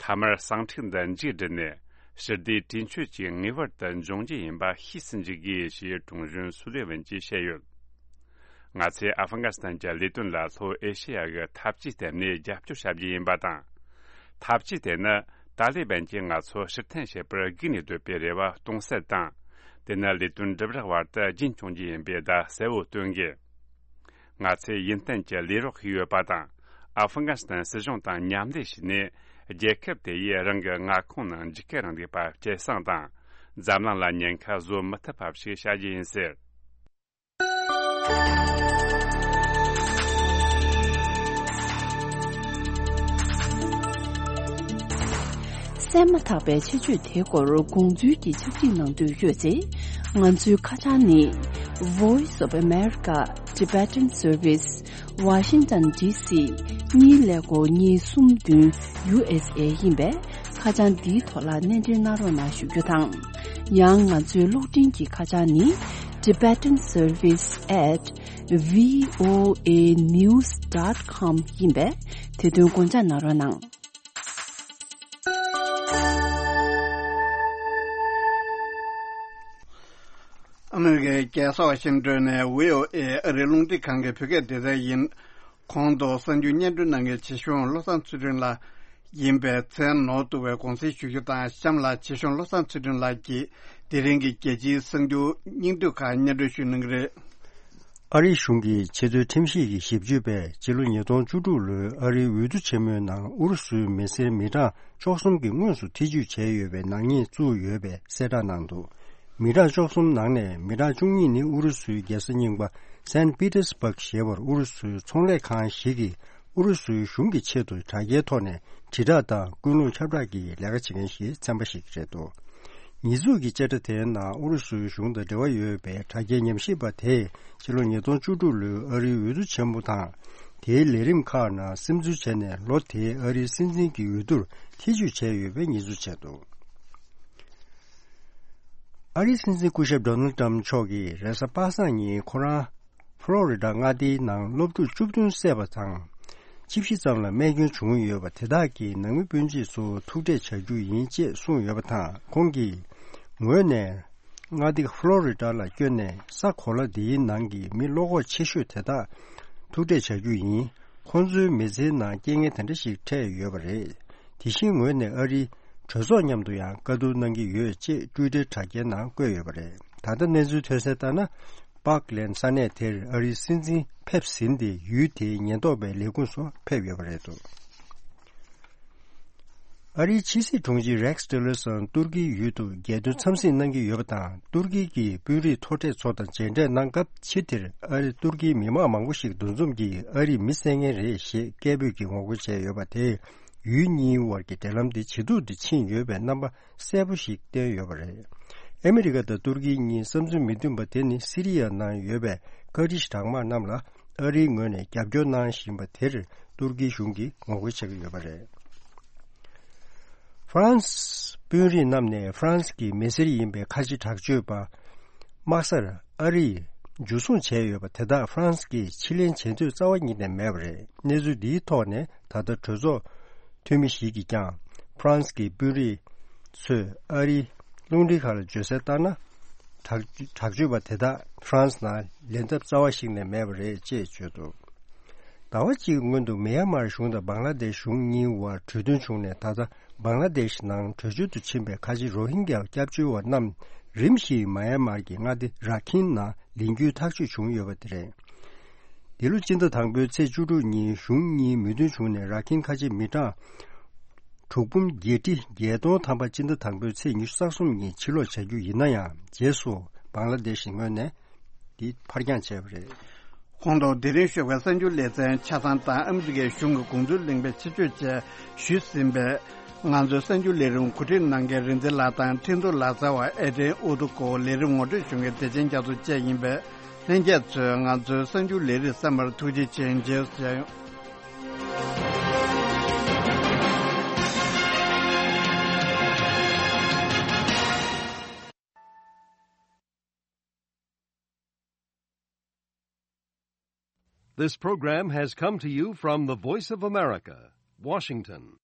མཐའ་མར་ཟིང་འཁྲུག་འདི་མཇུག་བསྒྲིལ་ནས། ཞི་བདེ་གྲོས་ཆོད་ཅིག་ངེས་པར་དུ་འབྱུང་རྒྱུ་ཡིན་པ་ཤེས་སུ་འཇུག་དགོས་ཞེས་དྲུང་གཞོན་སུ་ལེ་ཝན་གྱིས་བཤད་ཡོད། ང་ཚོས་ཨ་ཧྥི་གྷ་སི་ཐན་གྱི་ལས་དོན་ལ་ལྷོ་ཨེ་ཤེ་ཡ་གི་འཐབ་ཇུས་སྟེང་ནས་རྒྱབ་སྐྱོར་བྱ་རྒྱུ་ཡིན་པ་དང་། འཐབ་ཇུས་དེ་ནི་ཏཱ་ལི་བན་གྱིས་ང་ཚོ་ཕྱིར་འཐེན་བྱེད་པར་སྒུག་ནས་སྡོད་པའི་རེ་བ་སྟོང་ཟད་དང་། དེ་ནི་ལས་དོན་འགྲུབ་རག་བར་དུ་རྒྱུན་སྐྱོང་རྒྱུ་ཡིན་པའི་བརྡ་གསལ་བོ་སྟོན་དགོས། ང་ཚོས་ཡུན་བརྟན་གྱི་ལས་རོགས་ཤིག་ཡོད་པ་དང་། ཨ་ཧྥི་གྷ་སི་ཐན་སྲིད་གཞུང་དང་མཉམ་ལས་བྱས་ནས། རྒྱལ་ཁབ་དེ་ཡིས་རང་གི་མངའ་ཁོངས་ནང་འཇིགས་སྐུལ་རིང་ལུགས་པ་སྐྱེད་སྲིང་དང་། འཛམ་གླིང་ལ་ཉེན་ཁ་བཟོ་མི་ཐུབ་པ་ཞིག་བྱ་རྒྱུ་ཡིན་ཟེར། གསན་མ་ཐག་པའི་ཆེད་བརྗོད་དེའི་སྐོར་དགོངས་ཚུལ་གྱི་ཕྱག་བྲིས་གནང་འདོད་ཡོད་ཚེ། ང་ཚོའི་ཁ་བྱང་ནི། Voice of America Tibetan Service Washington D C གཉིས་ཀླད་ཀོར་གཉིས་གསུམ་བདུན་U S A ཡིན་པས། ཁ་བྱང་འདིའི་ཐོག་ལ་གནས་འབྲེལ་གནང་རོགས་གནང་ཞུ་རྒྱུ་དང་། ཡང་ང་ཚོའི་གློག་འཕྲིན་གྱི་ཁ་བྱང་ནི། Tibetan Service at V O A news dot com ཡིན་པས། དེ་དོན་དགོངས་འཇགས་གནང་རོགས་གནང་། ཨ་མི་རི་ཀའི་རྒྱལ་ས་ཝ་ཤིང་ཏོན་ནས་ཝི་ཨོ་ཨེ་ཨ་རིའི་རླུང་འཕྲིན་ཁང་གི་བོད་སྐད་སྡེ་ཚན་ཡིན། གོང་དུ་གསར་འགྱུར་སྙན་སྒྲོན་གནང་མཁན་ཆེ་ཆུང་བློ་བཟང་ཚུལ་ཁྲིམས་ལགས་ཡིན་པས། མཚན་ནོར་བཏུ་བའི་དགོངས་སེལ་ཞུ་རྒྱུ་དང་། གཤམ་ལ་ཆེ་ཆུང་བློ་བཟང་ཚུལ་ཁྲིམས་ལགས་ཀྱིས་དེ་རིང་གི་རྒྱལ་སྤྱིའི་གསར་འགྱུར་སྙིང་བསྡུས་ཁག་སྙན་སྒྲོན་ཞུ་གནང་གི་རེད། ཨ་རིའི་གཞུང་གི་ཆེས་མཐོའི་ཁྲིམས་ཞིབ་ཀྱི་ཞིབ་དཔྱོད་པས་ཕྱི་ལོ་ཉིས་སྟོང་བཅུ་དྲུག་ལོའི་ཨ་རིའི་འོས་བསྡུ་ཆེན་མོའི་ནང་ཨུ་རུ་སུའི་མི་སེར་མི་གྲངས་བཅུ་གསུམ་གྱིས་དངོས་སུ་ཐེ་ཇུས་བྱས་ཡོད་པའི་ནག་ཉེས་བཙུགས་ཡོད་པའི་གསལ་བསྒྲགས་གནང་འདུག་མི་གྲངས་བཅུ་གསུམ་ནང་ནས་མི་གྲངས་བཅུ་གཉིས་ནི་ཨུ་རུ་སུའི་རྒྱལ་ས་རྙིང་པ་སན་པི་ཏེར་སྦག་ཞེས་པར་ཨུ་རུ་སུའི་ཚོང་ལས་ཁང་ཞིག་གིས་ ཨུ་རུ་སུའི་གཞུང་གི་ཆེད་དུ་དྲ་རྒྱའི་ཐོག་ནས་དྲིལ་བསྒྲགས་དང་ཀུན་སློང་ཁྱབ་བསྒྲགས་ཀྱི་ལས་ཀ་བྱེད་མཁན་ཞིག་ཚན་པ་ཞིག་རེད་འདུག་ཉེས་འཛུགས་ཀྱི་བཅད་ཁྲ་དེའི་ནང་ཨུ་རུ་སུའི་གཞུང་དང་འབྲེལ་བ་ཡོད་པའི་དྲ་རྒྱའི་ཉམས་ཞིབ་པ་དེས་ཕྱི་ལོ་ཉིས་སྟོང་བཅུ་དྲུག་ལོའི་ཨ་རིའི་འོས་བསྡུ་ཆེན་མོ་དང་། དེའི་ལས་རིམ་ཁག་ནང་སིམ་འཛུལ་བྱས་ནས་ལོ་དེའི་ཨ་རིའི་སྲིད་འཛིན་གྱི་འོས་བསྡུར་ཐེ་ཇུས་བྱས་ཡོད་པའི་ཉེས་འཛུགས་བྱས་འདུག་ཨ་རིའི་སྲིད་འཛིན་སྐུ་ཞབས་ཌོ་ནལ་ཏྲམ་མཆོག་གིས་རེས་གཟའ་པ་སངས་ཉིན་ཁོ་རང་ཕློ་རི་ཌ་མངའ་སྡེའི་ནང་སློབ་ཕྲུག་བཅུ་བདུན་བསད་པ་དང་། བཅུ་བཞི་ཙམ་ལ་རྨས་སྐྱོན་བྱུང་ཡོད་པ་དེ་དག་གི་ནང་མི་སྤུན་མཆེད་ཚོ་ཐུག་འཕྲད་བྱ་རྒྱུ་ཡིན་ཅེས་གསུངས་ཡོད་པ་དང་། ཁོང་གིས་ངོས་ནས་མངའ་སྡེ་ཕློ་རི་ཌ་ལ་བསྐྱོད་ནས་ས་གོ་ལ་འདིའི་ནང་གི་མི་བློ་ཁོག་ཆེ་ཤོས་དེ་དག་ཐུག་འཕྲད་བྱ་རྒྱུ་ཡིན། ཁོང་ཚོའི་མི་ཚེའི་ནང་རྐྱེན་ངན་དེ་འདྲ་ཞིག་འཕྲད་ཡོད་པ་རེད། དེ་བཞིན་ངོས་ནས་ཨ་རིའི་གྲོས་ཚོགས་མཉམ་དུ་ཡང་བཀའ་བསྡུར་གནང་གི་ཡོད་ཅེས་ཊུའི་ཊར་དྲ་རྒྱའི་ནང་བཀོད་ཡོད་པ་རེད། ད་ལྟ་གནས་ཚུལ་ཐོན་གསལ་ལྟར་ན། པཱག་ལན་ས་གནས་དེར་ཨ་རིའི་སྲིད་འཛིན་ཕེབས་ཟིན་ཏེ་ཡུལ་དེའི་ཉེན་རྟོག་པའི་ལས་ཁུངས་སུ་ཕེབས་ཡོད་པ་རེད་འདུག་ཨ་རིའི་ཕྱི་སྲིད་དྲུང་ཆེ་རེག་ཊི་ལར་སོན་ཏུར་ཀིའི་ཡུལ་དུ་རྒྱལ་དོན་འཚམས་གཟིགས་གནང་གི་ཡོད་པ་དང་། ཏུར་ཀི་གི་དཔོན་རིགས་མཐོ་གྲས་ཚོ་དང་མཇལ་འཕྲད་གནང་སྐབས། ཕྱི་དེར་ཨ་རི་ཏུར་ཀིའི་མི་མང་མང་པོ་ཞིག་འདུ་འཛོམས་ཀྱིས་ཨ་རིས་མི་བསད་མཁན་རེད་ཞེས་སྐད་འབོད་ཀྱིས་ངོ་རྒོལ་བྱས་ཡོད་པ་དེས། ཡུལ་གཉིས་དབར་གྱི་འབྲེལ་ལམ་དེ་ཇེ་སྡུག་ཏུ་ཕྱིན་ཡོད་པའི་རྣམ་པ་གསལ་པོ་ཞིག་བསྟན་ཡོད་པ་རེད། ཨ་མི་རི་ཀ་དང་ཏུར་ཀི་གཉིས་བསམ་ཚུལ་མི་མཐུན་པ་དེ་ནི་སི་རི་ཡ་ནང་ཡོད་པའི་ཀར་ཌིཤ་གྲང་དམག་རྣམས་ལ་ཨ་རིའི་ངོས་ནས་རྒྱབ་སྐྱོར་གནང་བཞིན་པ་དེར་ཏུར་ཀིའི་གཞུང་གིས་ངོ་རྒོལ་བྱེད་ཀྱི་ཡོད་པ་རེད། ཧྥ་རན་སི་དཔོན་རིགས་རྣམས་ནས་ཧྥ་རན་སི་གི་མི་སེར་ཡིན་པའི་ཁ་ཆེ་དྲག་སྤྱོད་པ་དམག་སར་ཨ་རིས་འཇུ་བཟུང་བྱས་ཡོད་པ་དེ་དག་ཧྥ་རན་སི་གིས་ཕྱིར་ལེན་བྱེད་འདོད་རྩ་བ་ཉིད་ནས་མེད་པ་རེད། གནས་ཚུལ་འདིའི་ཐོག་ནས་ད་ལྟ་གྲོས་ཚོགས་འཐུས་མི་ཞིག་གིས་ཀྱང་ཧྥ་རན་སི་གི་དཔོན་རིགས་ཚོས་ཨ་རིའི་རླུང་འཕྲིན་ཁག་ལ་བརྗོད་གསལ་ལྟར་ན། དྲག་དྲག་སྤྱོད་པ་དེ་དག་ཧྥ་རན་སི་ནང་ལེན་ཐབས་རྩ་བ་ཞིག་ནས་མེད་པ་རེད་ཅེས་བརྗོད་འདུག་ཟླ་བ་གཅིག་སྔོན་དུ་མི་ཡན་མར་གཞུང་དང་བང་ལ་དེཤ་གཞུང་གཉིས་དབར་གྲོས་མཐུན་བྱུང་ནས། ད་ལྟ་བང་ལ་དེཤ་ནང་བྲོས་བྱོལ་དུ་ཕྱིན་པའི་ཁ་ཆེ་རོ་ཧིན་གྱའི་སྐྱབས་བཅོལ་བ་རྣམས་རིམ་བཞིན་མི་ཡན་མར་གྱི་མངའ་སྡེ་ར་ཁིན་ནང་ལེན་རྒྱུའི་ཐག་གཅོད་བྱུང་ཡོད་པ་དེ་རེད། འདི་ལོ་སྤྱི་ཟླ་དང་པོའི་ཚེས་བཅུ་དྲུག་ཉིན་གཞུང་གཉིས་མོས་མཐུན་བྱུང་ནས། ར་ཁིན་ཁ་ཆེ་མི་གྲངས་དྲུག་འབུམ་བརྒྱད་ཁྲི་བརྒྱད་སྟོང་ཐམ་པ་སྤྱི་ཟླ་དང་པོའི་ཚེས་ཉི་ཤུ་རྩ་གསུམ་ཉིན་ཕྱིར་ལོག་བྱ་རྒྱུ་ཡིན་ན་ཡང་། རྗེས་སུ་བང་ལ་དེཤ་ངོས་ནས་འདི་ཕར་འགྱངས་བྱས་པ་རེད། ཁོང་དུ་དེ་རིང་ཞོགས་པའི་གསར་འགྱུར་ལེ་ཚན་ཆ་ཚང་དང་ཨ་མི་རི་ཀའི་གཞུང་གི་དགོངས་ཚུལ་གླེང་བའི་ཆེད་བརྗོད་བཅས་ཞུས་ཟིན་པས། ང་ཚོའི་གསར་འགྱུར་ལས་རིམ་གོ་སྒྲིག་གནང་མཁན་རིག་འཛིན་ལགས་དང་འཕྲིན་གཏོང་ལག་རྩལ་བ་ཨེ་ཏྲེན་ཨུ་ཏུ་ཀོ། ལས་རིམ་ངོ་སྤྲོད་ཞུ་མཁན་བདེ་ཆེན་རྒྱ་མཚོ་བཅས་ཡིན་པས། ལྷན་རྒྱས་ཚོས་ང་ཚོའི་གསར་འགྱུར་ལས་རིམ་གསན་པར་ཐུགས་རྗེ་ཆེ། མཇལ་ཡོང་། This program has come to you from the Voice of America, Washington.